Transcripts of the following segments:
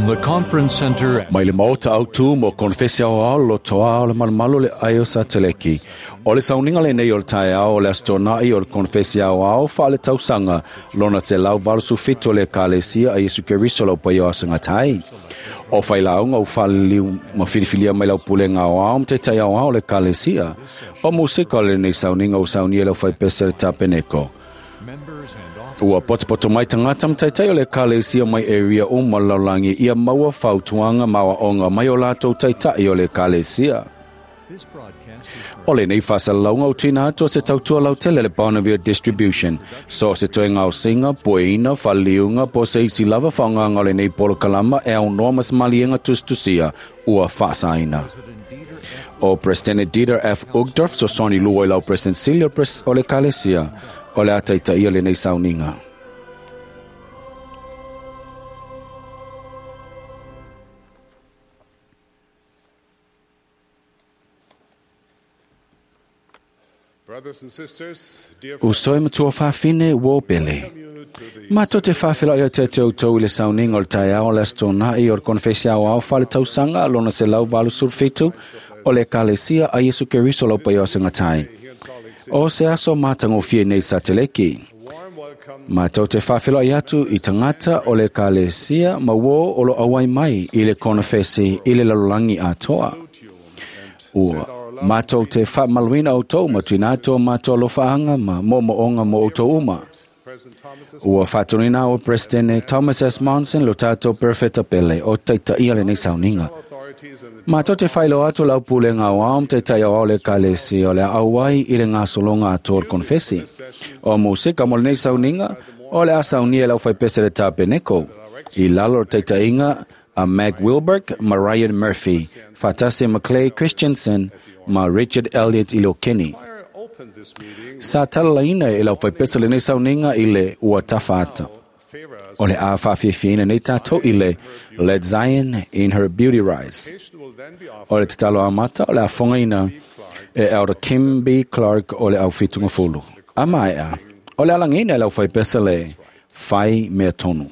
From the Conference Center Mai le maota au tū mo konfesi au ao lo toa o le malumalo le aio sa teleki. O le sauniga lenei o le taeao o le Aso Toonai o le konfesi au ao wha le tausanga lona te lau valu sufito le kalesia a Yesu Keriso lau pai o asangatai. O whai launga o whaliliu ma filifilia mai lau pulenga o ao mte tai au ao le kalesia. O musika o lenei sauniga o saunia lau whai pese le tapeneko. members and officers Ua potopoto mai tagata ma taitai o le ekalesia mai area uma o le lalolagi ia maua fautuaga ma aoaoga mai o latou taitai o le ekalesia. This broadcast is O lenei faasalalauga ua tuuina atu o se tautua lautele le Bonneville Distribution. So o se toe gaosiga, pueina, faaliliuga po o se isi lava faaaogaga o lenei polokalama e aunoa ma se maliega tusitusia ua faasaina. President Dieter F. O Presidente Dieter F. Uchtdorf fesoasoani lua i lau President Sili o le Ekalesia o le a taitaia lenei sauniga. Brothers and sisters, dear Uso e matua faafine ua pele. you to the Matou te faafeiloai atu ia te outou i le sauniga o le taeao o le Aso Toonai o le Konefesi Aoao Faaletausaga lona 187 o le Ekalesia a Iesu Keriso lau Paia o Asogatai. here in Salt Lake City. O se aso matagofie nei Sateleki. Warm welcome Matou te faafeiloai atu i tagata o le Ekalesia ma uo o lo auai mai i le konefesi i le lalolagi atoa. to you and Ua matou te faamaluina outou ma tuuina atu o matou alofaaga ma moomooga mo outou uma. President Thomas S. Ua faatonuina o Presidente Thomas S. Monson lo tatou perefeta pele o taitaia lenei sauniga. Authorities and the Matou te faailoa atu lau pulega o ao ma taitai o ao le ekalesia o le a auai i le gasologa atoa o le konefesi. O musika mo lenei sauniga o le a saunia e lau faipese le tapeneko. I lalo o le taitaiga a Meg Wilberg ma Ryan Murphy, faatasi ma Clay Christensen ma Richard Elliott i le okeni. choir opened this meeting Sa talalaina e lau faipese lenei sauniga i le ua tafaata. favor us. O le a faafiafiaina nei tatou i le Let Zion in Her Beauty Rise. Will then be offered O le tatalo amata o le afogaina e Elder Kim B. Clark o le au fitugafulu. A maea, o le alagiina e lau faipese le fai mea tonu.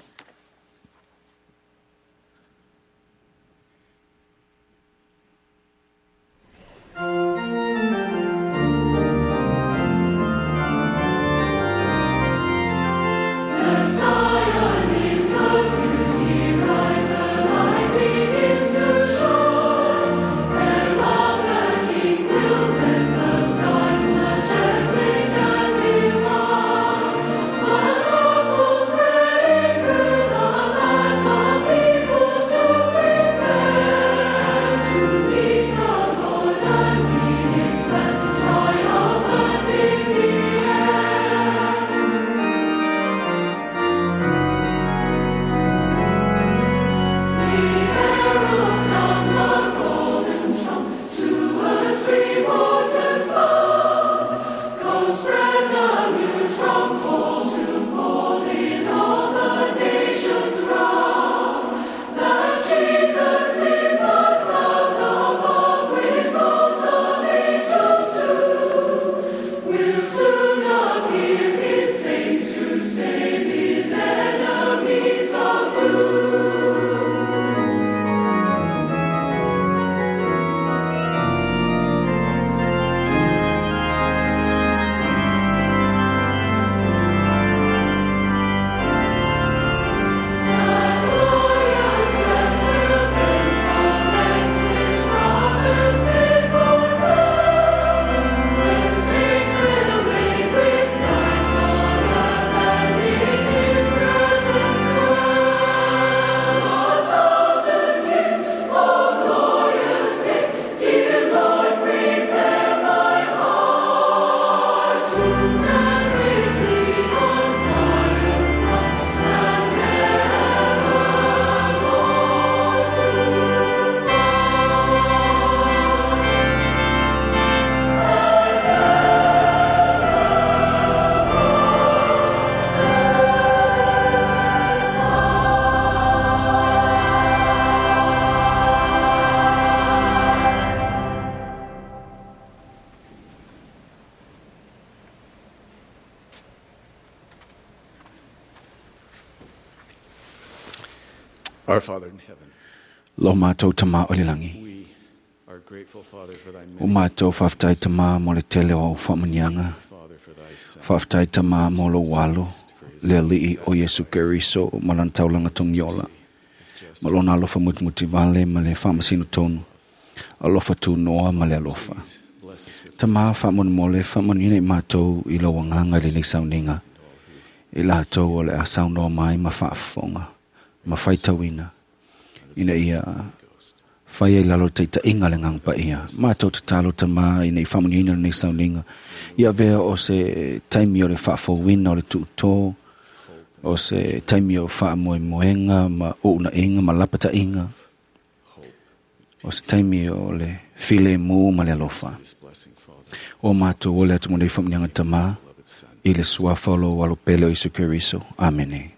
Majestic and divine, the gospel spreading. Our Father in heaven, Lo mātou tamā o le langi. we are grateful, Father, for thy O many mātou whaftai tamā mo le tele o whaamanianga. Father, for thy Son, Whaftai tamā mo lo walo. Le alii o Yesu Keriso ma lan taulanga tongiola. is just Ma lona alofa mutimuti vale ma le whaamasino tonu. Alofa tū noa ma le alofa. bless us with Tamā whaamonemole whaamanina i mātou i lau anganga i lenei sauniga. I lātou o le a saunoa mai ma whaafonga, ma whaitauina. Ina ia whai ai lalo taitaiga le agaga paia. Mātou tatalo tamā ina i faamanuiaina lenei sauniga. Ia avea o se taimi o le faafouina o le tuutō, o se taimi o faamoemoega ma uunaiga ma lapataiga, o se taimi o le filemu ma le alofa. this blessing, Father, O mātou o le atu mo nei faamanuiaga tamā, beloved Son. i le suafa o lou alo pele o Iesu Keriso. Amene.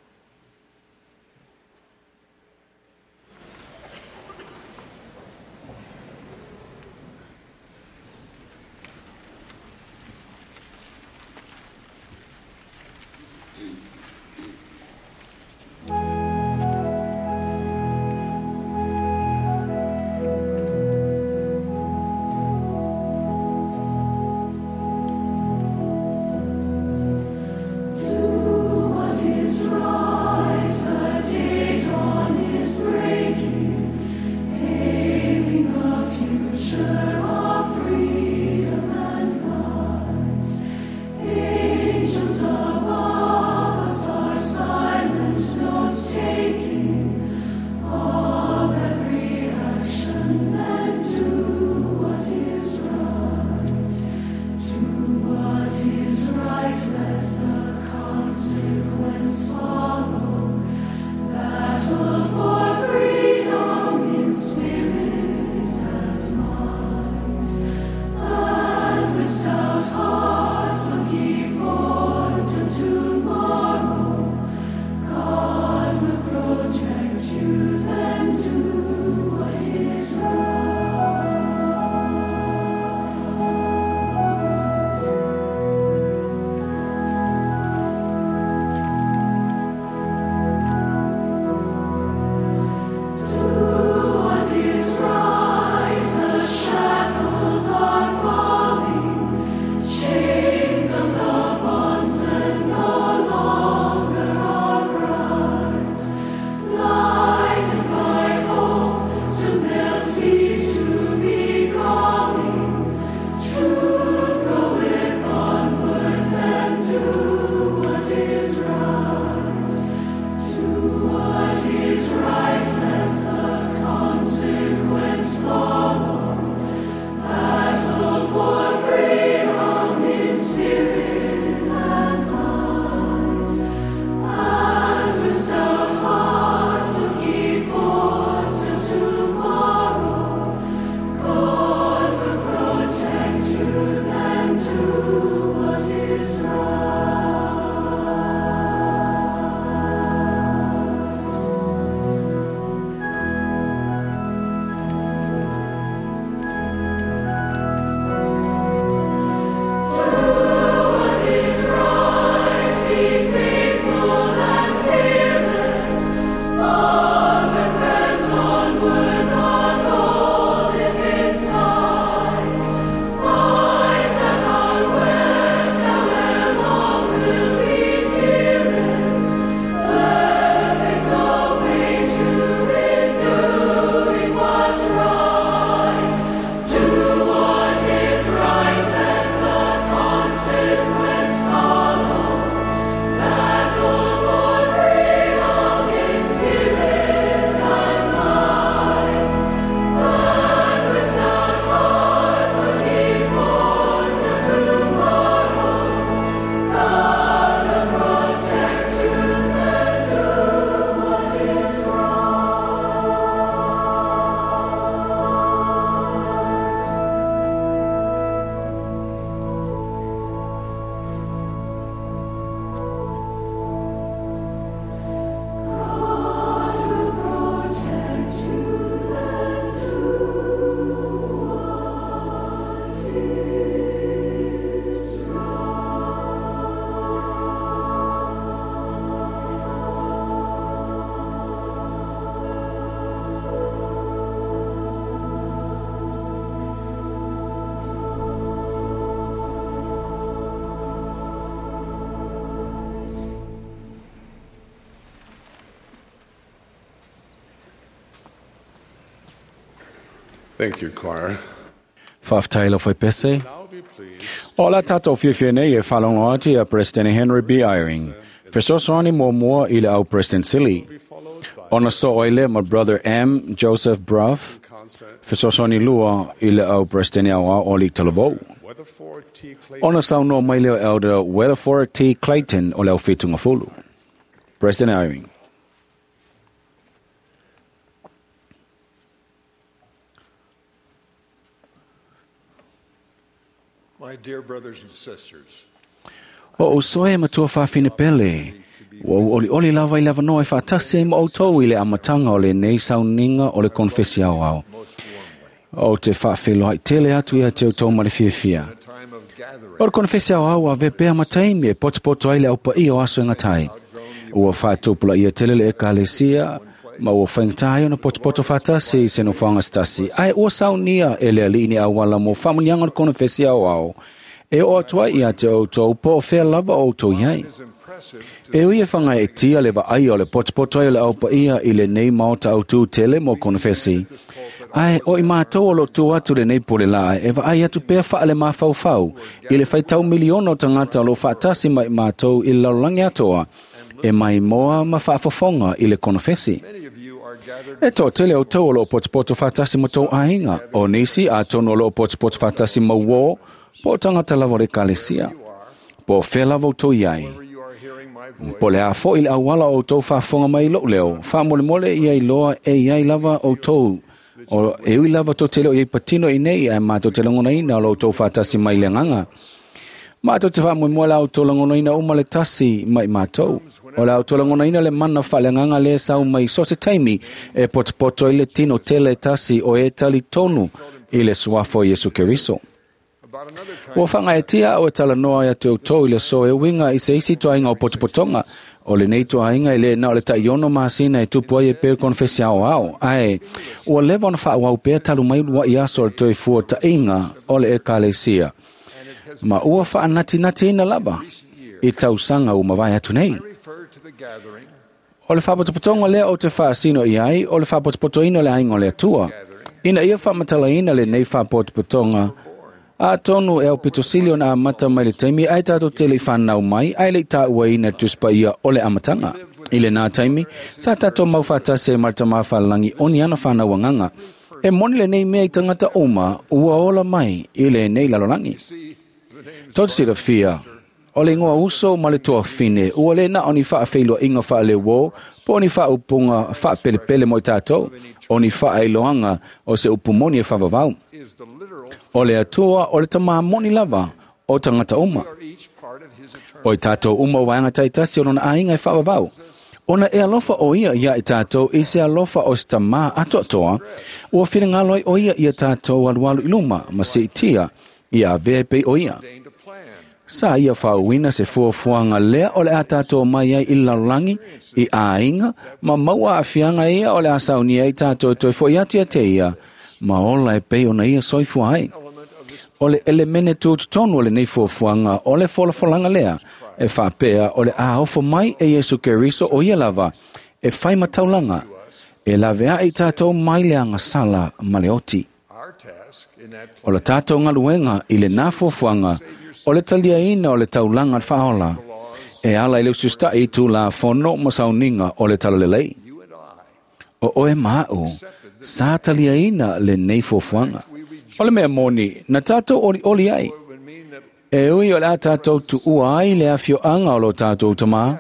Do what is right. Thank you, choir. Faafetai lau faipese. Now be pleased O la tātou fiafia nei e whalongo atu ia President Henry B. Eyring. Fesoasoani muamua i le au President Sili. to be followed by Ona so ai le ma Brother M. Joseph Bruff. Constant Fesoasoani lua i le au President au o Lik Talavou. Weatherford T. Clayton. Ona saunoa mai leo Elder Weatherford T. Clayton o le au whitunga fulu. President Eyring. My dear brothers and sisters, O o soe matua whawhine pele. Ua u oli oli lava i lava noa e whaatasi ai ma outou i le amatanga o le nei sauninga o le konfesi au au. most warmly, O te whaawheloai tele atu ia te outou ma le fiafia. a time of gathering, O le konfesi au au a vepea mataimi e potopoto ai le aupa i o aso e ngatai. Ua whaatupula ia tele le ekalesia, ma ua whaingatai ona potopoto whaatasi i se nofoanga stasi. Ai ua saunia e le alii ni awala mo whamunianga o le konfesi au au. E o atu ai ia te outou po o whea lava o outou iai. it is impressive to E ui e whanga e tia le vaai o le potopoto ai o le aupa ia i le nei maota au tū tele mo konfesi. Ai, o i mātou o lo tū atu le nei pole la, e vaai atu pea wha le mawhauwhau, i le whaitau miliona o tangata o lo whaatasi mai mātou i le lalolagi atoa, e mai moa ma whaafofonga i le konfesi. many of you are gathered E tō tele o tau o lo potopoto whaatasi mo tō ainga, o nisi a tono o lo potopoto whaatasi mo wō, po tangata lava o le kalesia. Po whea lava o tō iai. wherever you are hearing my voice. Po le a fo i le awala o tō whaafonga mai lou leo, whaamolemole ia i loa e iai lava o tō. O e ui lava tō tele o iai patino i nei, ai mātou te langona ina o lo tō whaatasi mai le nganga. Mātou te whaamoemoe la o tō langona ina o male tasi mai mātou. O la o tō langona ina le mana wha le nganga le sau mai so se taimi e potopoto i le tino tele tasi o e tali tonu i le suafo Iesu Keriso. About another kind Ua whangaetia o e talanoa ia te outou i le so e winga i se isi toainga o potopotonga. O le nei toainga i le na o le taiono masina e tupu ai e pēr konfesi ao ao. Ae, ua lewa ona whaawau pēr talu mai lua i aso o le toi fua tainga o le ekalesia. Ma ua whaanatinati ina lava i tausanga u mawai atu nei. I refer to the gathering O le whapotopotonga lea o te whaasino i ai, o le whapotopotoina o le ainga o le atua. Ina ia whamatalaina le nei whapotopotonga, a tonu e au pitosili ona amata mai le taimi, ai tātou te le i whanau mai, ai le i tāua ina tuspa ia o le amatanga. I le nā taimi, sa tātou mau whātase marta mā whalangi o ni ana whanau anganga. E moni le nei mea i tangata uma, ua ola mai i le nei lalolangi. see the names Tō te fia, o le ingoa uso ma le toa whine, ua le na o ni wha awheilua inga wha le wō, po o ni wha upunga wha pelepele mo i tātou, o ni wha ailoanga o se upumoni e whawawau. is the literal O le atua o le tamā moni lava o tangata uma. are each part of his eternal O i tātou uma o waenga taitasi o lona ainga e whawawau. Ona e alofa o ia ia i tātou i se alofa o se tamā atoatoa, ua whiringaloi o ia ia tātou alualu i luma, ma se itia, ia avea pei o ia. ordained a plan. Sa ia whauina se fuafuanga lea o le a tātou mai ai i lalolangi, i āinga, ma maua awhianga ia o le a saunia i tātou toi fo i atu ia te ia, ma ola e pei ona ia soifua ai. Element of this O le elemene tūtutonu o le nei fuafuanga o le folafolanga lea, e whapea o le āofo mai e Iesu Keriso o ia lava, e whai mataulanga, e lawe ai tātou mai le angasala ma le oti. our task in that O le tātou ngaluenga i le nā fuafuanga, o le talia ina o le taulanga le whaola, e ala i le usustai i tū la fono ma sauninga o le talalelei. you and I O oe maau, sa talia ina le nei fuafuanga. O le mea moni, na tātou oli oli ai. it would mean that E ui o le a tātou tuua ai le awhioanga o lo tātou tamā,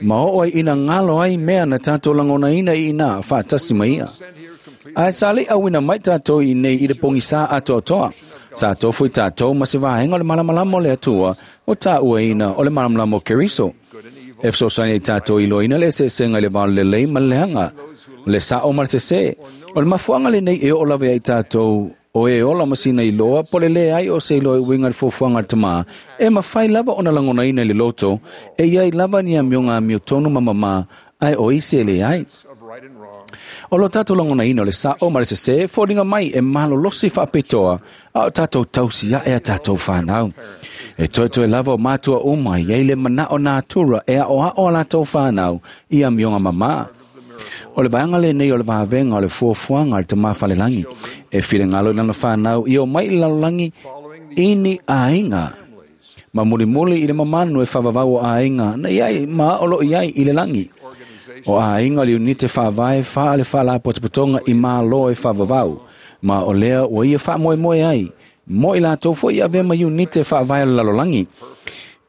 ma o ai ina ngalo ai mea na tātou langona ina i ina whaatasi mai ia. sent here complete Ai sa le awina mai tātou i nei i le pongi sa atoatoa. Sa tofu i tātou ma se vaenga o le malamalama o le atua o tā ua ina o le malamalama o Keriso. E fesoasoani ai tātou i loina le eseesega i le valo lelei ma le leaga, le sa'o ma le sesē. O le mafuaga lenei e oo lava ai tātou o e ola masina i loa po le lē ai o se iloa i uiga i le fuafuaga a le tamā, e mafai lava ona lagonaina i le loto, e iai lava ni amioga amiotonu ma mamā, ae o isi e leai. of right and wrong O lo tātou lagonaina o le sa'o ma le sesē, foliga mai e malolosi faapitoa, a o tātou tausi aʻe a tātou whanau. E toetoe lava o mātua uma, iai le manao nā tura e ao ao a lātou whanau i amioga mamā. O le vaega lenei o le vavega o le fuafuaga a le Tamā Falelagi e finagalo i lana fanau ia omai i le lalolagi i ni aiga ma mulimuli i le mamanu e faavavau o aiga na i ai ma o loo i ai i le lagi. O aiga o le iunite faavae faa le faalapotopotoga i Malo e faavavau, ma o lea ua ia faamoemoe ai mo i latou foi i avea ma iunite faavae o le lalolagi.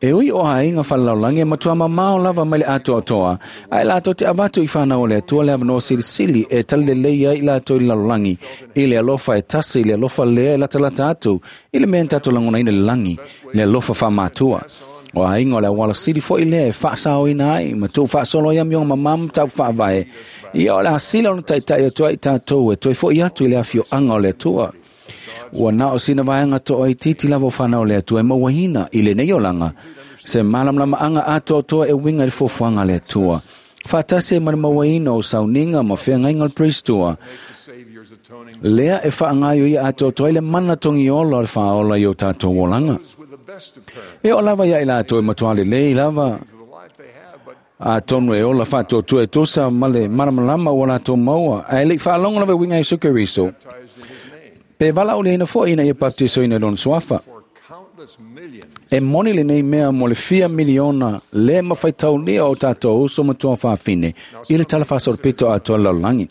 E ui o aiga faalelalolagi e matua mamao lava mai le atoatoa, ae latou te avatu i fanau o le Atua le avanoa silisili e talilelei ai i latou i le lalolagi, i le alofa e tasi, i le alofa lea e latalata atu, i le mea na tatou lagonaina i le lagi, le alofa faamatua. O aiga o le auala sili foi lea e faasaoina ai ma tuufaasolo ai amioga mamā ma tau faavae. Ia o le asila ona taitai atu ai i tatou e toe fo'i atu i le afioaga o le Atua. Ua na o sina vaega toaitiiti lava o fanau o le Atua e mauaina i lenei olaga se malamalamaaga atoatoa e uiga i le fuafuaga a le Atua. Faatasi ai ma le mauaina o sauniga ma feagaiga o le Perisitoa, lea e faagaioia atoatoa ai le mana togiola o le faaola i o tatou olaga. E oo lava ia i latou e matua lelei lava, atonu e ola faatuatua e tusa ma le malamalama ua latou maua, ae le i faalogo lava e uiga i Iesu Keriso, pe valaauliaina foi ina ia baptisoina i lona suafa. E moni lenei mea mo le fia miliona le mafaitaulia o tatou uso ma tuafafine i le tala faasolopito atoa le lalolagi.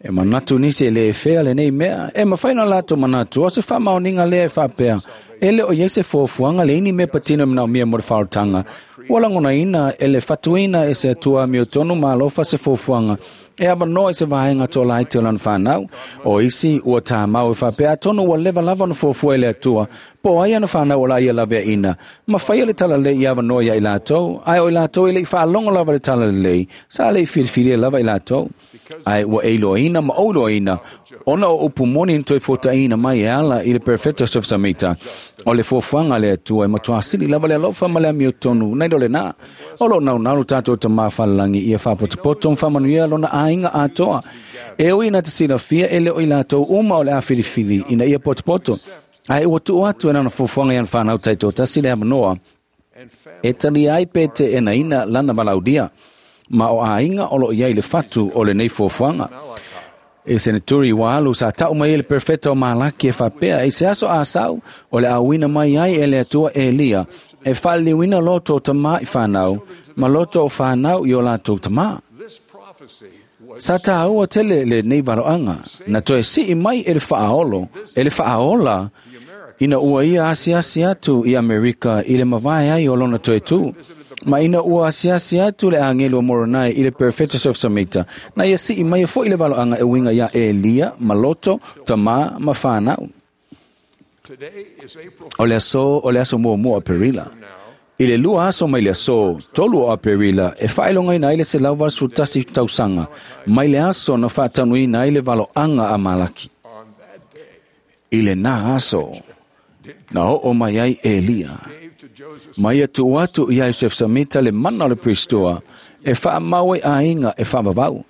E manatu nisi e le fea lenei mea, e mafai ona latou manatu o se faamaoniga lea e faapea, e le o i ai se fuafuaga leai ni mea patino e manaomia mo le faaolataga. Ua lagonaina e le fatuina e se Atua amiotonu ma alofa se fuafuaga e avanoa i se vaega toalaiti o lana fanau. O isi ua tamau e faapea atonu ua leva lava ona fuafua e le Atua po o ai ana fanau o la ia laveaiina ma faia le talalelei i avanoa ia i latou, ae o i latou e le i faalogo lava i le talalelei, sa le i filifilia lava i latou. Ae ua e iloaina ma ou iloaina, ona o upu moni na toe fuataina mai e ala i le Perofeta Joseph Samita, o le fuafuaga a le Atua e matua sili lava le alofa ma le amiotonu nai lo lena. O lo o naunau lo tatou Tamā Falelagi ia faapotopoto ma faamanuia lona aiga atoa. E ui ina te silafia e le o i latou uma o le a filifili ina ia potopoto, ae ua tuu atu e lana fuafuaga i ana fanau taitoatasi le avanoa e talia ai pe teenaina lana valaaulia, ma o aiga o lo o i ai le fatu o lenei fuafuaga. E seneturi ua alu sa tau mai ai le perofeta o Malaki e faapea, i se aso asau o le auina mai ai e le Atua Elia e faaliliuina loto o tamā i fanau ma loto o fanau i o latou tamā. Sa tāua tele lenei valoaga na toe sii mai e le faaolo, e le faaola ina ua ia asiasi atu i Amerika i le mavae ai o lona toe tū. Ma ina ua asiasi atu le agelu o Moronai i le Perofeta Joseph Samita, na ia sii mai foi le valoaga e uiga ia Elia ma loto, tamā ma fanau. O le aso o le aso muamua o Aperila. I le 2 aso mai le aso 3 o Aperila e faailogaina ai le 181 tausaga mai le aso na faataunuina ai le valoaga a Malaki. I lena aso na oo mai ai Elia, ma ia tuu atu ia Joseph Samita le mana o le Pristoa e faamau ai aiga e faavavau.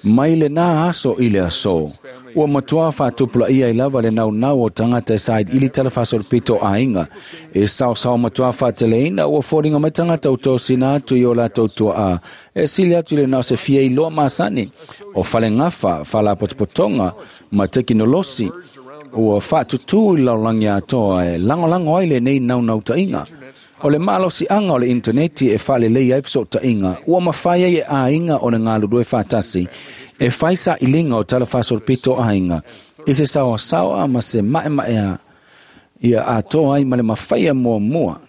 Mai lena aso i le aso, ua matua faatupulaia ai lava le naunau o tagata e sailiili tala faasolopito o aiga. E saosao matua faateleina ua foliga mai tagata ua tosina atu i o latou tuaa e sili atu i le na o se fia iloa masani o falegafa, faalapotopotoga ma tekinolosi ua faatutū i le lalolagi atoa e lagolago ai lenei naunautaiga. O le malosiaga o le initaneti e faalelei ai fesootaiga ua mafai ai e aiga o le galulue faatasi e fai sailiga o tala faasolopito o aiga i se saoasaoa ma se maemaea ia atoa ai ma le mafaia muamua.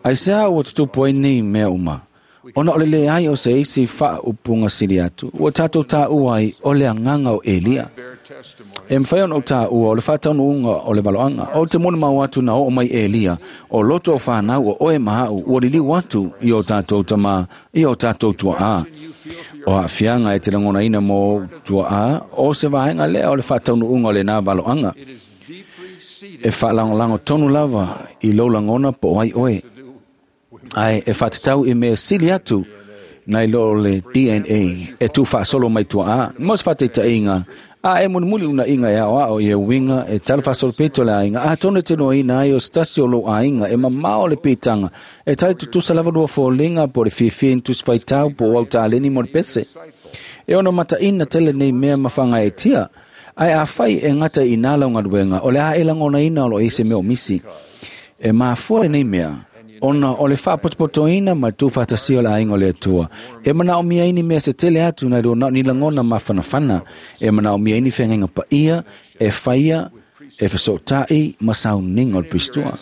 Aisea ua tutupu ai nei mea uma? Ona o le leai o se isi faaupuga sili atu, ua tatou taua ai o le agaga o Elia. E mafai ona ou taua o le faataunuuga o le valoaga. O te molimau atu na oo mai Elia, o loto o fanau o oe ma au ua liliu atu i o tatou tamā, i o tatou tuaa. O aafiaga e te lagonaina mo ou tuaa, o se vaega lea o le faataunuuga o lena valoaga. E faalagolago tonu lava i lou lagona po o ai oe, ae e faatatau i mea sili atu nai lo le DNA e tuufaasolo mai tuaa. Mo se faataitaiga, A e mulimuli unaiga e aoao ia uiga e talafaasolopito le aiga, atonu e te iloaina ai o se tasi o lou aiga e mamao le piitaga e tali tutusa lava lua foliga po o le fiafia i ni tusi faitau po o au taleni mo le pese. E ono mataina tele nei mea ma fagaetia, ae afai e gata i inā lau galuega, o le a e lagonaina o lo o i ai se mea o misi. E mafua lenei mea, ona o le faapotopotoina ma le tuufaatasia o le aiga o le Atua. E manaomia ai ni mea se tele atu nai lo na o ni lagona mafanafana. E manaomia ai ni feagaiga paia e faia e fesootai ma sauniga o le Pirisitoa.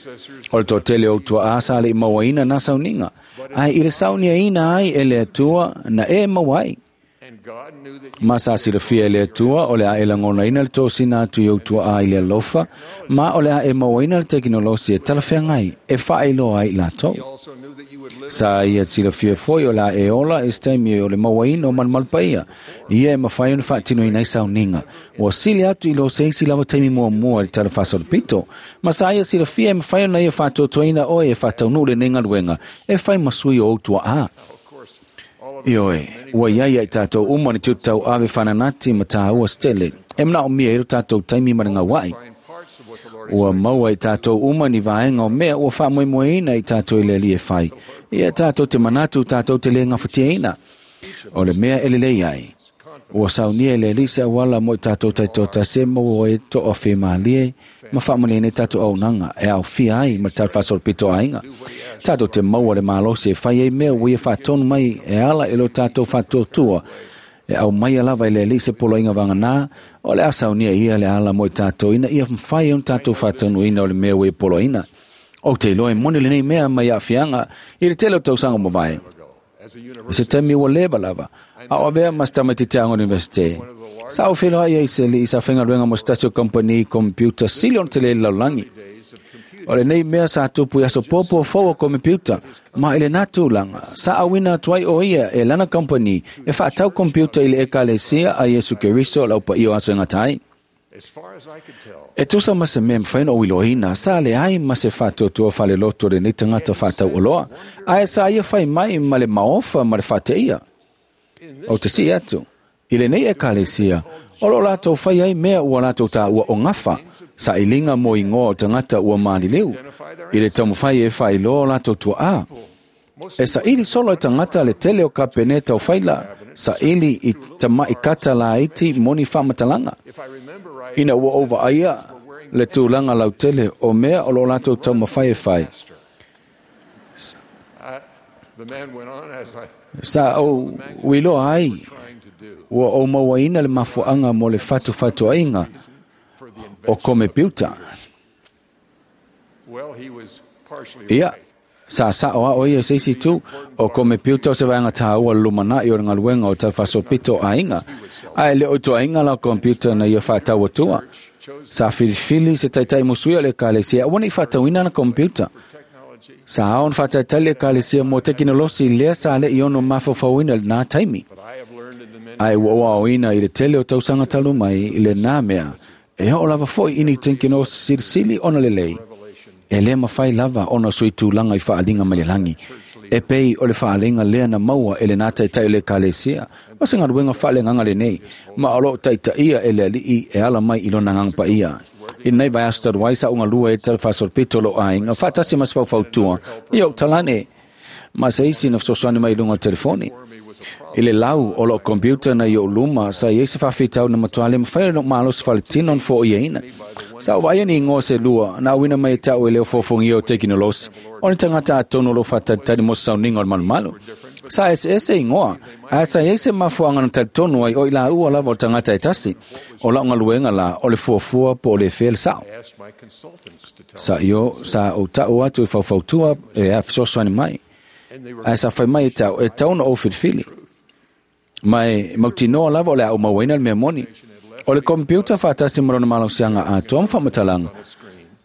O le toatele o tuaa sa le i mauaina na sauniga, ae i le sauniaina ai e le Atua na e maua ai. And God knew that Ma sa silafia e le Atua o le a e lagonaina le tosina atu i ou tuaa i le alofa, ma o le a e mauaina le tekinolosi e talafeagai e faailoa ai i latou. He also knew that you would live Sa ia silafia foi o le a e ola i se taimi o le mauaina o malumalu paia, ia e mafai ona faatinoina ai sauniga. Ua sili atu i lo se isi lava taimi muamua i le talafaasolopito. Ma sa ia silafia e mafai ona ia faatoatoaina oe e faataunuu lenei galuega e fai ma sui o ou tuaa. Of course, all of us Ioe, ua iai ai tatou uma ni tiute tauave fananati ma tāua se tele. E manaomia ai lo tatou taimi ma le gauai. find parts of what the Lord Ua maua i tatou uma ni vaega o mea ua faamoemoeina i tatou i le Alii e fai. Ia tatou te manatu tatou te le gafatiaina. O le mea e lelei ai. Ua saunia e le Alii se auala mo i tatou taitoatasi e maua ai toa femalie ma faamanuiaina ai tatou auaunaga e aofia ai ma le talafaasolopito aiga. Tatou te maua le malosi e fai ai mea ua ia faatonu mai e ala i lo tatou faatuatua. E aumaia lava i le Alii se poloaiga vagana, o le a saunia ia le ala mo i tatou ina ia mafai ona tatou faataunuuina o le mea ua ia poloaina. Ou te iloa e moni lenei mea mai aafiaga i le tele o tausaga ua mavae. as a I se university taimi ua leva lava, a o avea ma se tamaitiiti aoga o le universite. Sa ou feiloai ai i se alii sa faigaluega mo se tasi o kamupani computer sili ona tele i le lalolagi. days of computing. O lenei mea sa tupu i aso popo fou o computer, ma i lena tulaga, sa auina atu ai o ia e lana kamupani e faatau computer i le ekalesia a Iesu Keriso o le aupaia o aso e gata ai. As far as I could tell, E tusa ma se mea e mafai ona ou iloaina, sa leai ma se faatuatua faaleloto o lenei tagata faatauoloa, ae sa ia fai mai ma le maofa ma le faateia. in Ou this te sii atu, i lenei ekalesia, o lo o latou fai ai mea ua latou tāua o gafa, sailiga mo igoa o tagata ua maliliu, i le taumafai e faailoa o latou tuaa. most E saili solo e tagata le tele o kapene taufaila, saili i tama'i kata laiti mo ni faamatalaga. if I remember right, Ina ua ou vaaia le tulaga lautele o mea o lo o latou taumafai e fai. The man went on as I Sa ou uiloa ai, trying to do ua ou mauaina le mafuaaga mo le fatufatuaiga for the o invention. komepiuta. Well, he was partially Ia, right. sa sao a o ia se isi tu o komepiuta o se vaega tāua le lumanai o le galuega o talafaasolopito o aiga. Ae le o toaiga la o computer na ia faatau atua. Sa filifili se taitai musuia o le ekalesia, aua ne i faatauina na computer. Technology, Sa ao ona faatalitali le ekalesia mo tekinolosi lea sa le i ono mafaufauina i lena taimi. but I have learned in the many Ae ua ou aoina i le tele o tausaga talu mai i lena mea. E oo lava foi i ni tekinolosi silisili ona lelei. E le mafai lava ona sui tulaga i faaliga mai le lagi. E pei o le faaliga lea na maua e lena taitai o le ekalesia. O se galuega faaleagaga lenei, ma o loo taitaia e le Alii e ala mai i lona agaga paia. I lenei vaiaso talu ai sa ou galue ai talafaasolopito o lou aiga, faatasi ma se faufautua ia ou talane, ma se isi na fesoasoani mai i luga o le telefoni. for me was a problem. I le lau o loo computer na i ou luma, sa iai se faafitau na matua le mafai ona ou malosi faaletino ona fo'oiaina. Sa ou vaaia ni igoa se lua, na auina mai e ta'u e le o fofogia o tekinolosi, o ni tagata atonu o loo faatalitali mo se sauniga o le malumalu. Sa eseese igoa, ae sa iai se mafuaaga na talitonu ai o i laua lava o le tagata e tasi. O la'u galuega la o le fuafua po o le fea le sa'o. I asked my consultants to tell Sa io sa ou ta'u atu i faufautua e a fesoasoani mai. and they were Ae sa fai mai e ta'u e tau ona ou filifili. Ma e mautinoa lava o le a ou mauaina le mea moni. O le computer faatasi ma lona malosiaga atoa ma faamatalaga.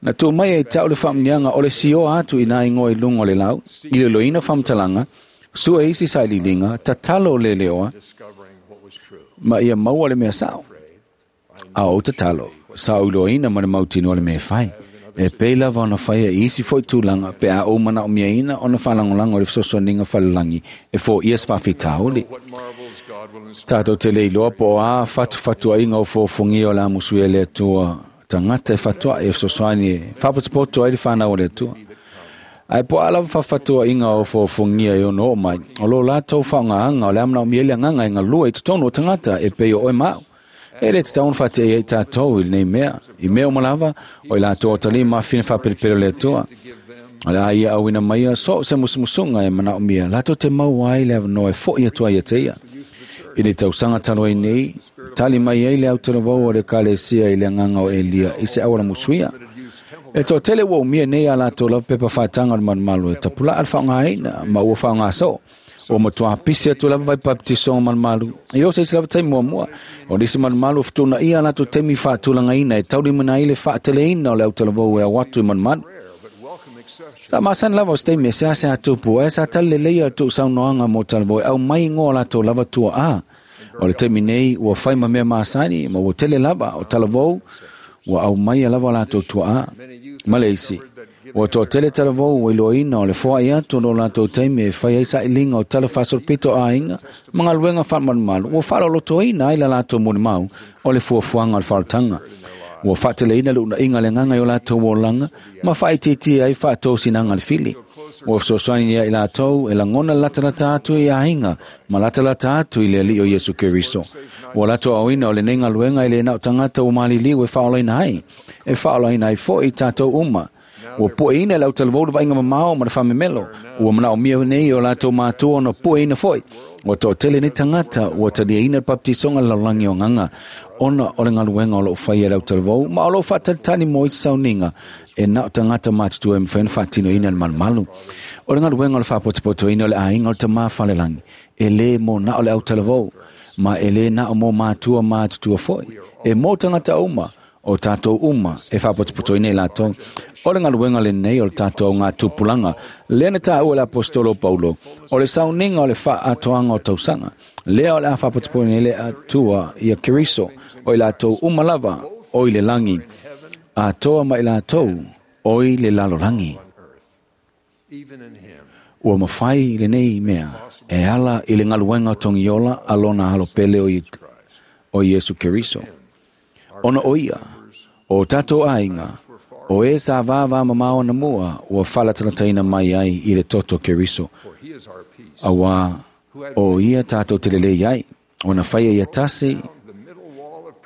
Na tuu mai ai ta'u le faamuniaga o le sioa atu i nā igoa i luga o le lau, i leloina faamatalaga, sue isi sailiiliga, tatalo le leoa, discovering what was true. ma ia maua le mea sa'o. A ou tatalo, sa ou iloaina ma le mautinoa le mea e fai. E pei lava ona faia i isi fo'i tulaga pe a ou manaʻomiaina ona faalagolago i le fesoasoaniga falelagi e foʻia se faafitauli. Tatou te le iloa po o a fatufatuaʻiga o fuafuagia o le a musuia e le Atua tagata e fatuaʻi e fesoasoani e faapotopoto ai le fanau o le Atua. Ae po o a lava faafatuaʻiga o fuafuagia e ono oo mai, o lo latou faaaogaaga o le a manaomia ai le agaga e galue i totonu o tagata e pei o oe ma au. E le tatau ona faateia ai tatou i lenei mea. I mea uma lava, o i latou o talima mafine faapelepele o le Atua. O le a ia auina maia so o se musumusuga e manaomia, latou te maua ai le avanoa e foʻi atu ai ia te ia. I le tausaga talu ai nei, tali mai ai le autalavou o le Ekalesia i le agaga o Elia i se auala musuia. E toatele ua umia nei a latou lava pepa faataga o le malumalu e tapulaa le faaaogaina ma ua faaaoga soo. Ua matuā pisi atu lava vai baptisoga malumalu i o se isi lava taimi muamua. O nisi malumalu ua fetuunaia a latou taimi faatulagaina e taulimaina ai le faateleina o le autalavou e ao atu i malumalu. Sa masani lava o se taimi e seasea tupu ae sa tali lelei a tuusaunoaga mo talavou e aumai igoa o latou lava tuaʻā. O le taimi nei ua fai ma mea masani ma ua tele lava o talavou ua aumaia lava o latou tuaʻā. Ma le isi, ua toatele talavou ua iloaina o le foai atu o lo latou taimi e fai ai sailiga o tala faasolopito o aiga ma galuega faamalumalu ua faaaloalotoina ai la latou molimau o le fuafuaga o le faaolataga. Ua faateleina le uunaʻiga a le agaga i o latou olaga ma faaitiitia ai faatosinaga a le fili. Ua fesoasoani ia i latou e lagona le latalata atu i aiga ma latalata atu i le Alii o Iesu Keriso. Ua latou aoina o lenei galuega e le na o tagata ua maliliu e faaolaina ai, e faaolaina ai foʻi tatou uma. Ua pueina e le autalavou le vaaiga mamao ma le faamemelo. Ua manaomia nei e o latou matua ona pueina foʻi. Ua toatele nei tagata ua taliaina le baptisoga le lalolagi o agaga ona o le galuega o loo faia e le autalavou ma o loo faatalitali mo isi sauniga e na o tagata matutua e mafai ona faatinoina le malumalu. O le galuega o le faapotopotoina o le aiga o le Tamā Falelagi e lē mo na o le autalavou ma e lē na o mo matua matutua foʻi, e mo tagata uma o tatou uma e faapotopotoina i latou. O le galuega lenei o le tatou augatupulaga lea na taua e le aposetolo o Paulo, o le sauniga o le faaatoaga o tausaga lea o le a faapotopotoina ai le Atua ia Keriso, o i latou uma lava o i le lagi atoa ma i latou o i le lalolagi. Ua mafai lenei mea e ala i le galuega o togiola a lona alo pele o Iesu Keriso. Ona o ia, o tatou aiga, o e sa vāvā mamao anamua ua faalatalataina mai ai i le toto Keriso. Auā o ia tatou te lelei ai, ona faia ia tasi,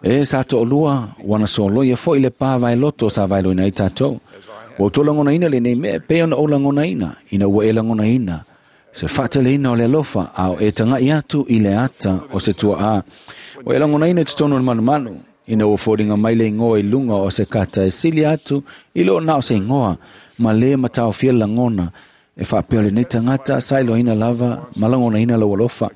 e sa toʻalua, ua na soloia foʻi le pā vaeloto sa vaeloina ai tatou. Ua outou lagonaina lenei mea e pei ona ou lagonaina, ina ua e lagonaina se faateleina o le alofa a o e tagaʻi atu i le ata o se tuaʻā. Ua e lagonaina i totonu o le malumalu, ina ua foliga mai le igoa i luga o se kata e sili atu i loo na o se igoa, ma lē mataofia le lagona e faapea o lenei tagata sa iloaina lava ma lagonaina lou alofa.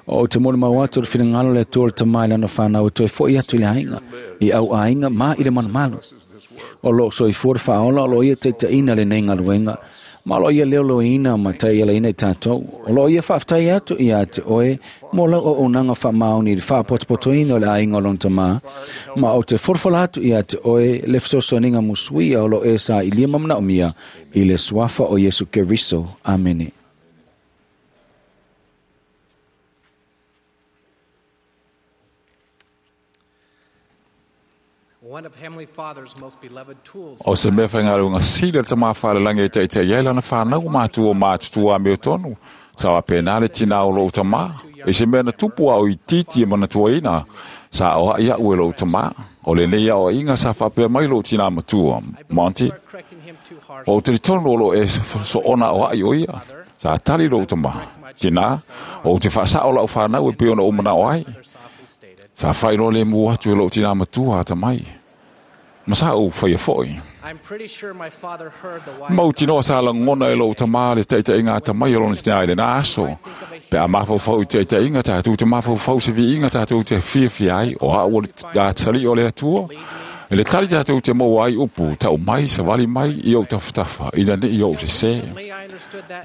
O te molimau atu o le finagalo o le Atua o le Tamā i lana fanau e toe foʻi atu i le aiga, i au aiga ma i le malumalu. O loo soifua le faaola o loo ia taitaʻina lenei galuega, ma o loo ia leoloina ma taialaina i tatou. O loo ia faafetai atu ia te oe mo lau auaunaga faamaoni i le faapotopotoina o le aiga o lona Tamā, ma ou te folafola atu ia te oe le fesoasoaniga musuia o loo e sailia ma manaomia i le suafa o Iesu Keriso. Amene. O se mea faigaluega sili a le Tamā Falelagi e taʻitaʻi ai lana fanau matua matutua amiotonu, sa faapena le tinā o loʻu tamā. I se mea na tupu a o itiiti e manatuaina, sa aoaʻi aʻu e loʻu tamā. O lenei aoaʻiga sa faapea mai loʻu tinā matua, Monty, ua ou talitonu o loo e soona aoaʻi o ia. Sa tali loʻu tamā, tinā, ou te faasaʻo laʻu fanau e pei ona ou manaʻo ai. Sa faailoa lemu atu e loʻu tinā matua atamai, ma sa ou faia foʻi. Mautinoa sa lagona e loʻu tamā le taʻitaʻiga atamai o lona tinā i lenā aso. Pe a mafaufau i taʻitaʻiga, tatou te mafaufau se viiga tatou te fiafia ai, o aʻu o le atalii o le Atua. I le tali tatou te maua ai upu, taʻu mai, savali mai i ou tafatafa, ina neʻi ou sesē.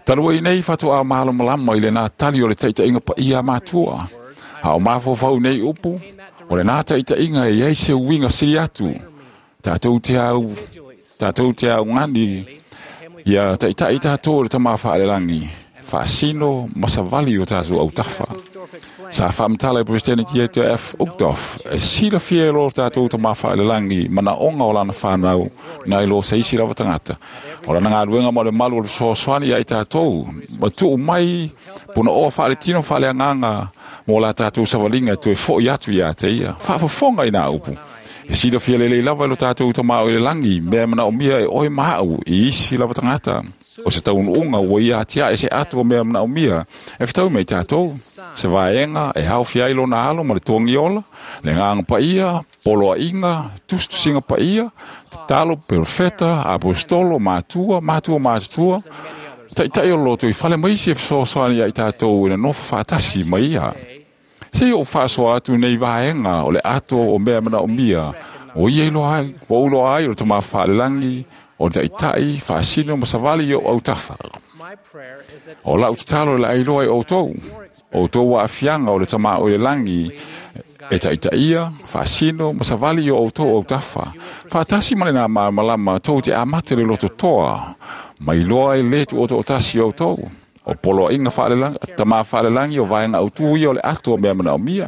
Talu ai nei faatoā malamalama i lenā tali o le taʻitaʻiga paia a matua. A o mafaufau nei upu, o lenā taʻitaʻiga e i ai se uiga sili atu. Tatou te au, Tatou te augani ia ta'ita'i tatou e le Tamā fa'alelagi, fa'asino ma savali o tatou autafa. Sa fa'amatala e Peresetene Dieter F. Uchtdorf, e silafia e lo tatou Tamā fa'alelagi mana'oga o lana fanau nai lo se isi lava tagata. O lana galuega ma o le malu o le fesoasoani ia i tatou, ma tu'u mai puna'oa fa'aletino fa'aleagaga mo la tatou savaliga e toe fo'i atu iā te ia. Fa'afofoga i nā upu. E silafia lelei lava e lo tatou Tamā o i le lagi, mea e mana'omia e oe ma a'u i isi lava tagata. O se taunu'uga ua ia atia'e se ato o mea e mana'omia e fetaui mai tatou. Se vaega e aofia ai lona alo ma le togi ola, le agaga paia, poloa'iga, tusitusiga paia, tatalo, perofeta, aposetolo, matua, matua matutua, ta'ita'i o le loto i fale ma isi e fesoasoani ia i tatou e nonofo fa'atasi ma ia. Se i ou fa'asoa atu nei vaega o le ato o mea e mana'omia o ia iloa ai, ua ou iloa ai o le Tamā fa'alelagi, o le ta'ita'i, fa'asino ma savali i o'u autafa. O la'u tatalo e le ailoa i outou, outou a'afiaga o le Tamā o i le lagi e ta'ita'ia, fa'asino ma savali i o outou autafa, fa'atasi ma lenā malamalama tou te amata i le lototoa, ma iloa e lē tu'oto'otasi outou. O poloa'iga fa'alelagi, Tamā fa'alelagi o vaega autū ia o le ato o mea mana'omia.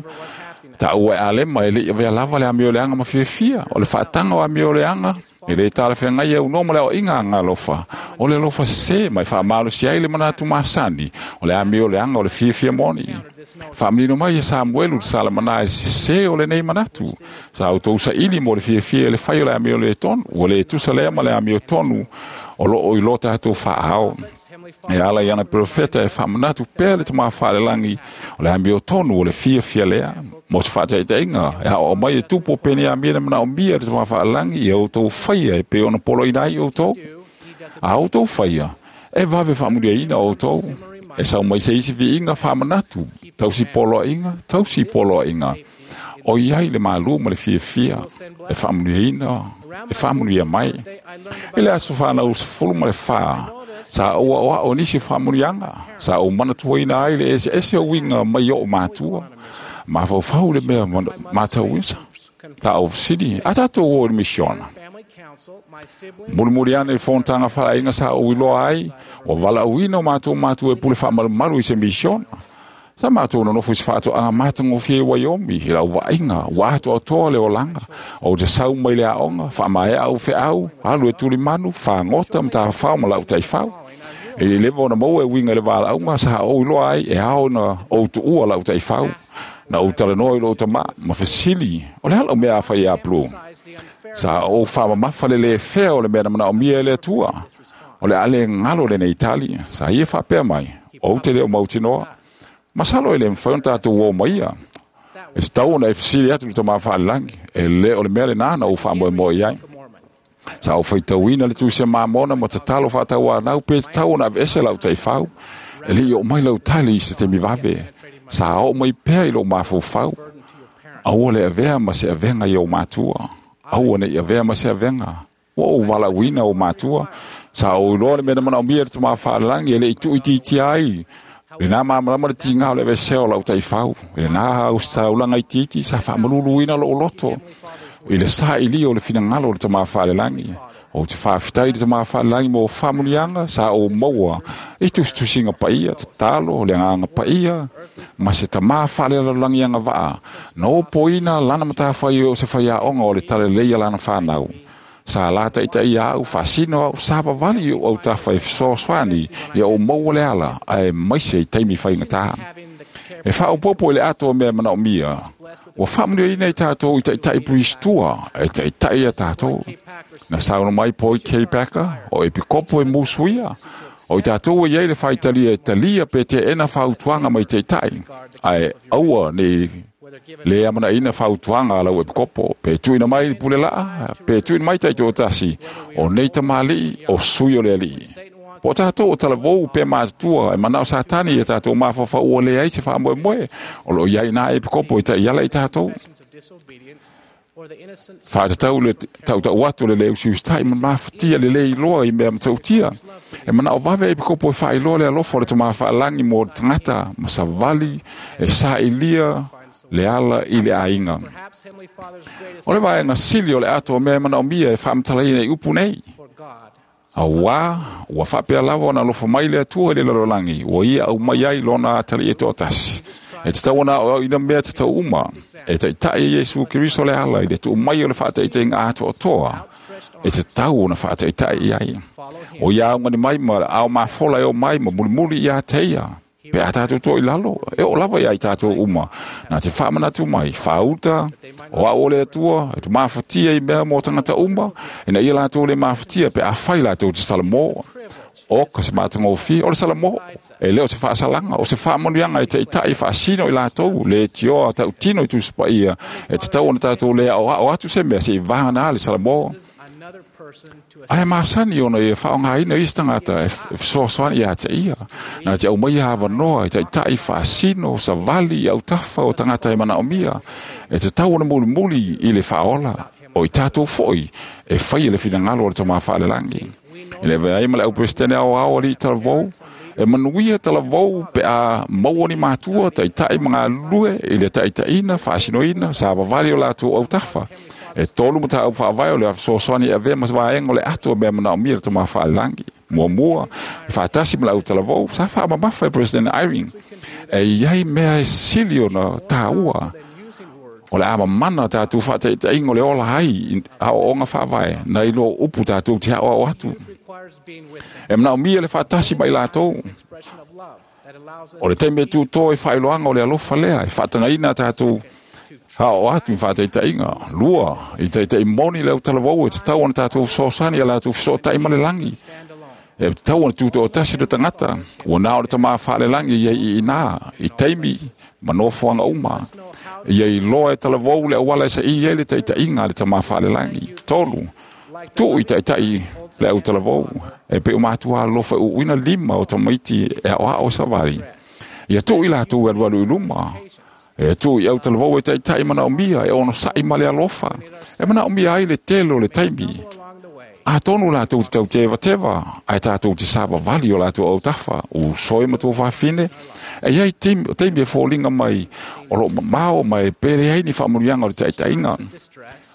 Ta'ua e Alema e le'i avea lava le amioleaga ma fiafia. O le fa'ataga o amioleaga e lē talafeagai e aunoa ma le aoa'iga agalofa. O le alofa sesē ma e fa'amalosi ai le manatu masani o le amioleaga o le fiafia moni. Fa'amanino mai e Samuelu le salamanā e sesē o lenei manatu. Sa outou sa'ili mo le fiafia i le fai o le amio lē tonu. Ua lē tusa lea ma le amio tonu o lo'o i lo tatou fa'aao. E ala i ana perofeta e fa'amanatu pea le Tamā fa'alelagi o le amio tonu o le fiafia lea. Mo se fa'ataitaiga e a'oa'o mai e tupu o Peniamina mana'omia e le Tamā fa'alelagi ia outou faia e pei ona poloaina ai outou. A outou faia, e vave fa'amuliaina outou. E sau mai se isi vi'iga fa'amanatu, tausi poloa'iga, tausi poloa'iga. O i ai le malū ma le fiafia e fa'amuliaina, e fa'amulia mai. I le aso fanau 14, sa ou a'oa'o i nisi o fa'amuliaga, sa ou manatuaina ai le eseese o uiga mai o'u matua. Mafaufau i le mea matauina. Sa ou fesili, a tatou o i le misiona? Mulimuli ane i le fonotaga fa'aleaiga sa ou iloa ai, ua vala'auina o matou matua e pule fa'amalumalu i se misiona. Sa matou nonofo i se fa'ato'aga matagofie i Waiomi, i lau va'aiga, ua atoatoa le olaga. Ou te sau mai le a'oga, fa'amae'a ou fe'au, alu e tulimanu, fagota ma tafafao ma la'u ta'ifau. E le leva ona maua e uiga i le vala'auga sa ou iloa ai e ao ona ou tu'ua la'u ta'ifau. Na ou talanoa i lo'u tamā, ma fesili, o le a la'u mea a fai iā Blue? Sa ou fa'amamafa le lē fea o le mea na mana'omia e le Atua. O le a le galo lenei tali, sa ia fa'apea mai, ou te le o mautinoa. Masalo e lē mafai ona tatou ō ma ia. E tatau ona e fesili atu i le Tamā fa'alelagi, e lē o le mea lenā na ou fa'amoemoe i ai. Sa ou faitauina le Tusi a Mamona ma tatalo fa'atauanau pe tatau ona aveese la'u ta'ifau. E le'i o'o mai lau tali i se taimi vave. Sa o'o mai pea i lo'u mafaufau. Aua le avea ma se avega i ou matua. Aua ne'i avea ma se avega. Ua ou vala'uina ou matua. Sa ou iloa le mea na mana'omia e le Tamā fa'alelagi e le'i tu'uitiitia ai lenā malamalama le tigā o le aveesea o la'u ta'ifau. I lenā ositaulaga itiiti sa fa'amaluluina lo'u loto i le sa'ilia o le finagalo o le Tamā fa'alelagi. Ou te fa'afetai i le Tamā fa'alelagi mo fa'amuliaga sa ou maua i tusitusiga paia, tatalo, le agaga paia, ma se tamā fa'alelalolagi agava'a na opoina lana matafaioi o se faiaoga o le talalelei a lana fanau. Sa la ta'itaia a'u, fa'asino a'u, sa vavali i o'u autafa e fesoasoani ia ou maua le ala, aemaise i taimi faigatā. E fa'aopoopo i le ato o mea e mana'omia, ua fa'amuliaina i tatou i ta'ita'i puisitua e ta'ita'i iā tatou. Na saunoa mai Boyd K. Packer, o epikopo e musuia, o i tatou e i ai le faitalia e talia pe te'ena fautuaga mai ta'ita'i, ae aua nei lē amana'aina fautuaga a lau epikopo, pe tu'uina mai le pule la'a, pe tu'uina mai ta'ito'atasi, o nei tamali'i o sui o le Ali'i. Po o tatou o talavou pe matutua e mana'o Satani ia tatou mafaufau ua leai se fa'amoemoe, o lo'o i ai iná epikopo e ta'iala i tatou. Fa'atatau le ta'uta'u atu o le lē usiusita'i ma mafatia le lē iloa i mea matautia. E mana'o vave epikopo e fa'ailoa le alofa o le Tamā fa'alagi mo le tagata ma savali e sa'ilia Le ala i le aiga. O le vaega sili o le ato o mea e manaomia e faamatalaina i upu nei. Auā ua faapea lava ona alofa mai le Atua i le lalolagi, ua ia aumai ai lona atalii e toatasi. E tatau ona aoaoina mea tatau uma, e taitai e Iesu Keriso le ala i le tuu mai o le faataitaiga atoatoa e tatau ona faataitai i ai. O ia augani mai ma ao mafola e o mai ma mulimuli ia te ia. Pe a tātou toa i lalo, e oo lava ia i tātou uma. Na te faamanatu mai, faauta, o au o le Atua, e te mafatia i mea mō tangata uma, ina ia latou le mafatia pe a fai latou te salamo. O ka se matagofie, o le salamo, e le o se faasalaga, o se faamanuiaga e taitai faasino i latou, le tioa tautino i Tusi Paia, e tatau ona tātou le aoao atu se mea se i vagana le salamo. Ae masani ona ia faaaogaina isi tagata e fesoasoani ia te ia. Na te aumaia avanoa e taitai faasino, savali i autafa o tagata e manaomia, e tatau ona mulimuli i le faaola, o i tatou foi e faia le finagalo o le Tama Faalelagi. E le avea ai ma le auperesitene aoao alii talavou, e manuia talavou pe a maua ni matua taitai ma galulue i le taitaiina, faasinoina, savavali o latou autafa. E tolu mataupu faavae o le fesoasoani e avea ma vaega o le ato o mea manaomia le Tama Faalelagi. Muamua, e faatasi ma le autalavou, sa faamamafa e President Eyring. E i ai mea e sili ona tāua o le a mamana tātou faataitaiga o le ola ai aoaoga faavae nai lo upu tātou te aoao atu. E manaomia le faatasi ma i latou. O le taimi e tūtō e faailoaga o le alofa lea e faatagaina tātou aoao atu i faataitaiga. Lua, i taitai moni le autalavou e tatau ona tātou fesoasoani ia latou fesootai ma le lagi. E tatau ona tutoatasi le tagata, ua na o le Tama Faalelagi ia i inā, i taimi ma nofoaga uma. Ia iloa e talavou le auala e saili ai le taitaiga a le Tama Faalelagi. Tolu, tuu i taitai le autalavou, e pei o matua alofa e uuina lima o tamaiti e aoao e savali. Ia tuu i latou e alualu i luma. E tuu i autalavou e taitai manaomia, e onosai ma le alofa. E manaomia ai le tele o le taimi. Atonu latou te tautevateva, ae tatou te savavali o latou autafa, uso e ma tou fafine. E iai taimi e foliga mai o loo mamao ma e pele ai ni faamanuiaga o le taitaiga.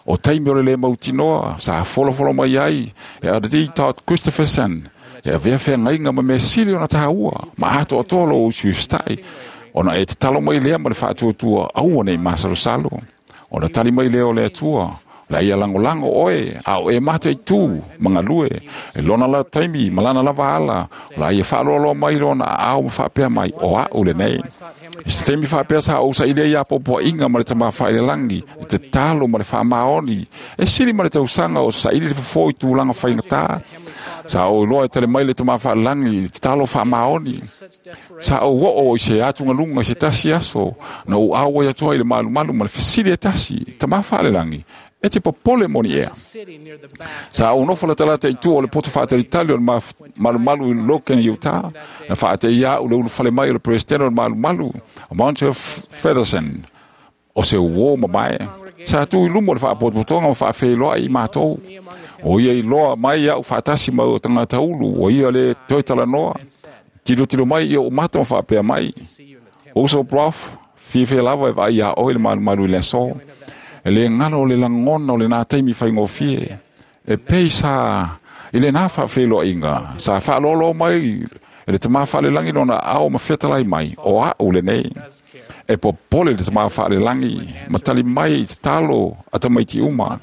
O taimi o le le mautinoa sa folafolo mai ai e R.D. Todd Christofferson e avea feagaiga ma mea sili ona tāua ma atoatoa lou usiusitai, ona e tatalo mai lea ma le faatuatua aua nei masalosalo. Ona tali mai lea o le Atua, la ia lagolago oe, a o e mataitū ma galue, e lona la taimi ma lana lava ala, la ia faaloaloa mai lona aao ma faapea mai, o a'u lenei. I se taimi faapea sa ou sailia ia poapoaʻiga ma le Tama Faailelagi, i tatalo ma le faamaoni, e sili ma le tausaga o saili le fofo i tulaga faigata. Sa ou iloa e tali mai le Tama Faalelagi i le tatalo faamaoni. Sa ou oo i se atugaluga i se tasi aso, na ou auai atu ai i le malumalu ma le fesili e tasi, Tama Faalelagi, e te popole moni ea. Sa ou nofo latalata i tua o le poto faatalitali o le malumalu i Logan, Utah, na faateia a'u le ulufale mai o le Peresetene o le malumalu, o Monte Featherson, o se uō mamae. Sa tu i luma o le faapotopotoga ma faafeiloai i matou. O ia iloa mai a'u faatasi ma tagata ulu, o ia le toe talanoa. Tilotilo mai i o'u mata ma faapea mai, Uso Prof, fiafia lava e vaai iā oe i le malumalu i le aso. E le galo o le lagona o lenā taimi faigofie. E pei sa i lenā faafeiloaiga, sa faaloaloa mai e le Tama Faalelagi lona aao ma fetalai mai, o a'u lenei. E popole le Tama Faalelagi ma tali mai i tatalo a tamaiti uma.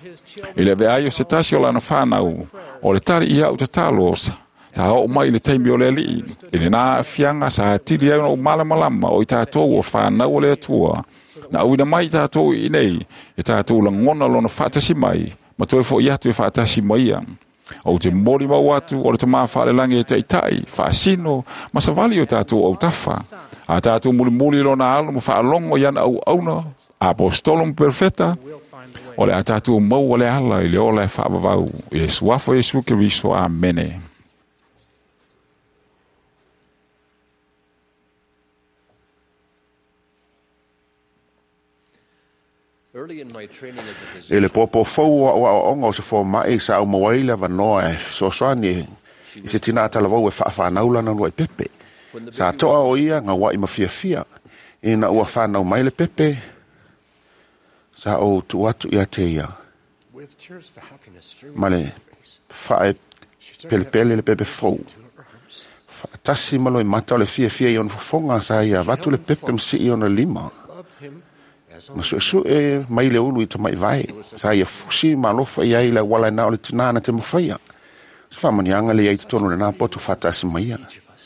I le avea ai o se tasi o lana fanau, o le tali i a'u tatalo, sa oo mai i le taimi o le Alii. I lenā aafiaga sa atili ai ona ou malamalama o i tatou o fanau o le Atua. Na auina mai i tatou i inei, e tatou lagona lona faatasi mai, ma toe foʻi atu e faatasi ma ia. Ou te molimau atu o le Tama Faalelagi e taitai, faasino, ma savali o tatou autafa. A tatou mulimuli i lona alo ma faalogo i ana auauna, aposetolo ma perofeta, o le a tatou maua le ala i le ola e faavavau. I le suafa o Iesu Keriso. Amene. Early in my training as a I physician, le popo fou o aoaoga o se fomai sa au maua ai le avanoa e fesoasoani i se tinā talavou e faafanau lana luaʻi pepe. Sa toa o ia gauaʻi ma fiafia. Ina ua fanau mai le pepe, Sa ou tuu atu ia te ia With tears of happiness streaming ma down le her face, fa'ae she took pelepele le pepe fou to her arms, fa'atasi ma loimata o le fiafia i ona fofoga sa ia avatu le pepe ma si'i ona lima loved him as ma only su'esu'e mai le ulu i tama'i vae sa ia fusi ma alofa i ai le auala na o le tinā na te mafaia se fa'amaniaga le iai totonu lenā poto fa'atasi ma ia each of us.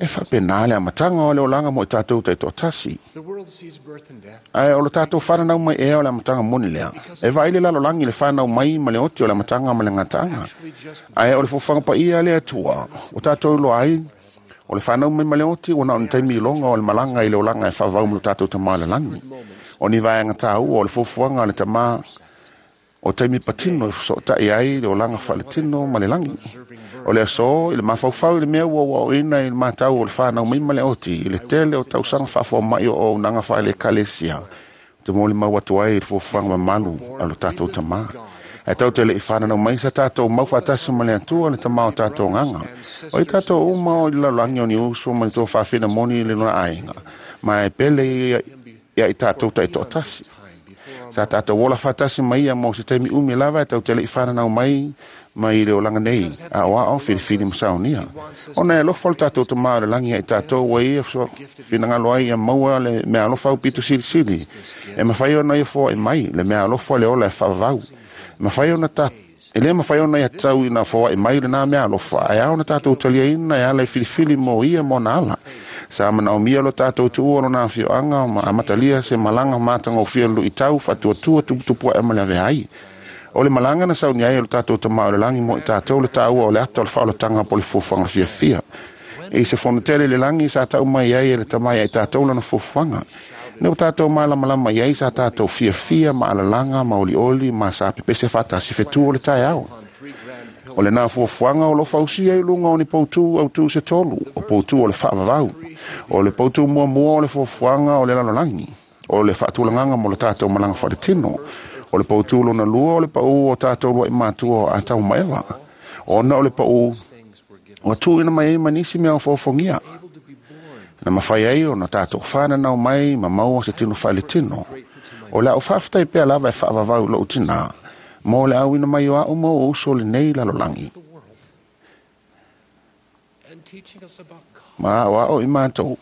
e fa'apenā le amataga o le olaga mo i tatou ta'itoatasi The world sees birth and death. ae o lo tatou fananau mai ea o le amataga moni lea e vaai le lalolagi le fanau mai ma le oti o le amataga ma le gataaga Actually, just ae o le fofofaga paia le Atua o tatou iloa ai o le fanau mai ma le oti ua na o ni taimi iloga o le malaga i le olaga e fa'avau ma lo tatou tamā i le lagi o ni vaega tāua o le foafoaga a le tamā o taimi patino e feso'ota'i ai le olaga fa'aletino ma le lagi o le aso i le mafaufau i le mea ua ua'oina i le matau o le fanau mai ma le oti i le tele o tausaga fa'afoa ma'i o ounaga fa'aleekalesia te molimau atu ai i le foafoaga mamalu a lo tatou tamā ae tau te le'i fananau mai sa tatou mau fa'atasi ma le Atua le tamā o tatou agaga o i tatou uma o i le lalolagi o ni uso ma le toafafina moni i le lona aiga ma e pele ia ia i tatou ta'ito'atasi sa tatou ola fa'atasi mai ia mo se taimi umi lava e tau te le'i fananau mai mai le olaga nei a'oa'o filifili ma saunia ona e alofa o le tatou tamā o le lagi ia i tatou ua ia finagalo ai ia maua le mea alofa au pito silisili e mafai ona ia foa'i mai le mea alofa le ola e fa'avavau mafai ona ta e lē mafai ona ia tau ina foa'i mai lenā mea alofa ae ao na tatou taliaina e ala i filifili mo ia ma ona ala sa mana'omia lo tatou tu'ua lona afio'aga ma amatalia se malaga matagofie lu'itau fa'atuatua tuputupu a'e ma le avea ai o le malaga na sauni ai o le tatou tamā o le lagi mo i tatou le tāua o le ata o le fa'aolataga po le fuafuaga fiafia e i se fono tele le lagi sa ta'u mai ai e le tamai ai tatou lana fuafuaga ne o tatou malamalama i ai sa tatou fiafia ma alalaga ma olioli ma sa pepese fa'atasi fetu o le taeao three grand o lenā fuafuaga o lo fausia i luga o ni poutū autū se tolu o poutū o le fa'avavau o le poutū muamua o le fuafuaga o le lalolagi o le fa'atulagaga mo le tatou malaga fa'aletino o le poutū lona lua o le pa'ū o tatou lua'i matua o Atau ma Eva ona o le pa'ū things were given, ua tu'uina mai ai ma nisi mea o foafogia able to be born na mafai ai ona tatou fananau mai ma maua se tino fa'aletino o le a'u fa'afetai pea lava e fa'avavau i lo'u tinā mo le auina mai o a'u ma o uso lenei lalolagi the world and teaching us about God. ma a'oa'o i matou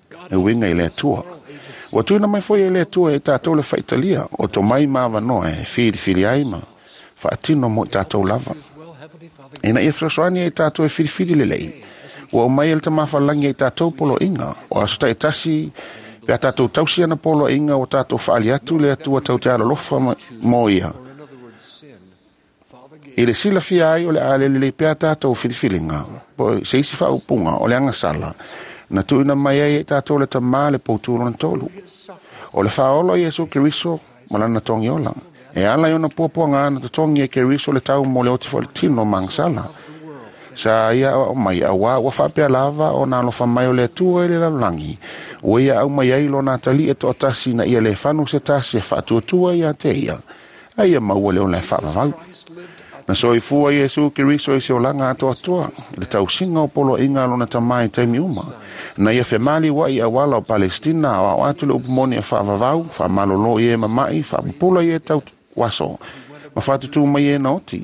God e uiga i le Atua moral agency ua tuina mai foi e le Atua e tatou le fa'aitalia o tomai ma avanoa e filifili ai ma fa'atino mo i tatou lava as well, Heavenly Father, ina ia fesoasoani ai tatou e filifili lelei ua umai e le tamāfalagi ai tatou polo'iga o aso ta'itasi pe a tatou tausi ana polo'iga ua tatou fa'ali atu le Atua tau te alolofa mo ia or in other words, sin, Father gave i le silafia ai o le a lelelei pea tatou filifiliga po se isi fa'aupuga o le agasala na tu'uina mai ai e tatou le tamā le poutū lona tolu o le fa'aolo a Iesu Keriso ma lana togiola e ala i ona puapuaga na totogi e Keriso le tau mo le oti fa'aletino ma agasala sa ia a'oa'o mai auā ua fa'apea lava ona alofa mai o le Atua i le lalolagi ua ia au mai ai lona atali'e to'atasi na ia lē fanu se tasi e fa'atuatua ia te ia a ia maua le ola e fa'avavau Christ lived a na soifua Iesu Keriso i se olaga atoatoa i le tausiga o poloa'iga a lona tamā i taimi uma na ia femali ua'i auala o Palestina aoa'o atu le upu moni e fa'avavau fa'amalōlō i e mama'i fa'apupula i e tau aso ma fa'atutū mai e na oti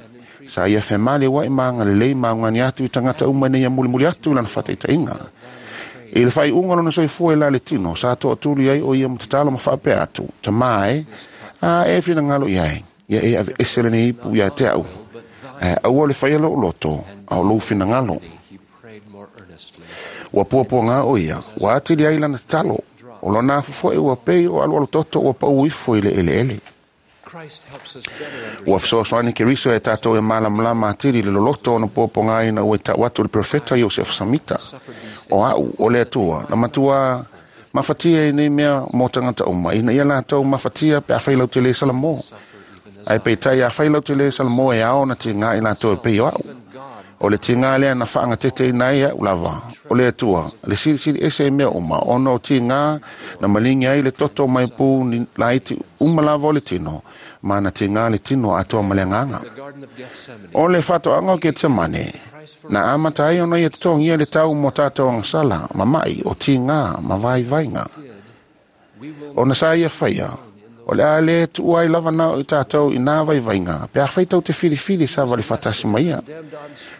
sa ia femali ua'i ma agalelei ma augani atu i tagata uma ina ia mulimuli atu i lana fa'ataita'iga i le fa'ai'uga lona soifua i la le tino sa to'atuli ai o ia matatalo ma fa'apea atu tamā e a e finagalo i ai ia e ave'ese lenei ipu ia te a'u ae aua le faia lo'u loto a o lou finagalo He prayed more earnestly. ua puapuagā o ia ua atili ai lana tatalo o lona afu fo'i ua pei o alualu toto ua pa'u ifo i le eleele Christ helps us better ua fesoasoani Keriso e tatou e malamalama atili le loloto ona puapuagā ina ua i ta'u atu le profeta Iosefo Samita o a'u o le Atua na matua mafatia i nei mea mo tagata uma ina ia latou mafatia pe afai lau te lē salamō ae peitai afai lau te lē salamō e ao na tigā i latou e pei o a'u o le tigā lea na fa'agateteina ai a'u lava o le Atua le silisili ese i mea uma ona o tigā na maligi ai le toto mai pū ni laiti uma lava o le tino ma na tigā le tino atoa ma le agaga the Garden of Gethsemane. o le fa'ato'aga o Ketsemane na amata ai ona ia totogia le tau mo tatou agasala ma ma'i o tigā ma vaivaiga We will ona sa ia faia O le a le tuua ai lava na o i tātou i nā vaivainga, pe a whai tau te filifili sa vali whatasi mai ia.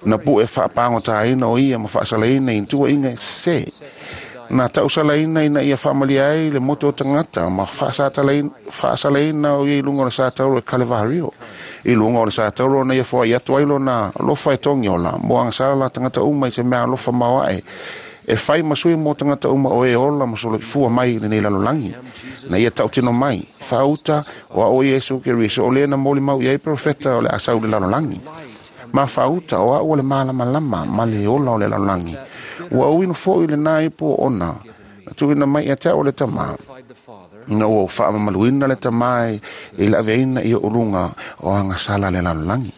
Na pu e whaapangotāina o ia ma whaasalaina i tua inga se. Na tausalaina ina ia whaamalia ai le moto o tangata ma whaasalaina o ia i lunga o le sātauro e Kalevario. I lunga o le sātauro na ia fua i atu ailo na lofa e tongi ola, mo angasala tangata uma i se mea lofa maoae. E whai masui mō tangata uma o e ola ma solo fua mai le nei lalolangi. Na ia tautino mai, whauta o a o Iesu Keriso o lena moli mau i ai profeta o le asau le lalolangi. Ma whauta o a o le malama lama ma le ola o le lalolangi. Ua uinu fo i le nā ipo ona. Na tuina mai ia te o le tama. Na ua whaamamaluina le tama e la aveina i o ulunga o angasala le lalolangi.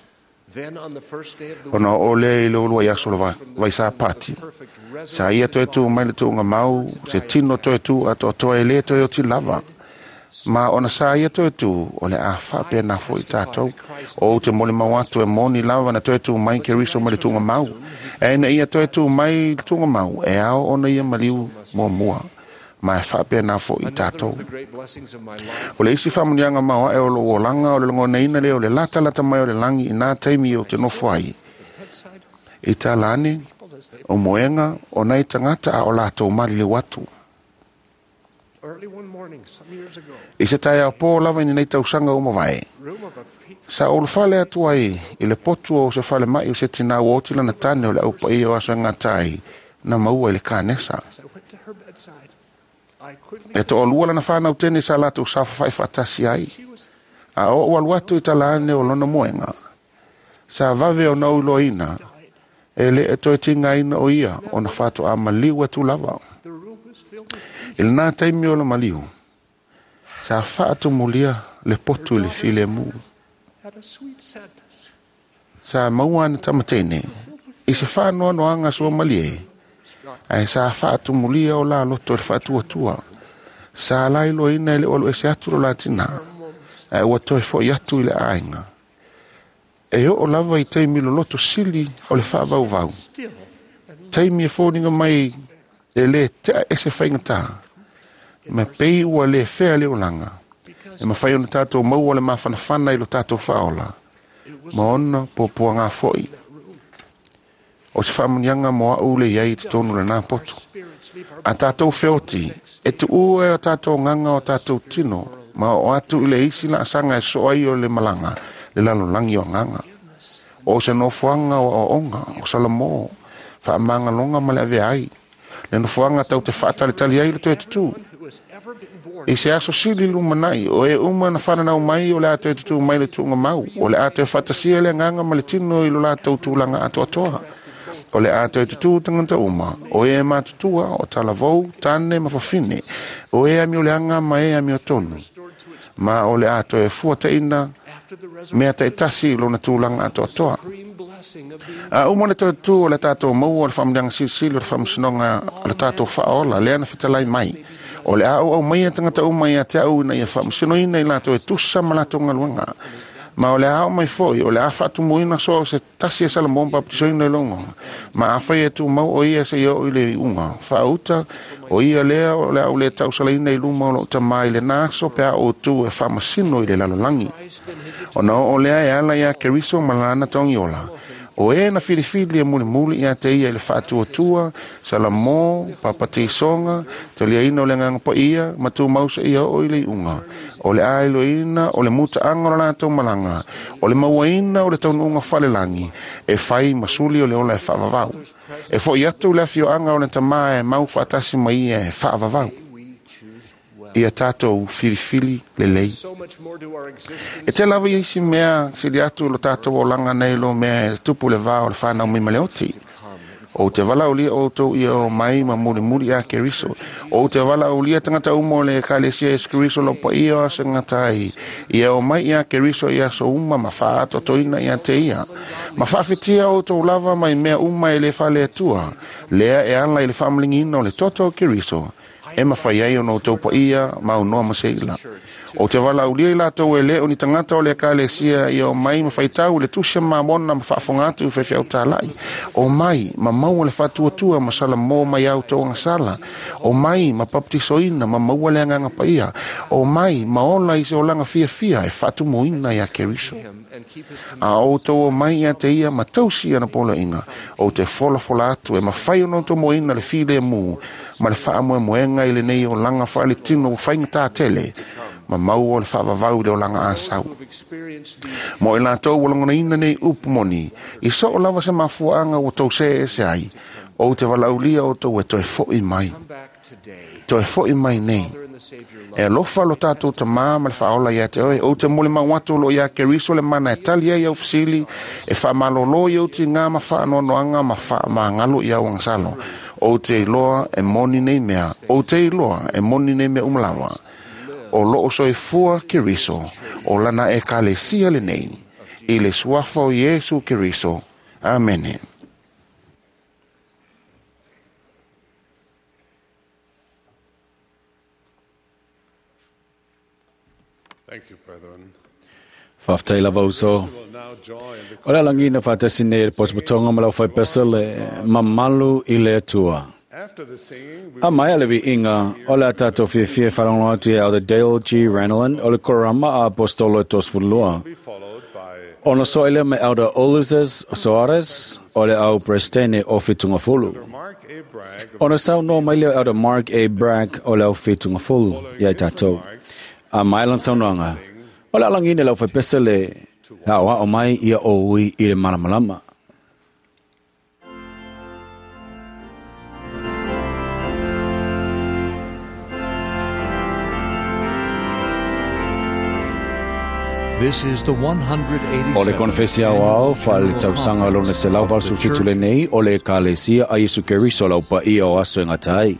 Ona o le i le ulua i aso le vaisa pati. Sa ia toe tū mai le tūnga mau, se tino toe tū a toa e le toe o ti lava. Ma ona sa ia toe tū, o le a whape nā fo i tātou. O te mole mau atu e moni lava na toe tū mai ke riso mai le tūnga mau. E na ia toe tū mai le tūnga mau, e ao ona ia maliu mua mua. Ma e whape nā fo i tātou. O le isi whamunianga maua e o lo olanga o le longona ina le o le lata lata mai o le langi i nā taimi o te nofo ai. I tā lani, o moenga o nei tangata a o lātou mali le watu. I se tai pō lava i nei tausanga o mavae. Sa o le whale atu ai i le potu o se whale mai o se tina o tila na tane o le aupa i o aso ngā tai na maua i le kānesa. E to olua lana whanau tene sa lātou sa whawhai whatasi ai. A o o alu atu i talane o lona moenga. Sa vave o nau iloina. E le e toe tinga ina o ia o na whāto a maliu atu lava. I le nā taimi o le maliu. Sa whaatumulia le potu i le file mu. Sa maua na tamatene. I se whānoa noanga sua malie. Ae sa whaatumulia o la loto le whaatuatua. Sa lai loina i le olu ese atu lo la tina. Ae ua toe fo i atu i le ainga. E o lava i taimi lo loto sili o le whaavauvau. Taimi e fōninga mai e le tea ese whaingata. Ma pei ua le whea le olanga. E mawhai ona tātou maua le mawhanawhana i lo tātou whaola. Ma ona pōpōa ngā foi. O se whaamunianga mo au le iai te tonu le nā poto. A tātou wheoti, e tu ue o tātou nganga o tātou tino, ma o atu i le isi la asanga e soa i o le malanga, le lalolangi o nganga. O se nofoanga o aonga, o Salamo, whaamangalonga ma le ave ai. Le nofoanga tau te whaatalitali ai le toe tutu. I se aso sili lumanai, o e uma na whananau mai o le a toe tutu mai le tuunga mau, o le a toe whatasia le nganga ma le tino i lo la tau tūlanga atoatoa. O le a toe tutu tangata uma, o e matutua, o talavou, tane ma fafine, o e ami o le anga ma e ami o tonu. Ma o le a toe fua teina, mea te tasi lona tūlanga atoatoa. A uma le toe tū o le tātou maua o le whaamlianga silisili o le whaamsinonga o le tātou whaola, le ana whitalai mai. O le a o au mai e tangata uma i a te au ina ia whaamsinoina i lātou e tusa ma lātou ngaluanga. Ma o le a o mai foi, o le a whaatumuina so se tasi e Salomon baptisoina i longo. Ma a whai e tū mau o ia se i o i le unga. Whaauta o ia lea o le au le tausalaina i luma o lo tamai le naso pe a o tū e whamasino i le lalolangi. O na o lea e ala ia Keriso malana tongiola. O e na filifili e mulimuli ia te ia i le whaatuatua, Salamo, papatisonga, te lia ina o le nganga pa ia, matu mausa ia o i le unga. O le ailo ina, o le muta anga o lātou malanga, o le mauaina o le taunuunga whalelangi, e whai masuli o le ola e whaavavau. E fo i atu le awhio anga o le tamaa e mau whaatasi mai ia e whaavavau. Ia tātou filifili le lei. E te lava i isi mea sili atu lo tātou o langa nei lo mea e tupu le vā o le whanau mai maleoti. O te wala ulia o tau ia o mai ma muri muri a Keriso. O te wala ulia tangata umo le kalesia e Keriso lo pa ia o sengatai. Ia o mai ia Keriso ia so uma ma whaato toina ia te ia. Ma whaawhitia o tau lava mai mea uma e le whale atua. Lea e ala i le whamlingina o le toto o Keriso. E mawhai ai ono tau pa ia mau noa maseila. O te valaaulia i latou e le o ni tagata o le ekalesia ia omai ma faitau i le tusi a Mamona ma faafofoga atu i faifeau talai. Omai ma maua le faatuatua ma salamo mai a outou agasala. Omai ma papatisoina ma maua le Agaga Paia. Omai ma ola i se olaga fiafia e faatumuina iā Keriso. A o outou omai ia te ia ma tausi ana poloaiga, ou te folafola atu e mafai ona outou moeina le filemu ma le faamoemoega i lenei olaga faaletino ua faigata tele, ma maua le faavavau i le olaga asau. Mo i latou ua lagonaina nei upu moni, i soo lava se mafuaaga ua tou see ese ai, ou te valaaulia outou e toe foi mai. Toe foi mai nei. E alofa lo tatou Tamā ma le Faaola ia te oe. Ou te molimau atu o lo o iā Keriso le mana e tali ai au fesili, e faamalōlō i ou tigā ma faanoanoaga ma faamagalo i au agasalo. Ou te iloa e moni nei mea, ou te iloa e moni nei mea uma lava. O lo o soifua Keriso, o lana Ekalesia lenei, i le suafa o Iesu Keriso. Amene. Faafetai lava uso. O le alagina faatasi nei e le potopotoga ma le aufaipese le mamalu i le Atua. A maea le viiga, o le a tatou fiafia e faalogologo atu ia Elder Dale G. Renlund o le Korama a Aposetolo e 32. Ona soa lea ma Elder Ulisses Soares o le au Peresetene o Fitungafulu. Ona saunoa mai lea o Elder Mark A. Bragg o le au Fitungafulu ia i tatou. A maea lana saunoaga, o le a lagina e le aufaipese le aoao mai ia oi i le malamalama. This is the 187th O le Konefesi Aoao Faaletausaga lona 187 lenei o le Ekalesia a Iesu Keriso lau paia o aso e gata ai.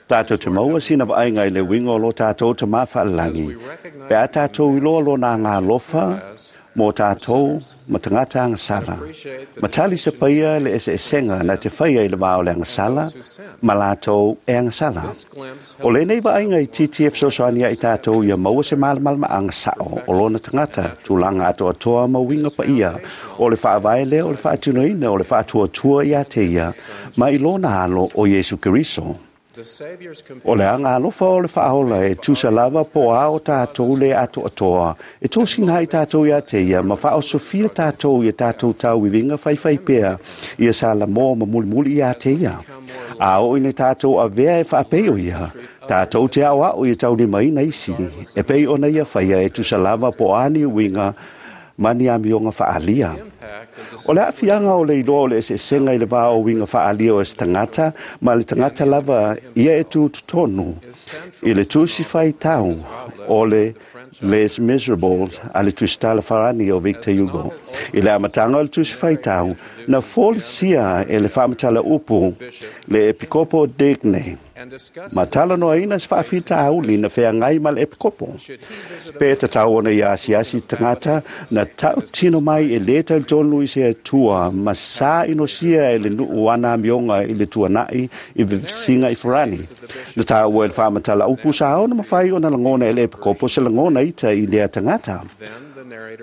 Tatou te maua sina vaaiga i le uiga o lo tatou Tamā Faalelagi, pe a tatou iloa lona agaalofa mo tatou ma tagata agasala, ma tali se paia le eseesega na te faia i le va o le agasala ma latou e agasala. O lenei vaaiga itiiti e fesoasoani ai tatou ia maua se malamalamaaga sao o lona tagata, tulaga atoatoa ma uiga paia o le faavae lea o le faatinoina o le faatuatua ia te ia ma i lona alo o Iesu Keriso. O le agalofa o le faaola e tusa lava po a o tatou le atoatoa, e tosina ai tatou ia te ia, ma faaosofia tatou ia tatou tauiviga faifaipea, ia salamoa ma mulimuli ia te ia. A oo ina tatou avea e faapei o ia, tatou te aoao ia taulimaina isi, e pei ona ia faia e tusa lava po o a ni uiga ma ni amioga faaalia. O le aafiaga o le iloa o le eseesega i le va o uiga faaalia o se tagata ma le tagata lava ia e tutotonu i le tusi faitau o le Les Miserables a le tusitala farani o Victor Hugo. I le amataga o le tusi faitau, na folisia e le faamatala upu le epikopo Digne, ma talanoaina se faafitauli na feagai ma le epikopo. Pe tatau ona ia asiasi tagata na tautino mai e lē talitonu i se Atua ma sa inosia e le nuu ana amioga i le tuanai i vevesiga i Farani. Na taua e le faamatala upu sa ona mafai ona lagona e le epikopo se lagona ita i lea tagata.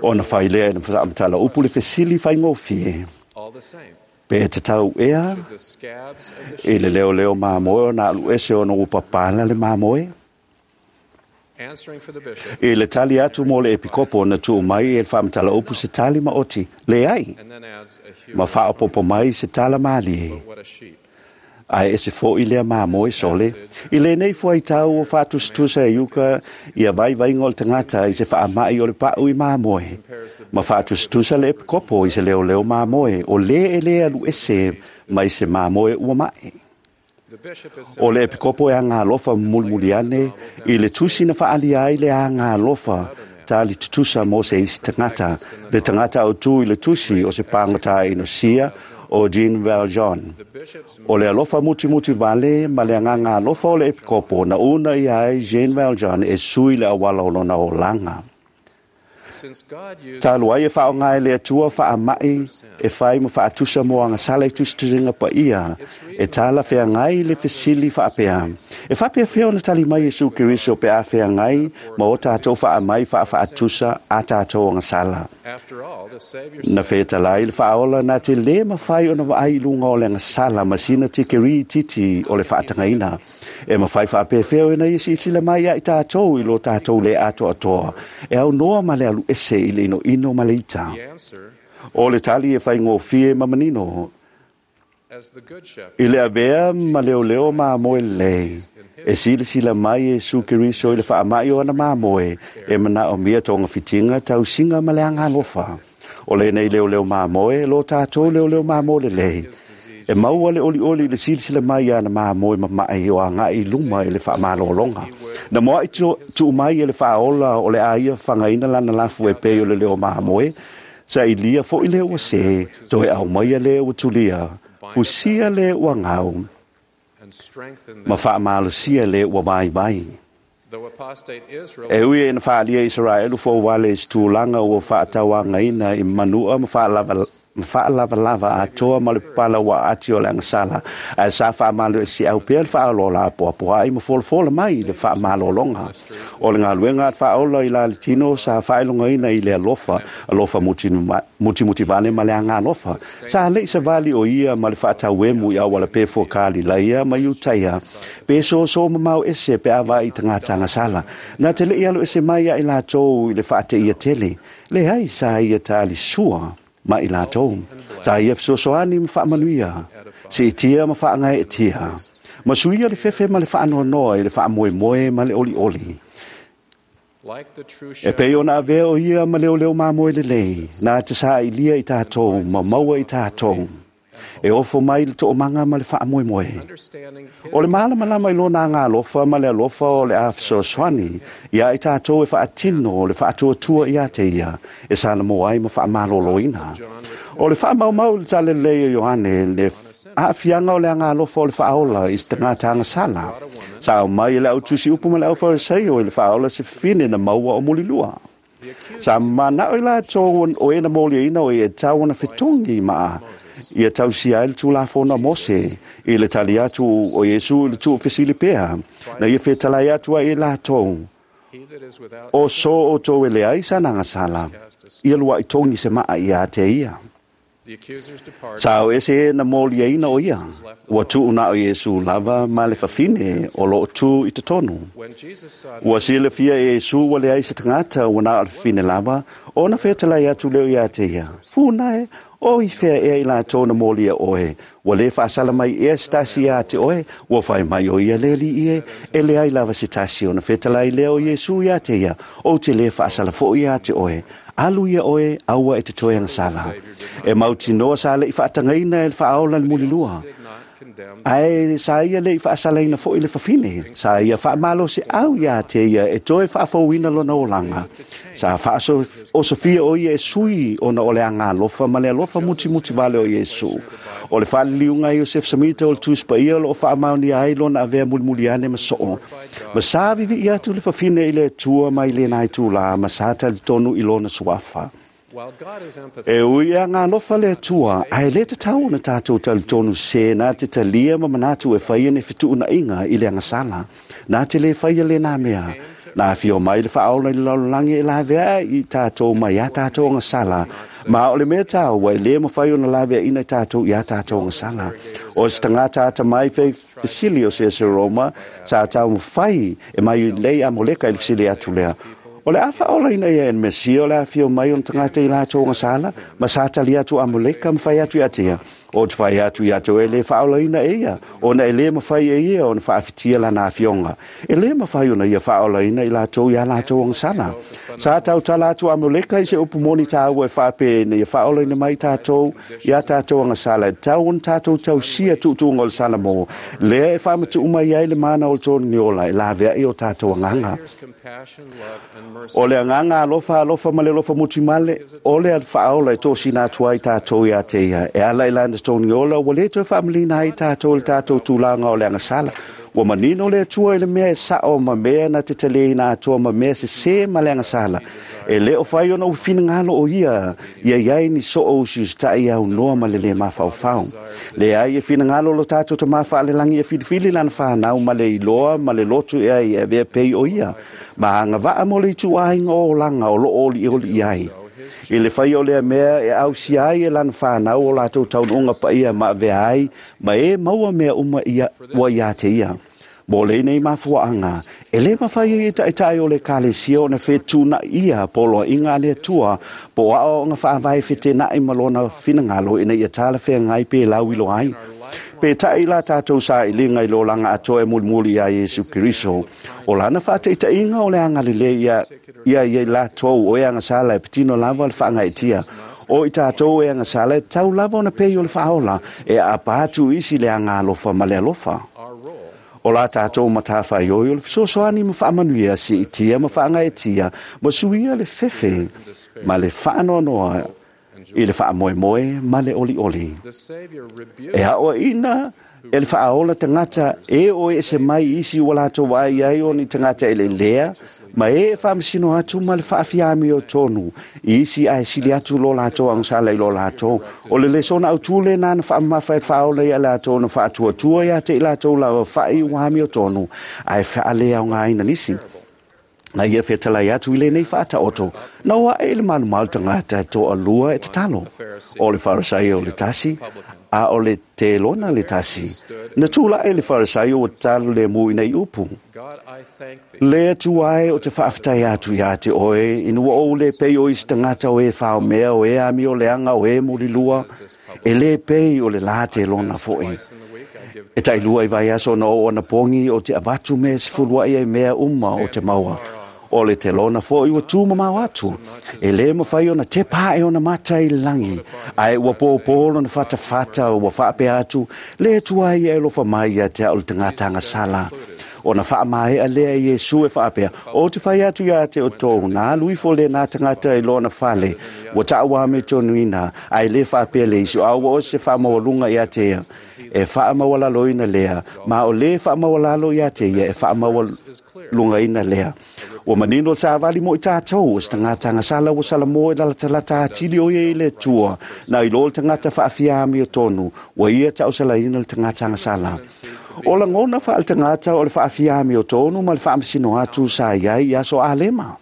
Ona fai lea e le faamatala upu le fesili faigofie. Pe tatau ea i le leoleo mamoe ona alu ese ona ua papala le mamoe? I le tali atu mo le epikopo na tuu mai e le faamatala upu se tali maoti, leai, ma faaopopo mai se tala malie. Ae ese fo'i lea mamoe sole. I lenei fuaitau o faatusatusa e Iuka ia vaivaiga o le tagata i se faama'i o le pa'u i mamoe, ma faatusatusa le epikopo i se leoleo mamoe o lē e lē alu ese mai se mamoe ua ma'e. O le epikopo e agalofa mulimuli ane i le tusi na faalia ai le agalofa tali tutusa mo se isi tagata, le tagata autū i le tusi o se pagota inosia o Jean Valjean. O le alofa mutimuti vale ma le agaga alofa o le epikopo na una ia ai Jean Valjean e sui le auala o lona olaga. Talu ai e faaaoga e le Atua faama'i e fai ma faatusa mo agasala i tusitusiga paia, e talafeagai le fesili faapea. E faapeafea ona tali mai Iesu Keriso pe a feagai ma o tatou faamai faafaatusa a tatou agasala. Na fetalai le faaola na te lē mafai ona vaai i luga o le agasala ma sina tikeri titi o le faatagaina. E mafai faapefea ona ia silasila mai ia i tatou i lo tatou le atoatoa, e aunoa ma le alu ese i le inoino ma le ita. O le tali e faigofie ma manino, i le avea ma leoleo mamoe lelei, e silasila mai Iesu Keriso i le faama'i o ana mamoe e manaomia togafitiga tausiga ma le agalofa. O lenei leoleo mamoe, lo tatou leoleo mamoe lelei, e maua le olioli i le silasila mai ana mamoe mama'i o aga'i i luma i le faamalologa. Na moa'i tuu mai e le faaola o le a ia fagaina lana lafu e pei o le leo mamoe, sailia fo'i le ua sē, toe aumaia le ua tulia, fusia le ua gau, ma faamalosia le ua vaivai. E ui e na faalia Isaraelu fouale i se tulaga ua faatauagaina i manua ma faalavalava atoa ma le pala ua aati o le agasala, ae sa faamalo e siau pea le faaolola apoapoa'i ma folafola mai le faamalologa. O le galuega a le faaola i la le tino sa faailogaina i le alofa, alofa mutimutivale ma le agalofa. Sa le'i savali o ia ma le faatauemu i auala pefua Kalilaia ma Iutaia, pe soso mamao ese pe a vaai i tagata agasala. Na te le'i alu ese mai ia i latou i le faateia tele, leai sa ia talisua ma i latou. Sa ia fesoasoani ma faamanuia, siitia ma faagaeetia, ma suia le fefe ma le faanoanoa i le faamoemoe ma le olioli. E pei ona avea o ia ma leoleo mamoe lelei, na te saailia i tatou ma maua i tatou, e ofo mai le toomaga ma le faamoemoe. O le malamalama i lona agalofa ma le alofa o le a fesoasoani ia i tatou e faatino o le faatuatua ia te ia, e salamoa ai ma faamaloloina. O le faamaumau i le talalelei o Ioane le aafiaga o le agalofa o le faaola i se tagata agasala. Sa aumai e le autusi upu ma le aufariseio i le faaola se fafine na maua o mulilua. Sa manao i latou o e na moliaina o e tau ona fetogi maa ia tausia ai le tulafono a Mose i le tali atu o Iesu i le tuufesili pea, na ia fetalai atu ai i latou. O so o outou e leai sana agasala, ia lua'i togi se maa ia te ia. Sa o ese e na mōliaina o ia. Ua tuu na o Iesu lava ma le fafine o loo tū i te tonu. Ua silafia e Iesu ua leai se tagata ua na o le fafine lava, ona fetalai atu lea ia te ia. Funa e, o i fea ea i latou na mōlia oe, ua le faasala mai ea se tasi ia te oe, ua fai mai o ia le alii e, e leai lava se tasi ona fetalai lea o Iesu ia te ia, ou te le faasala foi ia te oe. Alu ia oe, aua e te toe agasala. E mautinoa sa le i faatagaina e le faaola le mulilua. Ae sa ia le i faasalaina foi le fafine. Sa ia faamalosiau ia te ia e toe faafouina lona olaga. Sa faaosofia o ia e sui ona o le agalofa ma le alofa mutimuti vale o Iesu. O le faaliliuga a Iosefe Samita o le Tusi Paia o loo faamaonia ai lona avea mulimuli ane ma soo. Ma sa vivi'i atu le fafine i le Atua mai lena itulā ma sa talitonu i lona suafa. E ui e agalofa le Atua, ae le tatau ona tatou talitonu sē na te talia ma manatu e faia ni fetuunaiga i le agasala. Na te lē faia lena mea. Na afio mai le Faaola i le lalolagi e laveai i tatou mai a tatou agasala, ma o le mea taua e lē mafai ona laveaina i tatou i a tatou agasala. O se tagata atamai fei fesili o se Roma sa taumafai e mai lei a Moleka i le fesili atu lea. O le a faaolaina ia e le Mesia o le afio mai o tagata i latou agasala, ma sa tali atu a Moleka ma fai atu ia te ia. O te fai atu ia te oe e le faaolaina e ia, ona e lē mafai e ia ona faafitia lana afioga. E lē mafai ona ia faaolaina i latou ia latou agasala. Sa tautala atu a Moleka i se upu moni tāua e faapea ina ia faaolaina mai tatou ia tatou agasala, e tatau ona tatou tausia tuutuuga o le Salamo, lea e faamatuu mai ai le mana o le toniga ola e laveai o tatou agaga. O le agaga alofa alofa ma le alofa mutimale, o le faaola e tosina atu ai tatou ia te ia. E ala i lana totogi ola, ua le toe faamalina ai tatou i le tatou tulaga o le agasala. Ua manino le Atua i le mea e sao ma mea na te taliaina atoa ma mea sesē ma le agasala. E le o fai ona ua finagalo o ia, ia iai ni soo usiusitai aunoa ma le lē mafaufau. Leai e finagalo lo tatou Tamā faalelagi e filifili lana fanau ma le iloa ma le lotu ea i avea pei o ia, ma agavaa mo le ituaiga o olaga o loo olioli i ai. I le faia o lea mea e ausia ai e lana fanau o latou taunuuga paia ma avea ai, ma e maua mea uma ia ua ia te ia. Mo lenei mafuaanga, e le mafai ai e taitai o le ekalesia ona fetuunai'a poloaiga a le Atua po o aoaoga faavae fetenai ma lona finagalo ina ia talafeagai pe lauiloa ai. Peitai la tatou sailiga i le olaga atoa e mulimuli iā Iesu Keriso, o lana faataitaiga o le agalelei ia ia i latou o e agasala e patino lava le faagaeetia. O i tatou e agasala e tatau lava ona pei o le Faaola e aapa atu i isi le agalofa ma le alofa. O la tatou matafaioi o le fesoasoani ma faamanuia, siitia ma faagaeetia, ma suia le fefe ma le faanoanoa i le faamoemoe ma le olioli. E aoaina e le Faaola tagata e o ese mai i isi ua latou vaai ai o ni tagata eleelea, ma e e faamasino atu ma le faafiamiotonu i isi ae sili atu lo latou agasala i lo latou. O le lesona autū lena na faamamafa e le Faaola ia latou na faatuatua ia te i latou lava fa'i ua amiotonu ae faaleaogaina nisi. Na ia fetalai atu i lenei faataoto, na o ae i le malumalu tagata e toalua e tatalo. O le Farisaio le tasi, a o le telona le tasi. Na tula'i le Farisaio ua tatalo lemu i nei upu. Le Atua e o te faafetai atu ia te oe, ina ua ou le pei o isi tagata o e faomea, o e amioleaga, o e mulilua, e le pei o le la telona foi. E tailua i vaiaso ona oo anapogi o te avatu mea e sefuluai ai mea uma o te maua. O le telona foi ua tumamao atu. E lē mafai ona tepa ae ona mata i le lagi, ae ua pōpō lona fatafata ua faapea atu, Le Atua ia e alofa mai ia te au le tagata agasala. Ona faamaea lea e Iesu e faapea, O te fai atu ia te outou, na alu ifo lena tagata i lona fale, ua taʻauamiotonuina, ae lē faapea le isi, a ua o se faamaualuga ia te ia, e faamaualaloina lea, ma o lē faamaualalo ia te ia, e faamaualugaina lea. Ua manino le savali mo i tatou, o se tagata agasala ua salamo e lalatalata atili o ia i le Atua, na i lo le tagata faafiamiotonu, ua ia tausalaina le tagata agasala. O lagona faaletagata o le faafiamiotonu ma le faamasino atu sa i ai i aso Alema.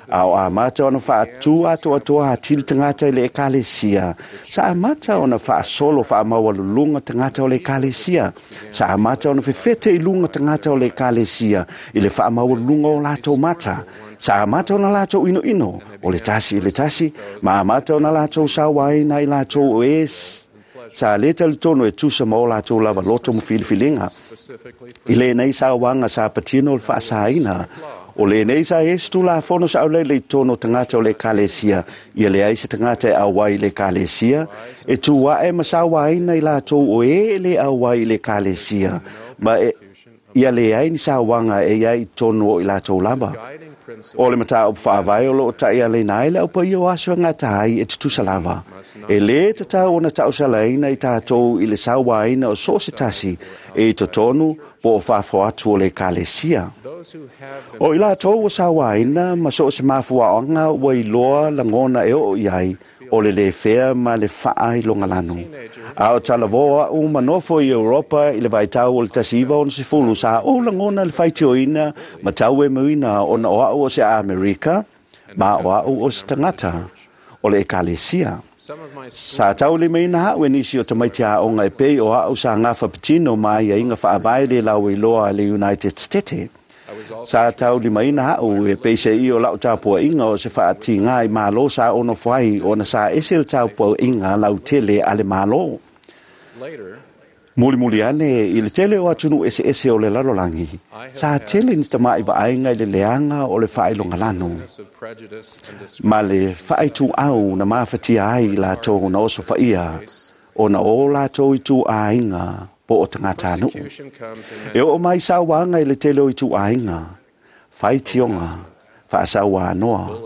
A o amata ona faatū atoatoa atili tagata i le ekalesia. Sa amata ona faasolo faamaualuluga tagata o le ekalesia. Sa amata ona fefete i luga tagata o le ekalesia i le faamaualuluga o latou mata. Sa amata ona latou inoino o le tasi i le tasi, ma amata ona latou sauaina i latou o e sa le talitonu e tusa ma o latou lava loto ma filifiliga. I lenei sauaga sa patino le faasaina, o lenei sa i ai se tulafono saolele i totonu o tagata o le ekalesia, ia leai se tagata e auai i le ekalesia, e tu ae ma sauaina i latou o e e le auai i le ekalesia, ma e, ia leai ni sauaga e i ai i totonu o i latou lava. O le mataupu faavae o loo taialaina ai le aupaia o aso e gata ai e tutusa lava. E lē tatau ona tausalaina i tatou i le sauaina o so o se tasi e i totonu po o fafo atu o le ekalesia. O i latou ua sauaina ma so o se mafuaaga ua iloa lagona e oo i ai o le lē fea ma le faailogalanu. A o talavō a'u ma nofo i Europa i le vaitau o le 1960, sa ou lagona le faitioina ma tauemuina ona o a'u o se Amerika ma o a'u o se tagata o le ekalesia. Sa taulimaina a'u e nisi o tamaiti aoga e pei o a'u sa gafa patino ma aiaiga faavae le lauiloa a le United States. Sa taulimaina a'u e peiseai o la'u tapua'iga o se fa'atigā i malo sa onofo ai ona sa ese le tapua'iga lautele a le Mālō. Mulimuli ane i le tele o atunuu eseese o le lalolagi, sa tele ni tama'i vaaiga i le leaga o le faailogalanu ma le faaituau na mafatia ai i latou na osofaia ona o latou ituaiga po o tagatanuu. E oo mai sauaga i le tele o ituaiga, faitioga, faasauanoa,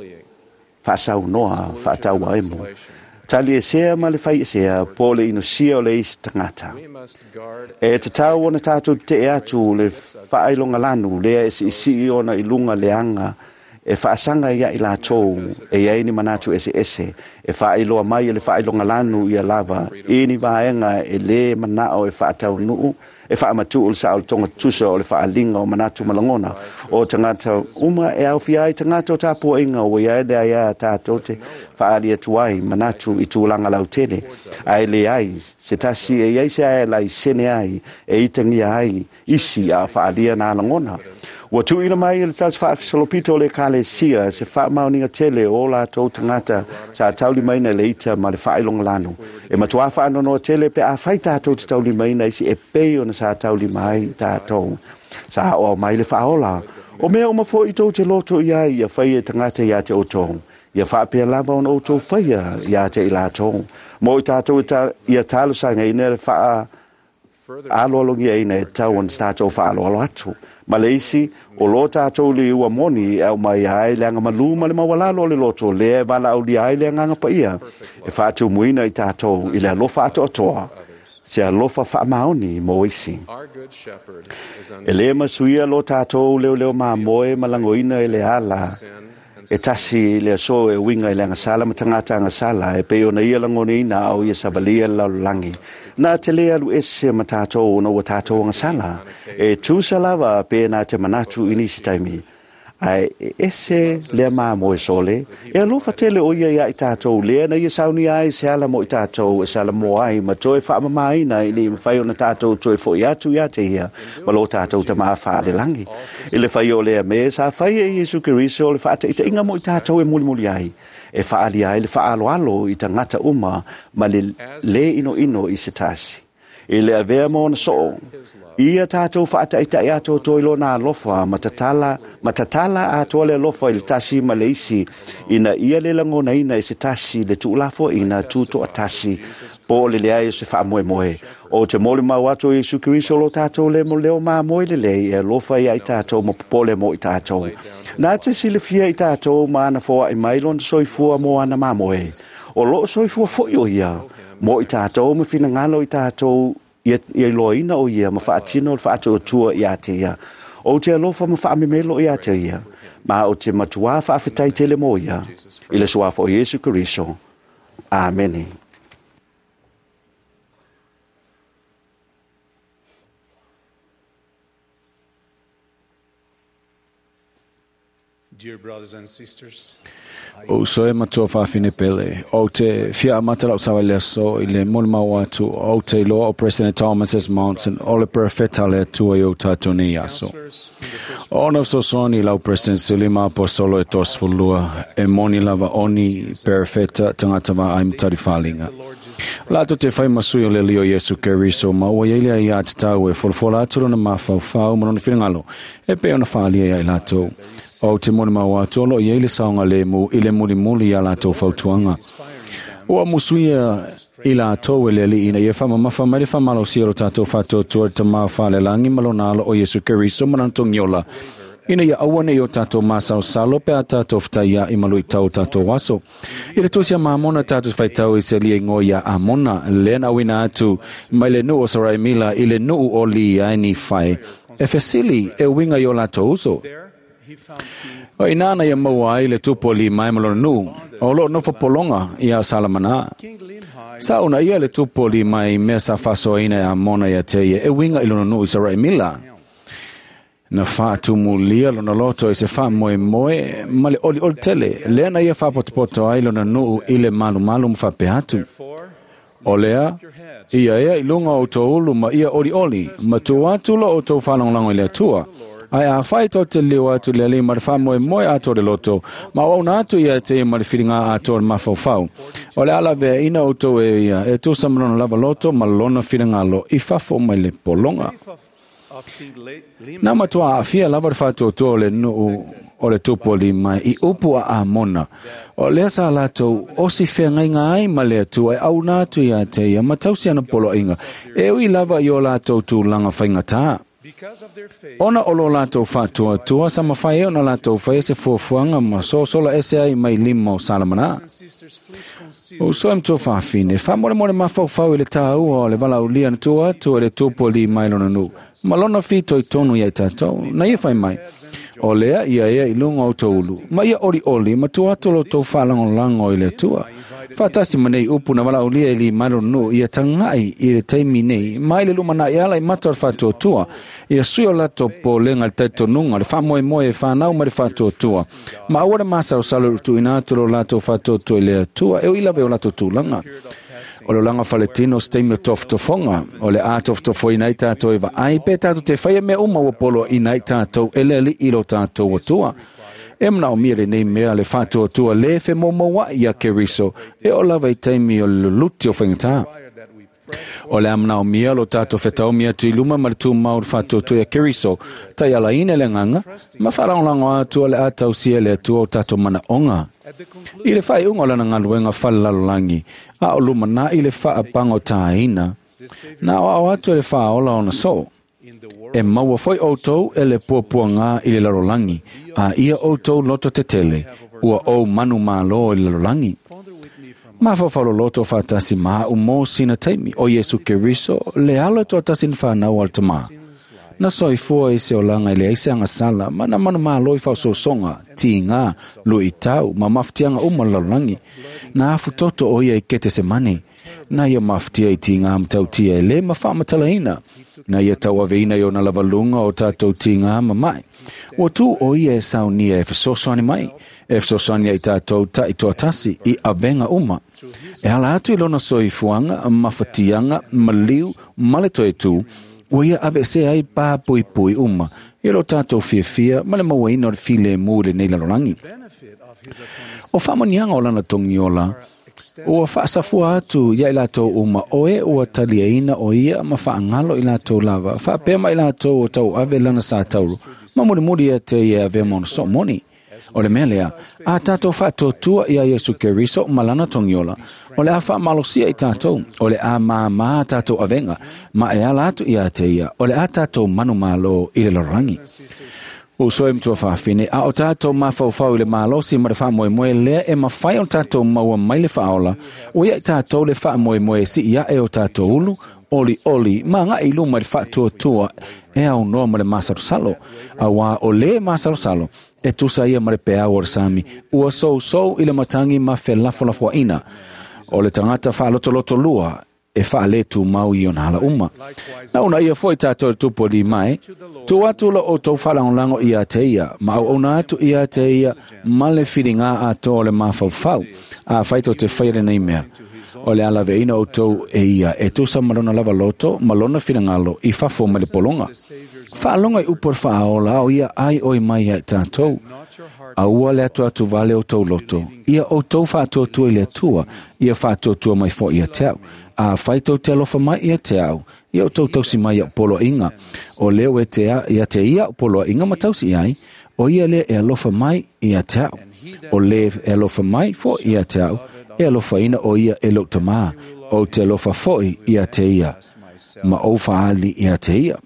faasaunoa, faatauaemo, taliesea ma le faiesea po o le inosia o le isi tagata. E tatau ona tatou tetee atu le faailogalanu lea e siisii ona i luga leaga e faasaga ia i latou e i ai ni manatu eseese e faailoa mai e le faailogalanu ia lava i ni vaega e lē manao e faataunuu e faamatuu le saolotoga tutusa o le faaaliga o manatu ma lagona o tagata uma e aofia ai tagata o tapuaiga ua i ai le aiā tatou te faaali atu ai manatu i tulaga lautele, ae leai se tasi e i ai se ae laisene ai e itagia ai isi a faalia nā lagona. Ua tuuina mai e le tasi faafesolopito o le ekalesia se faamaoniga tele o latou tagata sa taulimaina i le ita ma le faailogalanu. E matuā faanoanoa tele pe afai tatou te taulimaina isi e pei ona sa taulima ai tatou. Sa aoao mai le Faaola, O mea uma foi tou te loto i ai ia faia e tagata ia te outou, ia faapea lava ona outou faia ia te i latou. Mo i tatou ia talosagaina le faa aloalogiaina e tatau ona tatou faaaloalo atu. Ma le isi, o lo tatou liua moni e aumai ai le agamalu ma le maualalo o le loto lea e valaaulia ai le Agaga Paia e faatumuina i tatou i le alofa atoatoa, se alofa faamaoni mo isi. E lē masuia lo tatou leoleo mamoe ma lagoina i le ala e tasi i le aso e uiga i le agasala ma tagata agasala e pei ona ia lagonaina a o ia savalia le lalolagi. Na te lē alu ese ma tatou ona ua tatou agasala. E tusa lava pe na te manatu i nisi taimi. Ae e ese lea mamoe sole, e alofa tele o ia iā i tatou lea na ia saunia ai se ala mo i tatou e salamoa ai ma toe faamamaina ina ia mafai ona tatou toe fo'i atu iā te ia ma lo tatou Tamā faalelagi. I le fai o lea mea sa fai e Iesu Keriso o le faataitaiga mo i tatou e mulimuli ai, e faaalia ai le faaaloalo i tagata uma ma le lē inoino i se tasi. I le avea ma ona soo, ia tatou faataitai atoatoa i lona alofa ma tatala, ma tatala atoa le alofa i le tasi ma le isi, ina ia le lagonaina e se tasi le tuulafoaina tutoatasi po o le leai o se faamoemoe. Ou te molimau atu o Iesu Keriso lo tatou le leo mamoe lelei e alofa ia i tatou ma popole mo i tatou. Na te silafia i tatou ma ana foai mai lona soifua mo ana mamoe. O loo soifua foi o ia mo i tatou ma finagalo i tatou ia iloaina o ia ma faatino le faatuatua iā te ia. Ou te alofa ma faamemelo iā te ia, ma ou te matuā faafetai tele mo ia, i le suafa o Iesu Keriso. Amene. Dear brothers and sisters, O soe matua whawhine pele, o te fia amata lau sawa le aso i le molimau atu, o te iloa o President Thomas S. Monson, o le perfeta le atua i o tātou nei aso. O na fesoasoani lau President Sili ma Apostolo e 32, e moni lava oni perfeta tagata vaai ma talifalinga. Latou te whai masui o le lio Iesu Keriso ma ua iai lea ia te tau e folafola atu lona mafaufau ma lona finagalo e pei ona faaalia ia i latou. O te molimau atu o lo o iai le saogalemu i le mulimuli ia latou fautuaga. Ua musuia i latou e le Alii ina ia faamamafa mai le faamalosia o lo tatou faatuatua i le Tama faalelagi ma lona alo o Iesu Keriso ma lana togiola, ina ia aua ne i o tatou masalosalo pe a tatou fetaiaʻi ma luitau o tatou aso. I le tusi a Mamona tatou te faitau i se alia igoa iā Amona, lea na auina atu mai le nuu o Saraimila i le nuu o Liaenifai, e fesili e uiga i o latou uso. O i ina na ia maua ai le tupu o Limai ma lona nuu, o lo o nofo pologa iā Salamanā. Sa una ia le tupu o Limai i mea sa faasoaina e Amona ia te ia e uiga i lona nuu i Saraimila. Na faatumulia lona loto i se faamoemoe ma le olioli tele, lea na ia faapotopoto ai lona nuu i le malumalu ma faapea atu, O lea, ia ea i luga o outou ulu ma ia olioli, ma tuu atu lo outou faalagolago i le Atua. Ae afai tou te liliu atu i le Alii ma le faamoemoe atoa o le loto, ma auauna atu ia te ia ma le filiga atoa o le mafaufau, o le a laveaina outou e ia e tusa ma lona lava loto ma lona finagalo i fafo mai le pologa. Na matua aafia lava le faatuatua o le nuu o le tupu o Limai i upu a Amona, o lea sa latou osi feagaiga ai ma le Atua e auna atu ia te ia ma tausi ana poloaiga, e ui lava i o latou tulaga faigata. Ona o lo latou faatuatua, sa mafai ai ona latou faia se fuafuaga ma sosola ese ai mai lima o Salamana. Uso e matua fafine, faamolemole mafaufau i le taua o le valaaulia na tua atu e le tupu o Limai lona nuu, ma lona fitoitonu ia i tatou, na ia fai mai, O lea ia ea i luga o outou ulu, ma ia olioli ma tua atu lo outou faalagolago i le Atua. Faatasi ma nei upu na valaaulia e Limai lona nuu, ia tagai i le taimi nei, mai le lumanai ala i mata o le faatuatua, ia sui o latou popolega i le talitonuga, le faamoemoe e fanau mai le faatuatua, ma aua le masalosalo i le tuuina atu o lo latou faatuatua i le Atua, e ui lava i o latou tulaga. O le olaga faletino o se taimi o tofotofoga, o le a tofotofoina ai tatou e vaai pe tatou te faia mea uma ua poloaiina ai tatou e le Alii i lo tatou Atua. E manaomia lenei mea le faatuatua lē femoumouaʻi iā Keriso e oo lava i taimi o le luluti o faigata. O le a manaomia lo tatou fetaomi atu i luma ma le tumau o le faatuatua iā Keriso, taialaina i le agaga, ma faalagolago atu o le a tausia e le Atua o tatou manaoga. I le faaiuga o lana galuega falelalolagi, a o lumanai le faapagotāina, na aoao atu e le Faaola ona soo, E maua foi outou e le puapuagā i le lalolagi, a ia outou loto tetele, ua ou manumalo i le lalolagi. Mafaufau loloto faatasi ma a'u mo sina taimi, o Iesu Keriso, le alo e toatasi na fanau a le Tamā. Na soifua i se olaga e leai se agasala, ma na manumalo i faaosoosoga, tigā, luitau, ma mafatiaga uma o le lalolagi. Na afu toto o ia i Ketesemane. Na ia mafatia i tigā matautia e lē ma faamatalaina. Na ia tauaveina i ona lava luga o tatou tigā ma maʻi. Ua tū o ia e saunia e fesoasoani mai, e fesoasoani ai tatou taitoatasi i avega uma. E ala atu i lona soifuaga, mafatiaga, maliu, ma le toe tū, ua ia aveesea ai pā puipui uma i lo tatou fiafia ma le mauaina o le filemu i lenei lalolagi. O faamanuiaga o lana togiola, ua faasafua atu ia i latou uma o e ua taliaina o ia ma faagalo i latou lava, faapea ma i latou o tauave lana sa taulu, ma mulimuli ia te ia e avea ma ona soo moni. O le mea lea, a tatou faatuatua iā Iesu Keriso ma lana togiola, o le a faamalosia i tatou, o le a māmā tatou avega, ma e ala atu ia te ia, o le a tatou manumalo i le lalolagi. Uso e matua fafine, a o tatou mafaufau i le malosi ma le faamoemoe lea e mafai ona tatou maua mai le faaola, ua ia i tatou le faamoemoe e sii aʻe o tatou ulu, olioli, ma agai i luma i le faatuatua e aunoa ma le masalosalo. Auā o lē masalosalo, e tusa ia ma le peau o le sami, ua sousou i le matagi ma felafolafoaiga. O le tagata faalotoloto lua, e faaletūmau i ona ala uma. Na ona ia foʻi tatou i le tupu o Limae, tuu atu lo outou faalagolago ia te ia, ma auauna atu ia te ia ma le filigā atoa o le mafaufau, afai tou te faia lenei mea. O le a laveaina outou e ia e tusa ma lona lava loto ma lona finagalo i fafo mai le pologa. Faaloga i upu a le Faaola a o ia ai oi mai ia i tatou. Aua le atuatu vale o tou loto, ia outou faatuatua i le Atua, ia faatuatua mai foʻi ia te au. Afai tou te alofa mai ia te au, ia outou tausi mai iaʻu poloaiga. O lea ua te ia te ia au poloaiga ma tausi i ai, o ia lea e alofa mai ia te au. O le e alofa mai foʻi ia te au, e alofaina o ia e lou Tamā, ou te alofa foʻi ia te ia, ma ou faaali ia te ia.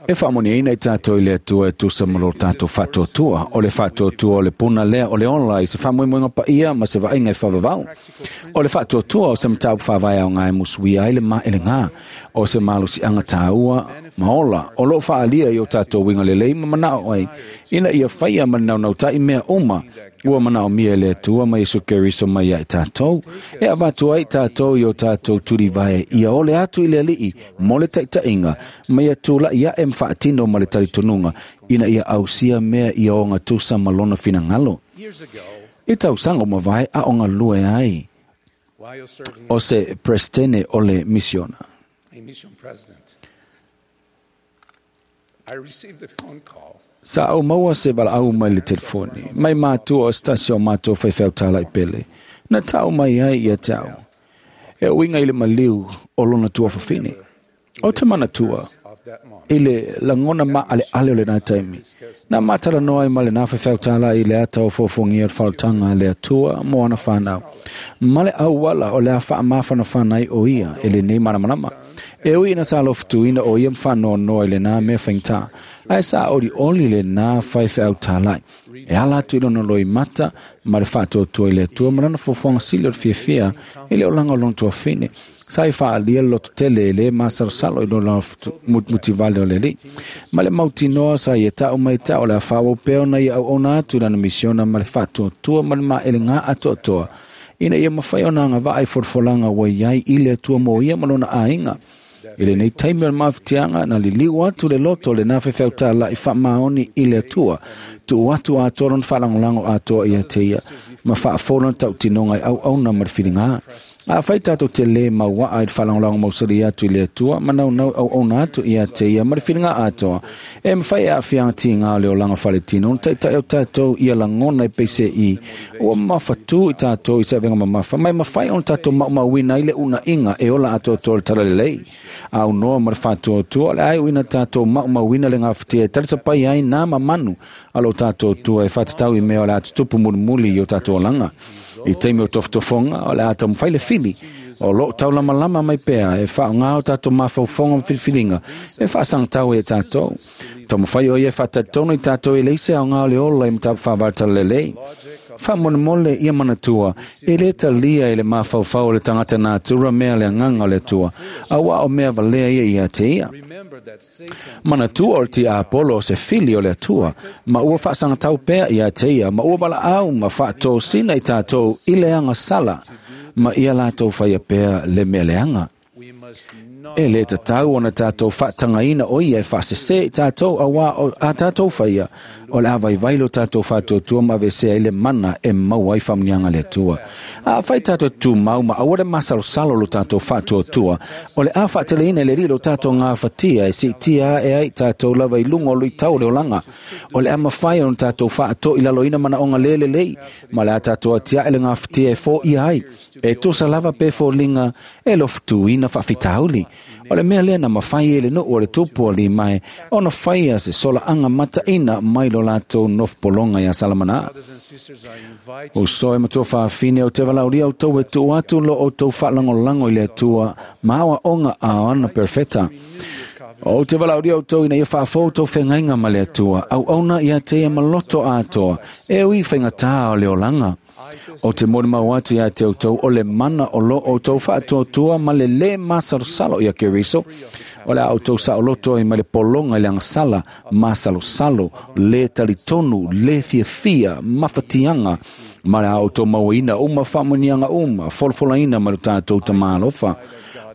E faamanuiaina i tatou i le Atua e tusa ma lo tatou faatuatua. O le faatuatua o le puna lea o le ola i se faamoemoega paia ma se vaaiga e faavavau. O le faatuatua o se mataupu faavae aoga e musuia ai le maelegā, o se malosiaga tāua ma ola o lo o faaalia i o tatou uiga lelei ma manao ai, ina ia faia ma le naunautai mea uma ua manaomia e le Atua ma Iesu Keriso mai ia i tatou, e avatu ai tatou i o tatou tulivae ia ole atu i le Alii mo le taitaiga, ma ia tulaʻi aʻe ma faatino ma le talitonuga, ina ia ausia mea ia ogatusa ma lona finagalo. I tausaga ua mavae a o galue ai o se Peresetene o le Misiona. Sa ou maua se valaau mai le telefoni, mai matua o se tasi o matou faifeau talai pele, na tau mai ai ia te au, e uiga i le maliu o lona tuafafine. Ou te manatua i le lagona maʻaleʻale o lenā taimi, na matalanoa ai ma lenā faifeau talai i le ata o fuafuagia o le faaolataga a le Atua mo ana fanau, ma le auala o le a faamafanafana ai o ia e lenei malamalama. E ui ina sa alofutuina o ia ma faanoanoa i lenā mea faigata, ae sa olioli lenā faifeau talai e ala atu i lona loimata ma le faatuatua i le Atua ma lana fuafuaga sili o le fiafia i le olaga o lona tuafine. Sa i faaalia le lototele e lē masalosalo i lona mutivale o le Alii. Ma le mautinoa sa ia tau mai tau o le a faaauau pea ona ia auauna atu i lana misiona ma le faatuatua ma le maelegā atoatoa ina ia mafai ona agavaa i folafolaga ua i ai i le Atua mo ia ma lona aiga. I lenei taimi o le mafatiaga, na liliu atu le loto o lenā faifeau tālaʻi faamaoni i le Atua, tuu atu atoa lona faalagolago atoa ia te ia, ma faafou lona tautinoga i auauna ma le filigā. Afai tatou te lē mauaa i le faalagolago mausali atu i le Atua ma naunau auauna atu ia te ia ma le filiga atoa, e mafai e aafiaga tigā o le olaga faletino ona taitai o tatou ia lagona e peiseai ua mafatū i tatou i se avega mamafa, ma e mafai ona tatou maumauina ai le uunaʻiga e ola atoatoa le talalelei. Aunoa ma le faatuatua, o le a iuina tatou maumauina le gafatia e talisapai ai nā mamanu a lo tatou Atua e faatatau i mea o le a tutupu mulimuli i o tatou olaga. I taimi o tofotofoga, o le a taumafai le fili o loo taulamalama mai pea e faaaogā o tatou mafaufauga ma filifiliga e faasagatau ai e tatou. Taumafai o ia e faatalitonu i tatou e leai se aoga o le ola i mataupu faavae talalelei. Faamolemole ia manatua, e lē talia e le mafaufau o le tagata natura mea le agaga o le Atua, auā o mea valea ia ia te ia. Manatua o le tiapolo o se fili o le Atua, ma ua faasagatau pea ia te ia, ma ua valaau ma faatosina i tatou i le agasala, ma ia latou faia pea le mea leaga. E lē tatau ona tatou faatagaina o ia e faasesē i tatou, auā o a tatou faia, o le a vaivai lo tatou faatuatua ma aveesea ai le mana e maua ai faamanuiaga a le Atua. Afai tatou te tumau ma aua le masalosalo lo tatou faatuatua, o le a faateleina e le Alii lo tatou gafatia e siitia ae ai tatou lava i luga o luitau o le olaga. O le a mafai ona tatou faatoilaloina manaoga lē lelei, ma le a tatou atiae le gafatia e foia ai, e tusa lava pe foliga e lofutuina faafitauli. O le mea lea na mafai e le nuu o le tupu o Limae ona faia se solaaga mataina mai lo latou nofopologa iā Salamanā. Uso e matua fafine, ou te valaaulia outou e tuu atu lo outou faalagolago i le Atua ma aoaoga a ana perofeta. Ou te valaaulia outou ina ia faafou outou feagaiga ma le Atua, auauna ia te ia ma loto atoa, e ui i faigatā o le olaga. Ou te molimau atu ia te outou o le mana o lo outou faatuatua ma le lē masalosalo ia Keriso, O le a outou saoloto ai mai le pologa i le agasala, masalosalo, lē talitonu, lē fiafia, mafatiaga, ma le a outou mauaina uma faamanuiaga uma, folafolaina mai lo tatou Tamā alofa.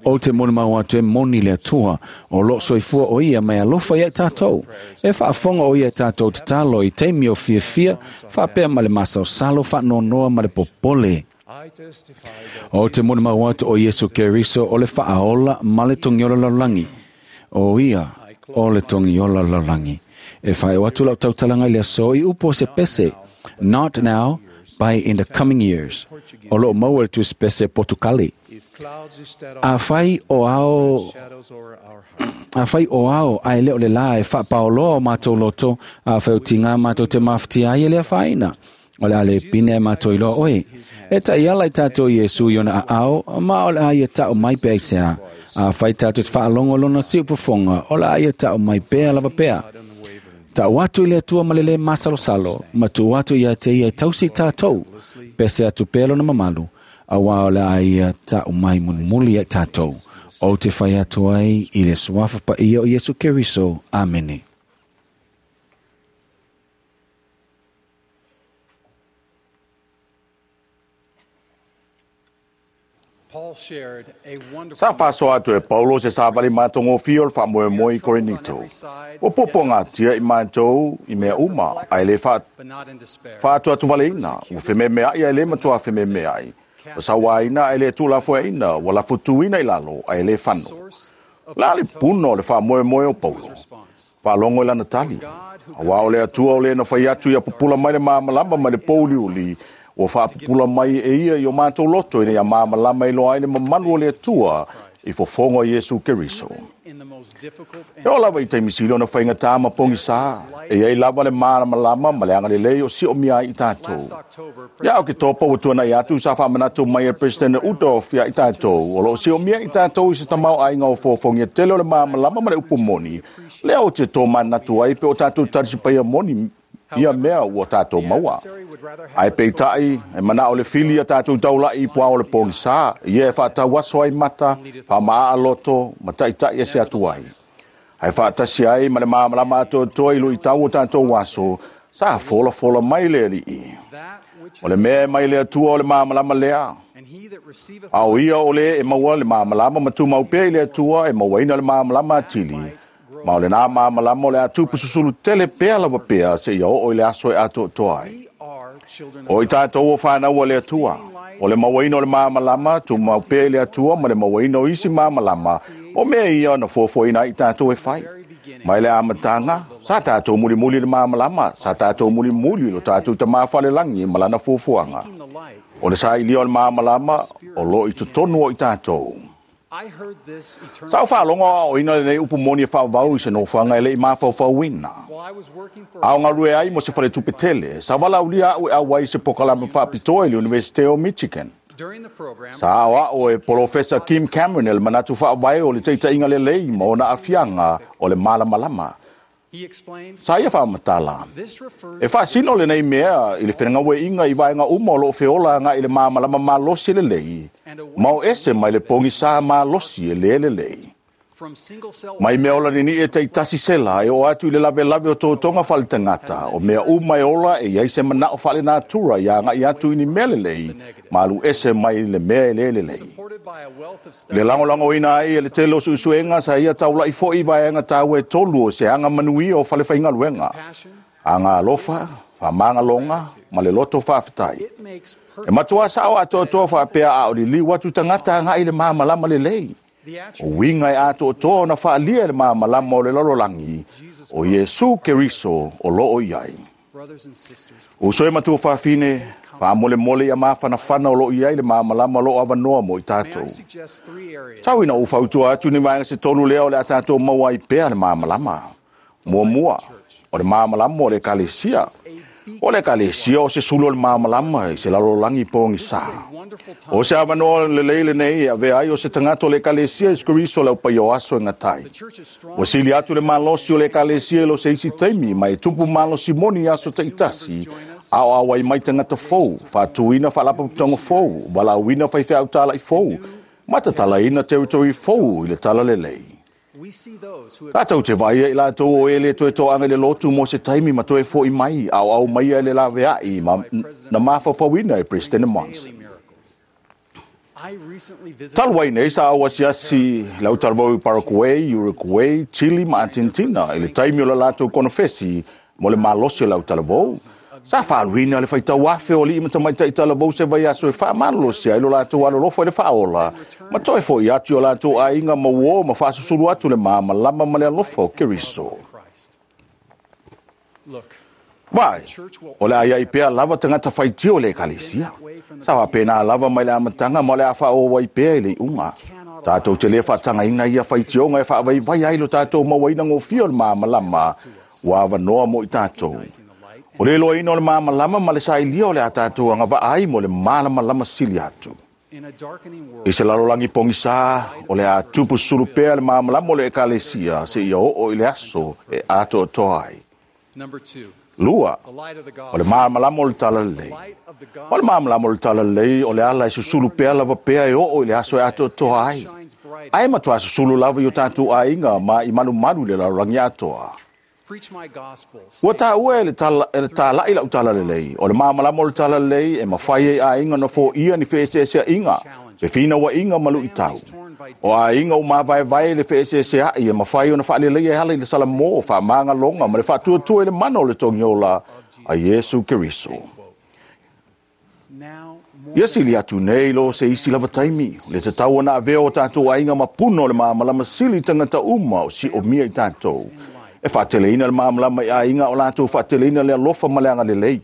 Ou te molimau atu e moni le Atua, o loo soifua o ia mai alofa ia i tatou. E faafofoga o ia i tatou tatalo i taimi o fiafia, faapea ma le masalosalo faanoanoa ma le popole. Ou te molimau atu o Iesu Keriso o le faaola ma le togiola lalolagi. O ia o le togiola lalolagi. E faaiu atu lau tautalaga i le aso i upu o se pese, Not now, but in the coming years. O loo maua i le tusipese Potukale. Afai o ao, afai o ao ae le o le la e faapaoloa o matou loto, afai o tiga matou te mafatia ai e le afaina, o le a le pine matou iloa oe. E taiala i tatou Iesu i ona aao, ma o le a ia tau mai pea i sea. Afai tatou te faalogo lona siufofoga, o le a ia tau mai pea lava pea. Tau atu i le Atua ma le lē masalosalo, ma tuu atu ia te ia e tausi i tatou, pese atu pea lona mamalu, auā o le a ia tau mai mulimuli ia i tatou. Ou te fai atu ai i le suafa paia o Iesu Keriso. Amene. Sa faasoa atu e Paulo se savali matagofie o le faamoemoe i Korinito. Ua puapuagatia i matou i mea uma, ae le faatuatuvaleina, ua fememeai ae le matua fememeai, ua sauaina ae le tuulafoaiina, ua lafutuina i lalo ae le fano. O le a le puna o le faamoemoe o Paulo? Faalogo i lana tali. Aua o le Atua o le na fai atu ia pupula mai le malamalama mai le pouliuli, ua faapupula mai e ia i o matou loto ina ia malamalama e iloa ai le mamalu o le Atua i fofoga o Iesu Keriso. E oo lava i taimi sili ona faigata ma pogisa, e i ai lava le malamalama ma le agalelei o siomia ai i tatou. Ia Oketopa ua tuanai atu sa faamanatu mai e Peresetene Udoff ia i tatou, o lo o siomia i tatou i se tamaoaiga o fofogia tele o le malamalama ma le upu moni, lea ou te tomanatu ai pe o tatou talisipaia moni ia mea ua tatou maua. Ae peitai, e manao le fili ia tatou taula'i i puao o le pogisa, ia e faatauaso ai mata, faamaaa loto, ma taitai ese atu ai. Ae faatasi ai ma le malamalama atoatoa i luitau o tatou aso, sa folafola mai le Alii. O le mea e mai le Atua o le malamalama lea. A o ia o le e maua le malamalama ma tumau pea i le Atua e mauaina le malamalama atili, ma o lenā malamalama o le a tupu susulu tele pea lava pea seia oo i le aso e atoatoa ai. O i tatou o fanau a le Atua, o le mauaina o le malamalama, tumau pea i le Atua ma le mauaina o isi malamalama, o mea ia na fuafuaina ai i tatou e fai. Mai le amataga, sa tatou mulimuli i le malamalama, sa tatou mulimuli i lo tatou Tamā falelagi ma lana fuafuaga. O le sailia o le malamalama o lo o i totonu o i tatou. Sa ou faalogo aoaoina lenei upu moni e faavavau i se nofoaga e le i mafaufauina. A o galue ai mo se faletupe tele, sa valaaulia au e auai i se pokalame faapitoa i le Iunivesite o Michigan. Sa aoao e Polofesa Kim Cameron le manatu faavae o le taitaiga lelei ma ona aafiaga o le malamalama. Sa ia faamatala, E faasino lenei mea i le fegaoaiga i vaega uma o loo feola agai i le malamalama malosi lelei, ma o ese mai le pogisa malosi e lē lelei. Mai mea ola ninii e taitasi sela e oo atu i le lavelave o totoga faaletagata, o mea uma e ola e i ai se manao faalenatura ia agai atu i ni mea lelei, ma alu ese mai le mea e lē lelei. Le lagolagoina ai e le tele o suesuega sa ia taula'i foi i vaega taua e tolu o se aga manuia o falefaigaluega, aga alofa, faamagaloga ma le loto faafetai. E matuā sao atoatoa faapea a o liliu atu tagata agai i le malamalama lelei. O uiga e atoatoa ona faaalia e le malamalama o le lalolagi, o Iesu Keriso o lo o i ai. Uso e matua fafine, faamolemole ia mafanafana o lo o i ai le malamalama o lo o avanoa mo i tatou. Tau ina ou fautua atu ni vaega se tolu lea o le a tatou maua ai pea le malamalama. Muamua, o le malamalama o le Ekalesia. O le Ekalesia o se sulu o le malamalama i se lalolagi pogisa. O se avanoa lelei lenei e avea ai o se tagata o le Ekalesia Iesu Keriso o le aupaia o aso e gata ai. Ua sili atu le malosi o le Ekalesia i lo se isi taimi ma e tupu malosi moni i aso taitasi, a o auai mai tagata fou, faatuina faalapotopotoga fou, valaauina faifeau talai fou, ma tatalaina territory fou i le talalelei. Tatou te vaaia i latou o e le toe toaga i le lotu mo se taimi ma toe fo'i mai, aoao maia e le laveai ma na mafaufauina e Peresetene Monson. Talu ai nei sa ou asiasi le au talavou i Paraguay, Uruguay, Chile ma Argentina i le taimi o le latou konofesi mo le malosi o le au talavou. Sa faaluina le faitau afe o alii ma tamaitai talavou se vaiaso e faamalolosi ai lo latou alolofa i le faaola ma toe fo'i atu i o latou aiga ma uō ma faasusulu atu le malamalama ma le alofa o Keriso. Vaai, o le a iai pea lava tagata faitio i le Ekalesia. Sa faapena lava mai le amataga ma o le a faaauau ai pea i le iuga. Tatou te le faatagaina ia faitioga e faavaivai ai lo tatou mauaina gofie o le malamalama ua avanoa mo i tatou. O le iloaina o le malamalama ma le sailia o le a tatou agavaa ai mo le malamalama sili atu. I se lalolagi pogisā, o le a tupu sulu pea le malamalama o le Ekalesia seia oo i le aso e atoatoa ai. 2, o le malamalama o le Talalelei. O le malamalama o le Talalelei o le ala e susulu pea lava pea e oo i le aso e atoatoa ai. Ae matuā susulu lava i o tatou aiga ma i malumalu i le lalolagi atoa. Ua taua e le tāla'i lau Talalelei, o le malamalama o le Talalelei e mafai ai aiga ona foia ni feeseesea'iga, fefinaua'iga ma lu'itau. O aiga ua mavaevae i le feeseesea'i e mafai ona faaleleia e ala i le salamō, faamagaloga ma le faatuatua i le mana o le togiola a Iesu Keriso. Ia sili atu nei lo se isi lava taimi, le tatau ona avea o tatou aiga ma puna o le malamalama sili i tagata uma o si'omia i tatou. E faateleina le malamalama i aiga o latou faateleina le alofa ma le agalelei.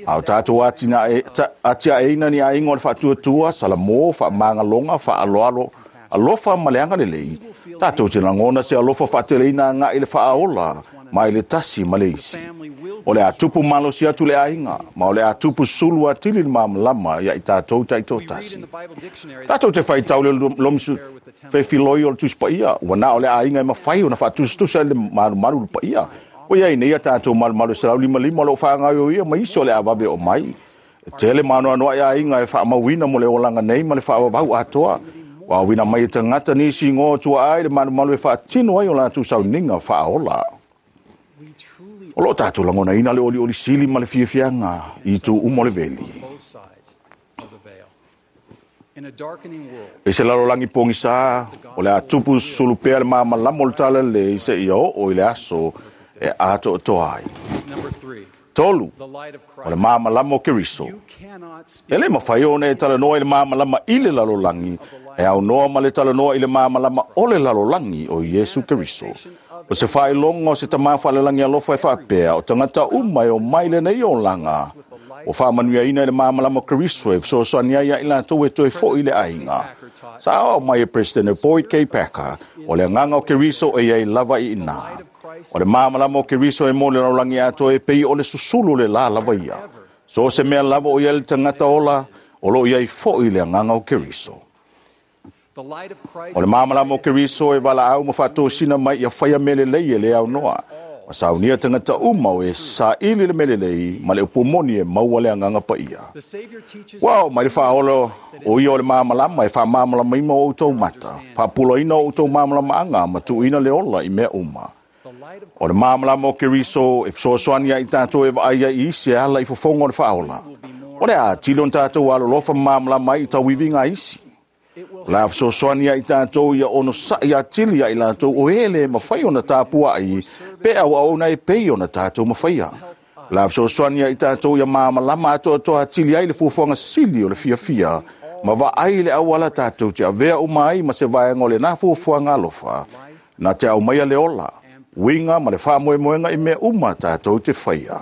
A o tatou atia'eina ni aiga o le faatuatua, salamō, faamagaloga, faaaloalo, alofa ma le agalelei, tatou te lagona se alofa faateleina aga'i i le faaola mai le tasi ma le isi. O le a tupu malosi atu le aiga, ma o le a tupu sulu atili le malamalama ia i tatou taitoatasi. Tatou te faitau le lomisu fefiloi o le Tusi Paia, ua na o le aiga e mafai ona faatusatusa i le malumalu le paia. Ua iai nei a tatou malumalu e 155 o lo o faagaoioia ma isi o le a vave oo mai. E tele ma anoanoai aiga e faamauina mo le olaga nei ma le faavavau atoa. Ua auina mai e tagata nisi igoa o tuaa i le malumalu e faatino ai o latou sauniga faaola. O lo o tatou lagonaina le olioli sili ma le fiafiaga i itu uma o le veli. I se lalolagi pogisā, o le a tupu sulu pea le malamalama o le Talalelei seia oo i le aso e atoatoa ai. 3, o le malamalama o Keriso. E le mafai ona e talanoa i le malamalama i le lalolagi, e aunoa ma le talanoa i le malamalama o le lalolagi o Iesu Keriso. O se faailoga o se Tama faalelagi alofa e faapea, o tagata uma e omai i lenei olaga, ua faamanuiaina i le malamalama o Keriso e fesoasoani ai ia i latou e toe fo'i i le aiga. Sa aoao mai e Peresetene Boyd K. Packer, o le agaga o Keriso e i ai lava i inā. O le malamalama o Keriso e mo le lalolagi atoa e pei o le susulu o le lā lava ia. So o se mea lava o i ai le tagata ola, o lo o i ai fo'i le agaga o Keriso. O le malamalama o Keriso e valaau ma faatosina mai ia faia mea lelei e le aunoa. Ma saunia tagata uma o e saili le mea lelei ma le upu moni e maua le agaga paia. Ua oo mai le faaola o ia o le malamalama e faamalamalamaina o outou mata, faapulaina o outou malamalamaaga ma tuuina le ola i mea uma. O le malamalama o Keriso e fesoasoani ai i tatou e vaai ai i isi e ala i fofoga o le faaola. O le a atili ona tatou alolofa ma malamalama ai i tauiviga a isi. O le a fesoasoani ai i tatou ia onosa'i atili ia i latou o e le mafai ona tapua'i pe auauna e pei ona tatou mafaia. O le a fesoasoani ai i tatou ia malamalama atoatoa atili ai le fuafuaga sili o le fiafia ma vaai i le auala tatou te avea uma ai ma se vaega o lena fuafuaga alofa na te aumaia le ola, uiga ma le faamoemoega i mea uma tatou te faia.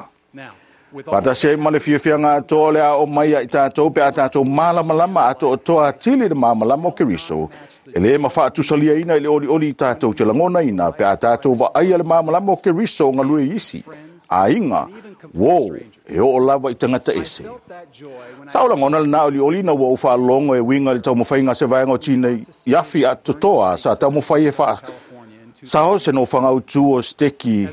Faatasi ai ma le fiafiaga atoa o le a oo mai ia i tatou pe a tatou malamalama atoatoa atili i le malamalama o Keriso, e le mafaatusaliaina i le olioli i tatou te lagonaina pe a tatou vaaia le malamalama o Keriso o galue i isi aiga, uō, e oo lava i tagata ese. Sa ou lagona lena olioli ina ua ou faalogo e uiga i le taumafaiga a se vaega o tinei i afi atotoa sa taumafai e Sa o se nofoaga autū o Seteki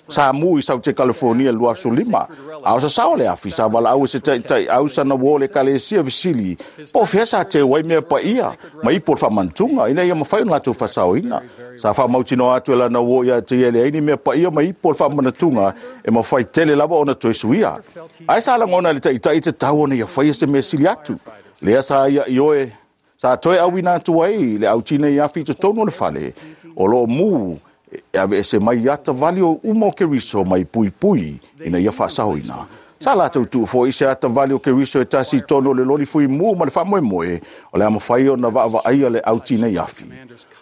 sa mu i Saute Kalifonia i le 2005, a o sasao le afi sa valaau e se taitaiau sana uō o le Ekalesia fesili po o fea sa teu ai mea paia ma ipu o le faamanatuga ina ia mafai ona latou faasaoina. Sa faamautinoa atu e lana uō ia te ia e leai ni mea paia ma ipu o le faamanatuga e mafai tele lava ona toe suia. Ae sa lagona e le taitai e tatau ona ia faia se mea sili atu. Lea sa ia ioe sa toe auina atu ai le au tinei afi i totonu o le fale o lo o mu e aveese mai ata vali o uma o Keriso mai puipui ina ia faasaoina. Sa latou tuu foi se ata vali o Keriso e tasi i totonu o le loli fuimu ma le faamoemoe o le a mafai ona vaavaaia le au tinei afi.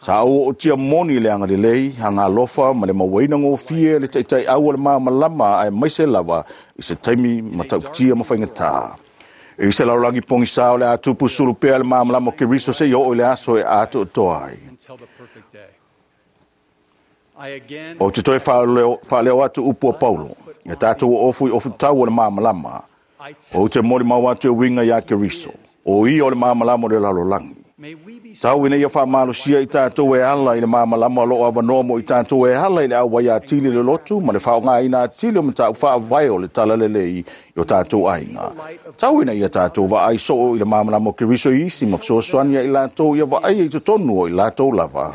Sa ou ootia moni le agalelei, agalofa ma le mauaina gofie le taitaiau o le malamalama aemaise lava i se taimi matautia ma faigata. I se lalolagi pogisā o le a tupu sulu pea le malamalama o Keriso seia oo i le aso e atoatoa ai. Ou te toe faaleo atu upu a Paulo, ia tatou oofu i ofutau o le malamalama. Ou te molimau atu e uiga iā Keriso, o ia o le malamalama o le lalolagi. Tau ina ia faamalosia i tatou e ala i le malamalama o lo o avanoa mo i tatou e ala i le auai atili i le lotu ma le faaaogaina atili o mataupu faavae o le talalelei i o tatou aiga. Tau ina ia tatou vaai soo i le malamalama o Keriso i isi ma fesoasoani ia i latou ia vaaia i totonu o i latou lava.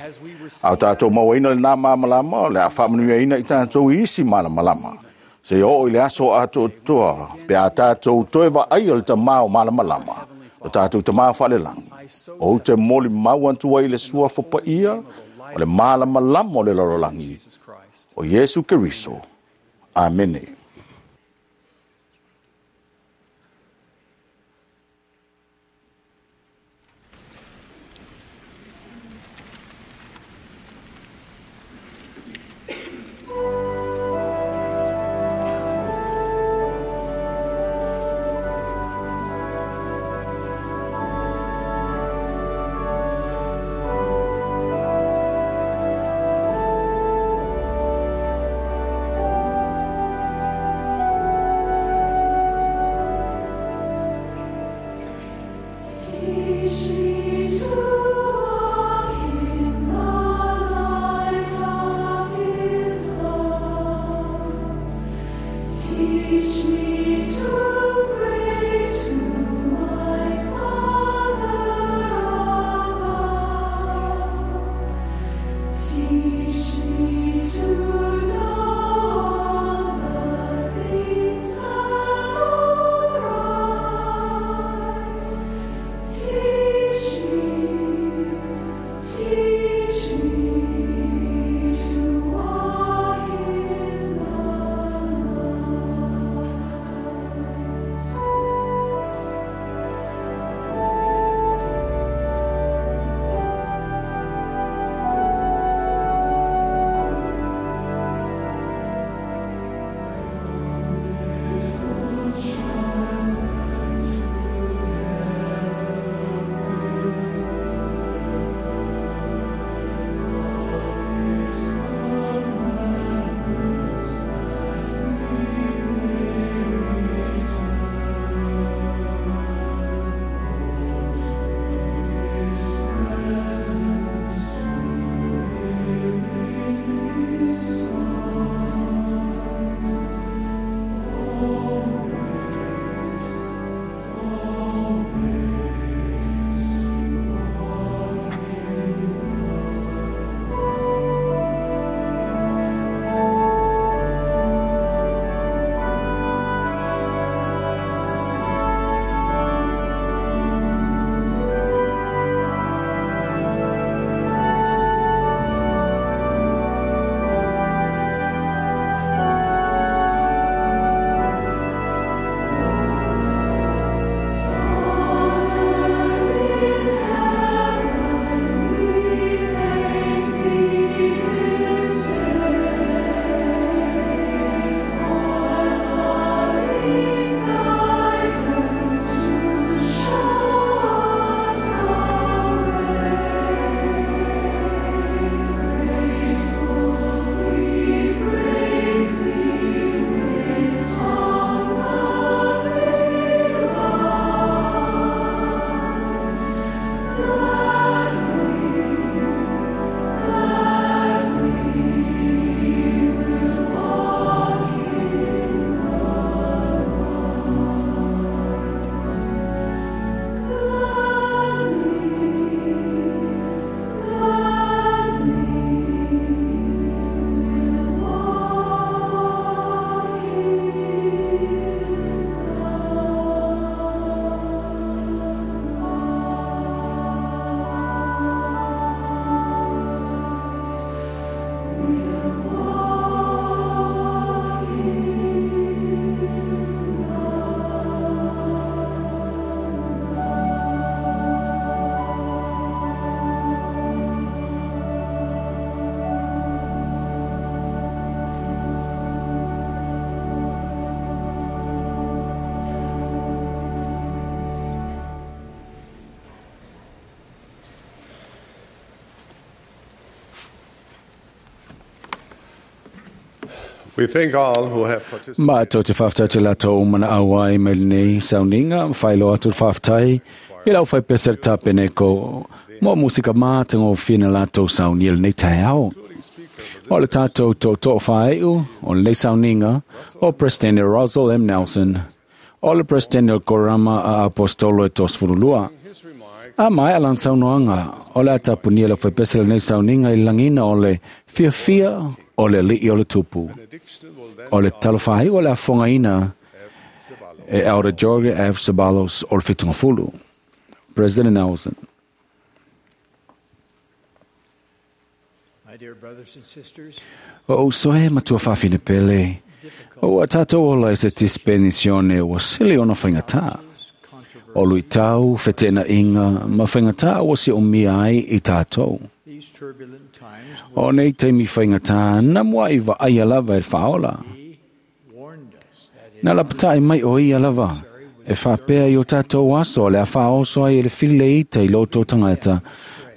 A o tatou mauaina lenā malamalama, o le a faamanuiaina i tatou i isi malamalama. Seia oo i le aso atoatoa pe a tatou toe vaaia le Tamā o malamalama, lo tatou Tamā faalelagi. Ou te molimau atu ai i le suafa paia o le malamalama o le lalolagi, o Iesu Keriso. Amene. We thank all who have participated. Ma tō te whaftai te lato o mana auai mai nei sauninga, whailo atu te whaftai, i lau whai pesa te tapene ko mo musika mā te ngō whina lato saunia nei tai ao. O le tātou tō tō whaeu, o le sauninga, o President Russell M. Nelson, o le President Korama a Apostolo e tos furulua. A mai alan saunoanga, o le atapunia le whai pesa le nei sauninga i langina o le fiafia o le li'i o le tupu. O le talofai o le afongaina e Elder George F. Sabalos o le Fitungafulu. President Nelson. My dear brothers and sisters, O soe matua whawhine pele. O a tātou ola e se tispenisione o sili ona whaingatā. O lui tau, whetena inga, ma whaingatā o si o mia ai i tātou. these turbulent times O nei teimi whaingatā, na mua i wa ai alava e whaola. warned us that Nā la patai mai o ia lava. E whapea i o tātou aso, le a whaoso ai e le while i te i loto tangata.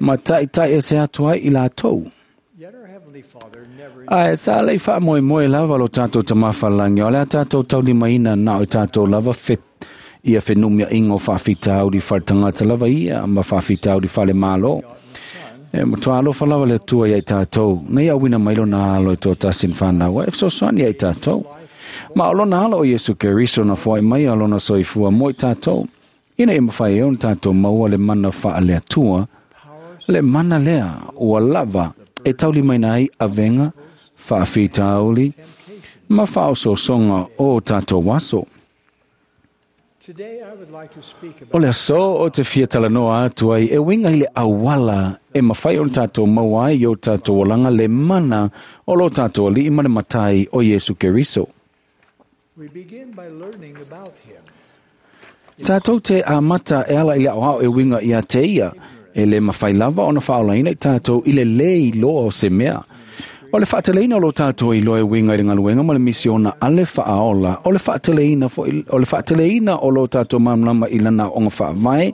Ma tai tai e se atu ai i lātou. yet our Heavenly Father never Ai, sa lei wha moe moe lava lo tātou tamawhalangi, o lea tātou tauli maina nā o tātou lava fit, ia whenumia ingo whawhita auri wharetangata lava ia, ma whawhita auri whale malo. E matua alofa lava le tua ia i tātou, nei au wina mailo nā alo e tō tasin whanau, e fesoasoani ia i tātou. Ma o lona alo o Iesu Keriso na fuai mai a lona soifua mo i tātou. Ina e mawhai e ona tātou maua le mana wha le atua, le mana lea ua lava e tauli mai ai avenga, whaawhitauli, ma whaososonga o tātou waso. Today I would like to speak O about le aso o te fia talanoa atu ai e winga i le awala e mawhai o tātou maua ai i o tātou olanga le mana o lo tātou ali'i ma le matai o Iesu Keriso. We begin by learning about him. Tātou te amata e ala i le au e winga i a te ia, e le mawhai lava ona whaolaina i tātou i le lei loa o se mea. O le whaateleina o lo tātou i loa e winga i le ngaluenga ma le misiona a le whaaola, o le whaateleina, o le whaateleina o lo tātou mamlama i lana onga whaavae,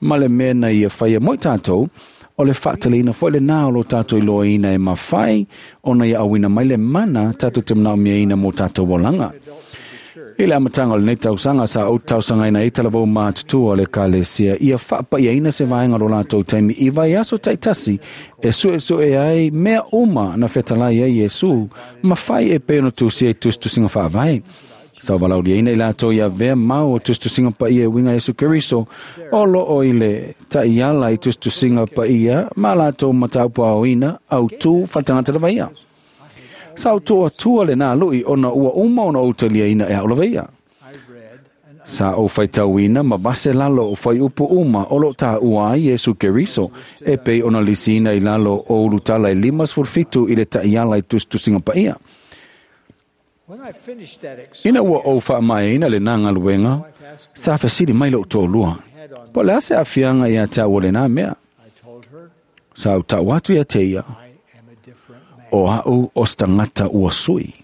ma le mea na ia whaia moi tātou, o le whaateleina fo le nā o lo tātou i loa ina e mawhai, ona ia awina mai le mana tātou te mnao mea ina mō tātou olanga. I le amatanga o lenei tausaga sa ou tausagaina ai talavou matutua o le ekalesia ia faapaiaina se vaega lo latou taimi i vaiaso taitasi e suesue ai mea uma na fetalai ai Iesu ma fai e pei ona tusia i tusitusiga faavae. Sa valauliaina i latou ia avea mau o tusitusiga paia e uiga Iesu Keriso o loo i le ta'iala i tusitusiga paia ma latou mataupu aoina autū faatagata lava ia. Sa o tua tua le nā lui ona ua uma ona o taliaina e au lava ia. I read and Sa o whaitauina ma vase lalo o whai upu uma o lo tā ua ai Iesu Keriso e pei ona lisina i lalo o ulutala e 57 i le ta'iala i tusitusiga paia. when I finished that Ina exciting ua ou whaamaeina le nā ngaluenga, sa whasiri mai lo tōlua. Po le ase afianga ia te au o le nā mea. I told her Sa au tau atu ia te ia, I am a different man. o au o stangata ua sui.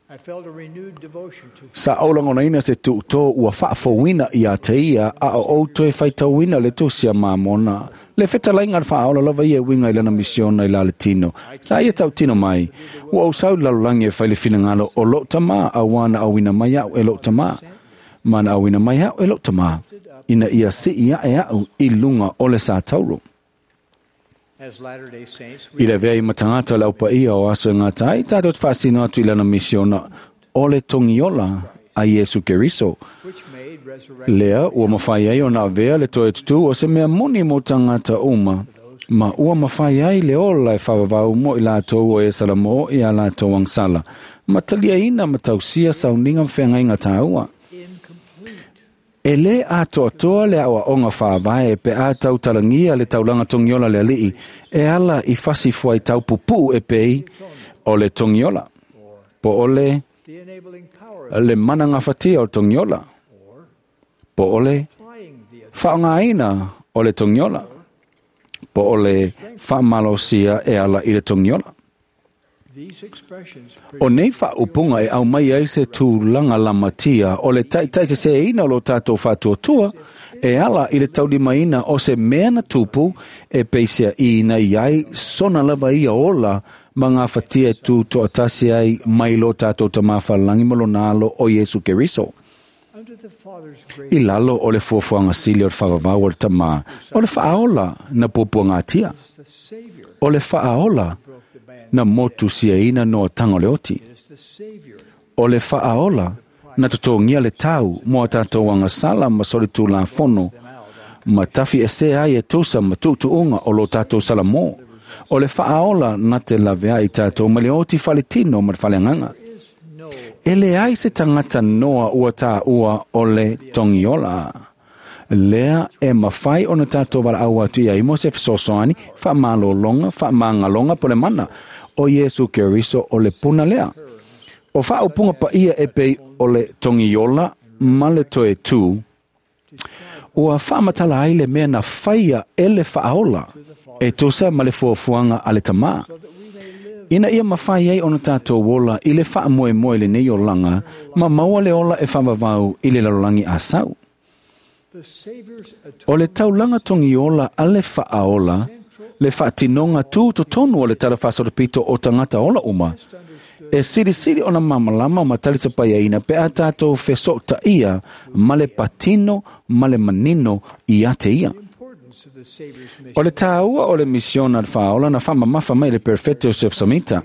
I felt a renewed devotion to him. Sa aulangonaina se tuutō ua whaafouina i a te ia a o outo e whaitauina le tosia mamona. Le whetalainga le whaaola lava ia winga i lana misiona i la le tino. Sa ia tau tino mai. Ua au sau lalolangi e whai le whinangalo o lo tama a wana awina mai au e lo tama. Mana awina mai au e lo tama. Ina ia si ia e au i lunga o le sa tauro. As Latter-day Saints, I we le vea i matangata le aupa ia o aso e ngā tai, tātou te whaasino atu i lana misiona o le tongiola a Iesu Keriso. which made resurrection Lea, ua mawhai ai o nā vea le toe tutu o se mea moni mō tangata uma. Ma ua mawhai ai le ola e whawawau mo i lātou o e sala mō i a lātou angsala. Ma talia ina ma tausia sauninga mwhengainga tāua. incomplete. E le atoa toa le awa onga whāwae pe a tau talangia le taulanga tongiola le alii e ala i fasi fuai tau pupu e pei o le tongiola. Po o le, The enabling power of le mana ngawhatia o tongiola. Po o le applying the whaongaina o le tongiola. Po o le whamalosia e ala i le tongiola. O nei faaupuga e aumai ai se tulaga lamatia o le taʻitaʻiseseina o lo tatou faatuatua e ala i le taulimaina o se mea na tupu e peiseaʻiina i ai sona lava ia ola ma gafatia e tutoʻatasi ai mai lo tatou Tamā Faalelagi ma lona Alo o Iesu Keriso. I lalo o le fuafuaga sili o le faavavau o le Tamā, o le faaola na puapuagatia, o le faaola na motusiaina noataga o le oti, o le faaola na totogia le tau mo a tatou agasala ma solitulafono ma tafi esea ai e tusa ma tuutuuga o lo tatou salamō, o le faaola na te laveai tatou ma le oti faletino ma le faleagaga. E leai se tagata noa ua tāua o le togiola. Lea e mafai ona tatou valaau atu i ai mo se fesoasoani, faamalologa, faamagaloga po le mana o Iesu Keriso o le puna lea. O faaupuga paia e pei o le togiola ma le toe tū, ua faamatala ai le mea na faia e le faaola e tusa ma le fuafuaga a le Tamā. Ina ia mafai ai ona tatou ola i le faamoemoe lenei olaga ma maua le ola e faavavau i le lalolagi asau. O le taulaga togiola a le faaola, le faatinoga tu totonu o le talafaasolopito o tagata ola uma, e silisili ona mamalama ma talisapaiaina pe a tatou fesoʻotaʻia ma le patino ma le manino ia te ia. O le tāua o le misiona le faaola na faamamafa mai le Perfetto Joseph Samita,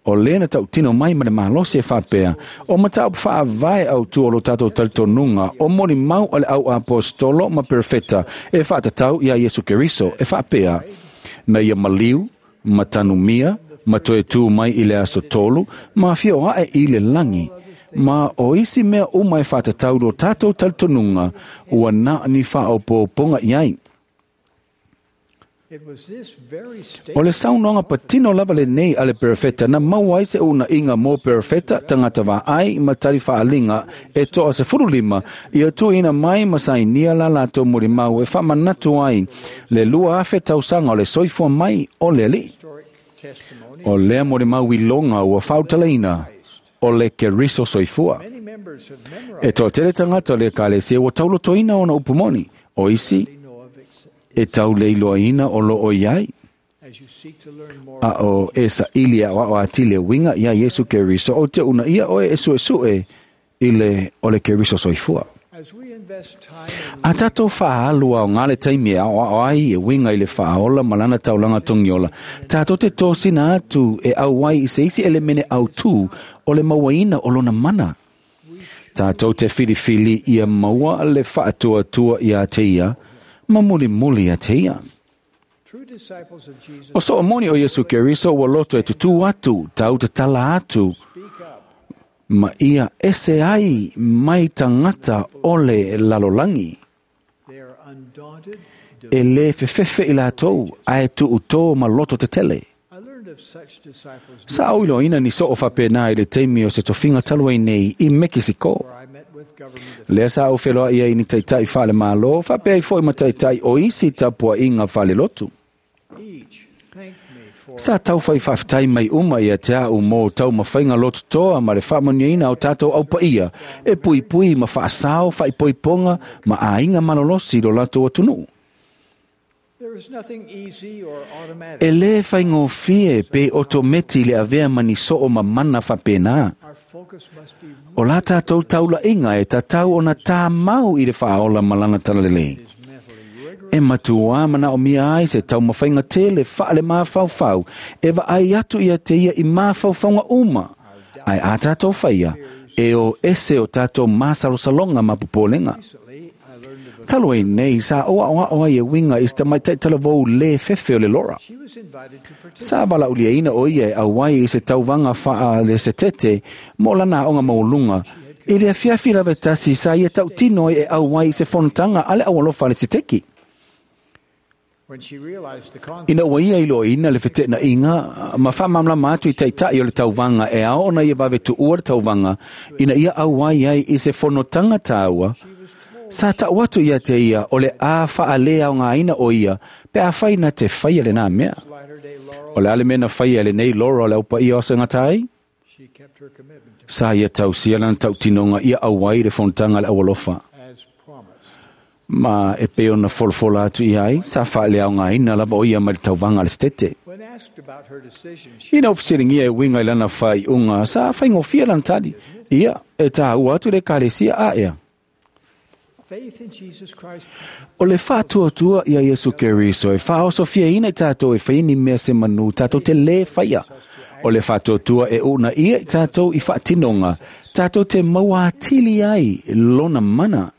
o lea na tautino mai ma le malosi e faapea, o mataupu faavae autu o lo tatou talitonuga o molimau a le au apostolo ma perfeta e faatatau iā Iesu Keriso e faapea, na ia maliu, ma tanumia, ma toe tū mai i le aso tolu, ma afio ae i le lagi, ma o isi mea uma e faatatau lo tatou talitonuga ua na ni faaopoopoga i ai. O le saunoaga patino lava lenei a le perfeta na maua ai se uunaiga mo perfeta tagata vaai ma tali faaliga e toa 15 ia tuuina mai ma sainia la latou molimau e faamanatu ai le 2,000 tausaga o le soifua mai o le Alii. O lea molimau iloga ua faautalaina o le Keriso soifua. E toatele tagata o le Ekalesia ua taulotoina ona upu moni, o isi e tauleiloaina o loo i ai. A o e saili aʻoaʻo atili e uiga iā Iesu Keriso o te una ia oe e suesue i le o le Keriso soifua. A tatou faaalu aoga le taimi e aʻoaʻo ai e uiga i le faaola ma lana taulaga togiola, tatou te tosina atu e auai i se isi elemene autū o le mauaina o lona mana. Tatou te filifili ia maua le faatuatua iā te ia, ma mulimuli ia te ia. O soo moni o Iesu Keriso ua loto e tutū atu, tau tatala atu, ma ia ese ai mai tagata o le lalolagi. E lē fefefe i latou, ae tuutō ma loto tetele. Sa auiloaina ni soo faapena i le taimi o se tofiga talu ai nei i Mekisiko. Lea sa au feloaʻi ai ni taitaʻi faalemālō, faapea ai foʻi ma taitaʻi o isi tapuaʻiga faalelotu. Sa taufai faafetai mai uma ia te aʻu mo taumafaiga lototoa ma le faamanuiaina o tatou aupaia e puipui ma faasao faaipoipoga ma aiga malolosi lo latou atunuu. E lē faigofie pe otometi le avea ma ni soo ma mana faapena. O la tatou taulaʻiga e tatau ona tāmau i le faaola ma lana talalelei. E matuā manaʻomia ai se taumafaiga tele faale mafaufau e vaai atu ia te ia i mafaufauga uma, ae a tatou faia e o ese o tatou masalosaloga ma popolega. Talu ai nei sa oaʻoaʻo ai e uiga i se tamaitaʻi talavou lē fefe o le Lora. Sa valaauliaina o ia e auai i se tauvaga faalesetete mo lana aoga maualuga i le afiafi lava e tasi sa ia tautino ai e auai i se fonotaga a le aualofa a le seteki. Ina ua ia iloaina le feteʻenaʻiga ma faamalamalama atu i taitaʻi o le tauvaga e ao ona ia vave tuua le tauvaga ina ia auai ai i se fonotaga tāua, Sa ta'u atu ia te ia o le a fa'aleaogāina o ia pe afai na te faia lenā mea. O le a le mea na faia e lenei Laura o le aupaia o segata ai? Sa ia tausia lana tautinoga ia auai le fonotaga a le aualofa. Ma e pei ona folafola atu i ai, sa fa'aleaogāina lava o ia mai le tauvaga a le setete. Ina ua fesiligia e uiga i lana faaiuga, sa faigofie lana tali. Ia, e tāua atu le ekalesia a ea. O le faatuatua ia Iesu Keriso e faaosofiaina i tatou e faia ni mea se manu tatou te lē faia. O le faatuatua e uunaia i tatou i faatinoga, tatou te maua atili ai lona mana.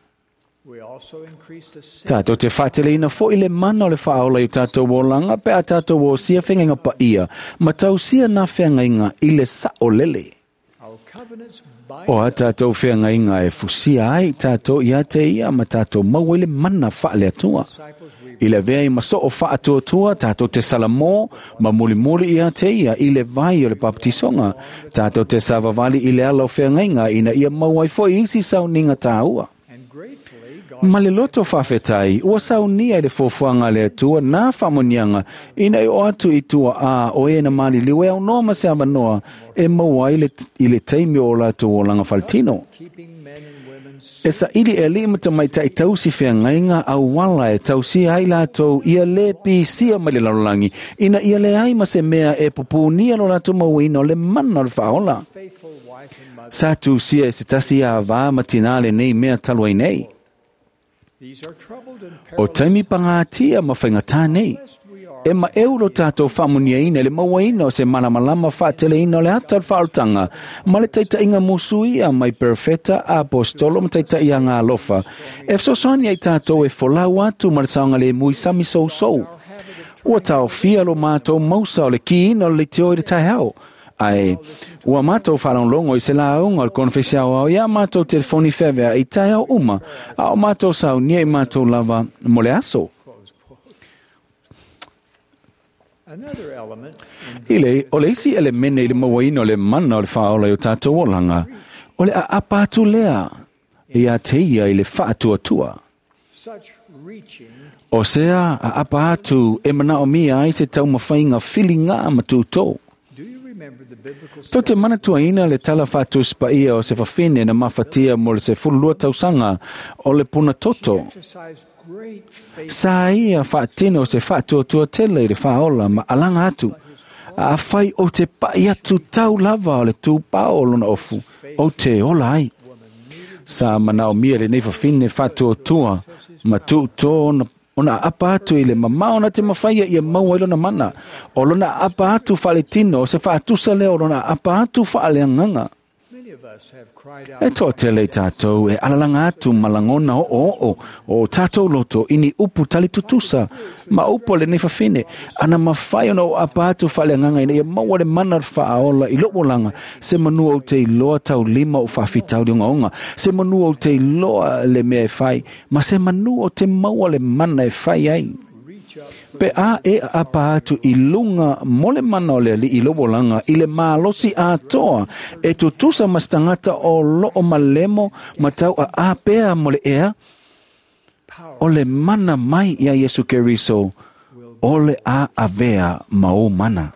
Tatou te faateleina fo'i le mana o le faaola i o tatou olaga pe a tatou osia feagaiga paia ma tausia na feagaiga i le saʻolele. O a tatou feagaiga e fusia ai tatou ia te ia ma tatou maua ai le mana faale-Atua. I le avea ai ma soo faatuatua tatou te salamō ma mulimuli ia te ia i le vai o le papatisoga. Tatou te savavali i le ala o feagaiga ina ia maua ai fo'i isi sauniga tāua. Ma le loto faafetai, ua saunia i le fuafuaga a le Atua nā faamanuiaga ina ia oo atu i tua a o e na maliliu e aunoa ma se avanoa e maua ai le, i le taimi o latou olaga faletino. E saili e alii ma tamaitai tausi feagaiga auala e tausia ai latou ia lē pisia mai le lalolagi ina ia leai ma se mea e pupunia lo latou mauaina o le mana o le faaola. Sa tusia e se tasi ava ma tinā lenei mea talu ai nei. O taimi pagatia ma faigatā nei. E maʻeu lo tatou faamuniaina i le mauaina o se malamalama faateleina o le ata o le faaolataga ma le taitaʻiga musuia mai perofeta, apostolo ma taitaʻi agalofa e fesoasoani ai tatou e folau atu ma le saogalemu i sami sousou. Ua taofia lo matou mausa o le kiina o le leitio i le taeao, ae ua matou faalogologo i se lauga o le konofesi aoao iā matou telefoni feaveaʻi i taeao uma, a o matou saunia i matou lava mo le aso. I le, o le isi elemene i le mauaina o le mana o le faaola i o tatou olaga, o le aapa atu lea ia te ia i le faatuatua. O sea aapa atu e manaomia ai se taumafaiga filigā ma tutō. Tou te manatuaina le tala faatusi paia o se fafine na mafatia mo le 12 tausaga o le puna toto. Sa ia faatino se faatuatua tele i le faaola ma alaga atu. Afai ou te paʻi atu tau lava o le tupao o lona ofu, ou te ola ai. Sa manaomia lenei fafine faatuatua ma tuutō ona ona aapa atu i le mamao na te mafaia ia maua ai lona mana. O lona aapa atu faaletino, o se faatusa lea o lona aapa atu faaleagaga. E toatele i tatou e alalaga atu ma lagona oooo o tatou loto i ni upu tali tutusa ma upu a lenei fafine. Ana mafai ona ou aapa atu faaleagaga ina ia maua le mana o le faaola i lou olaga, se manu ou te iloa taulima ou faafitauli ogaoga, se manu ou te iloa le mea e fai, ma se manu ou te maua le mana e fai ai. Pe a e aapa atu i luga mo le mana o le Alii i lou olaga i le malosi atoa e tutusa ma se tagata o loo malemo ma tau aā pea mo le ea, o le mana mai ia Iesu Keriso o le a avea ma ou mana.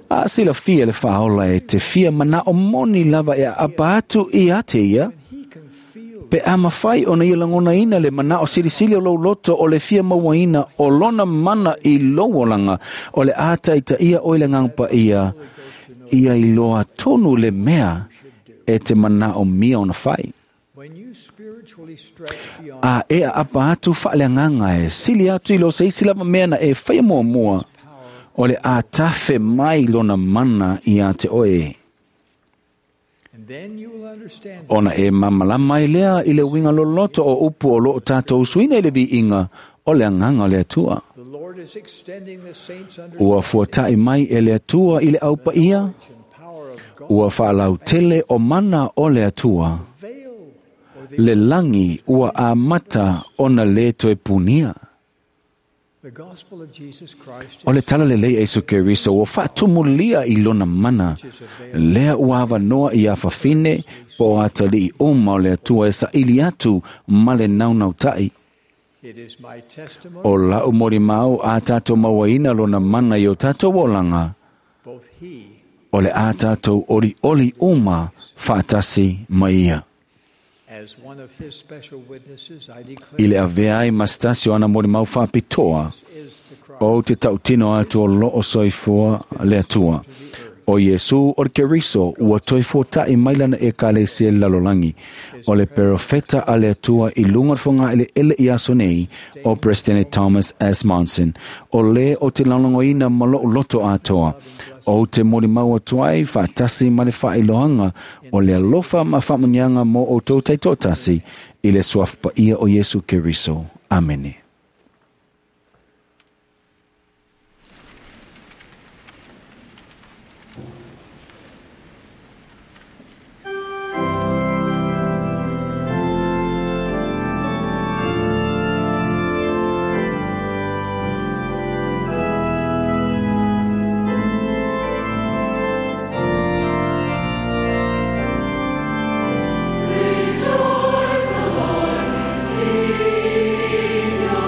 A silafia le faaola e te fia manao moni lava e aapa atu ia te ia, pe a mafai ona ia lagonaina le manao silisili o lou loto o le fia mauaina o lona mana i lou olaga, o le a taitaia oe le Agaga Paia, ia iloa tonu le mea e te manaomia ona fai. A e aapa atu faaleagaga e sili atu i lo se isi lava mea na e faia muamua, o le a tafe mai lona mana ia te oe. Ona e mamalama ai lea i le uiga loloto o upu o loo tatou usuina i le viiga o le Agaga o le Atua. Ua fuataʻi mai e le Atua i le au paia, ua faalautele o mana o le Atua. Le lagi ua amata ona lē toe punia. O le talalelei a Iesu Keriso ua faatumulia i lona mana, lea ua avanoa i afafine po o atalii uma o le Atua e saili atu ma le naunautai. O la'u molimau a tatou mauaina lona mana i o tatou olaga, o le a tatou olioli uma faatasi ma ia. I le avea ai ma se tasi o ana molimau faapitoa, ou te tautino atu o loo soifua le Atua. O Iesu o le Keriso ua toe fuata'i mai lana Ekalesia i le lalolagi. O le perofeta a le Atua i luga o le fogaeleele i aso nei o Peresetene Thomas S. Monson. O lē o te lagolagoina ma lo'u loto atoa. Ou te molimau atu ai faatasi ma le faailoaga o le alofa ma faamuniaga mo outou taitoatasi i le suafa paia o Iesu Keriso. Amene. Rejoice, the Lord is here.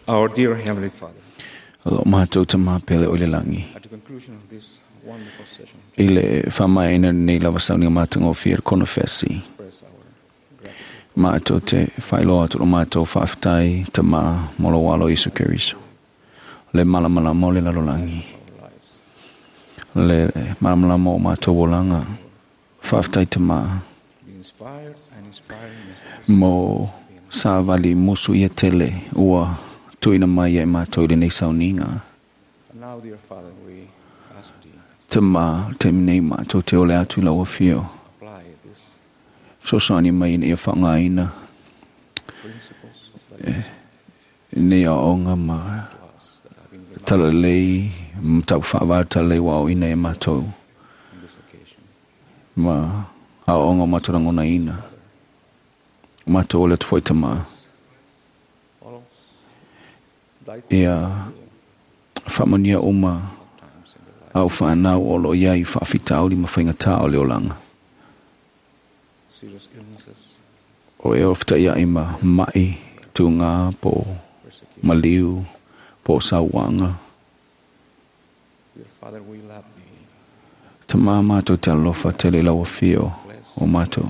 Our dear Heavenly Father, Lo mātou ta mā pele o le langi. at the conclusion of this wonderful session, I le whamaina nei lava sauni o mātou ngō konofesi. express our gratitude Mātou te whailoa atu o mātou whaaftai ta mā molo walo Isu Keriso. Le malamala mo le lalolangi. for our lives. Le malamala mo mātou olanga. Whaaftai ta mā The inspired and inspiring messages mo sa vali musu ia tele ua tuina mai e mātou i lenei sauniga. And now, dear Father, we ask thee Te mā te nei mātou te ole atu i lau afio. apply these Fesoasoani mai ina ia faaaogaina principles of thy gospel nei aoaoga ma to us that have been reminded talalelei ma faavā talalelei ua aoina e mātou on this occasion. ma aoaoga o matou lagonaina. Matou ole atu foi tamā. All of thy Ia faamanuia uma times in their life, au whanau o lo iai whaafitauli ma whaingatā o le olanga. serious illnesses, O e o whitai ma mai, tūngā, po persecution. maliu, po sauanga. Dear Father, we love thee. Te mā mātou te alofa te le laua whio o mātou.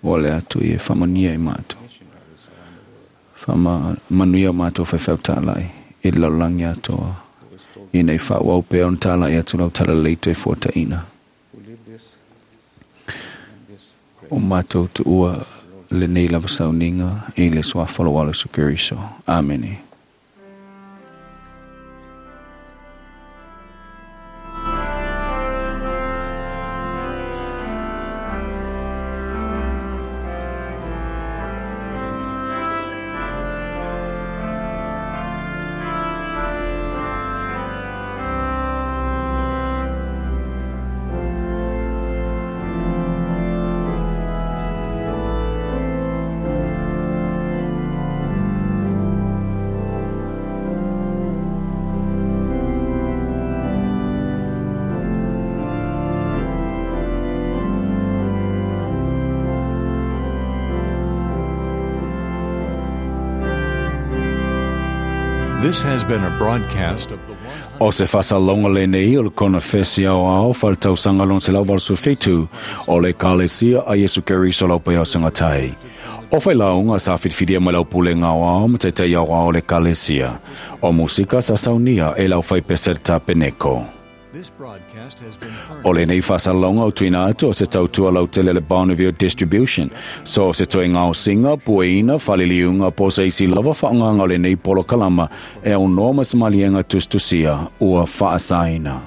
O le atu i e whamania i mātou. Missionaries around the world Whama manuia o mātou whaiwhau tālai i le laulangi atoa. who is told I nei whaawau pea on tālai atu lau tala leito e fuataina. who live this and this O great mātou tu ua le nei lava sauninga i le suafalo walo sukuriso. Amene. This has been a broadcast of the O se whasalonga le nei o le konofesi au ao whaletausanga lon se lau 87 o le kalesia a Yesu Keriso lau pai au sangatai. O whailaunga sa whitwhiria mai lau pule ngau ao ma taitai au ao le kalesia. O musika sa saunia e lau whai peserta peneko. This broadcast has been O le nei whasalonga o tuina atu o se tautua lau tele le Bonneville Distribution. So se toe ngao singa, pueina, whaliliunga, po se isi lava whaanganga o le nei polo kalama e au noa mas malienga tustusia ua whaasaina.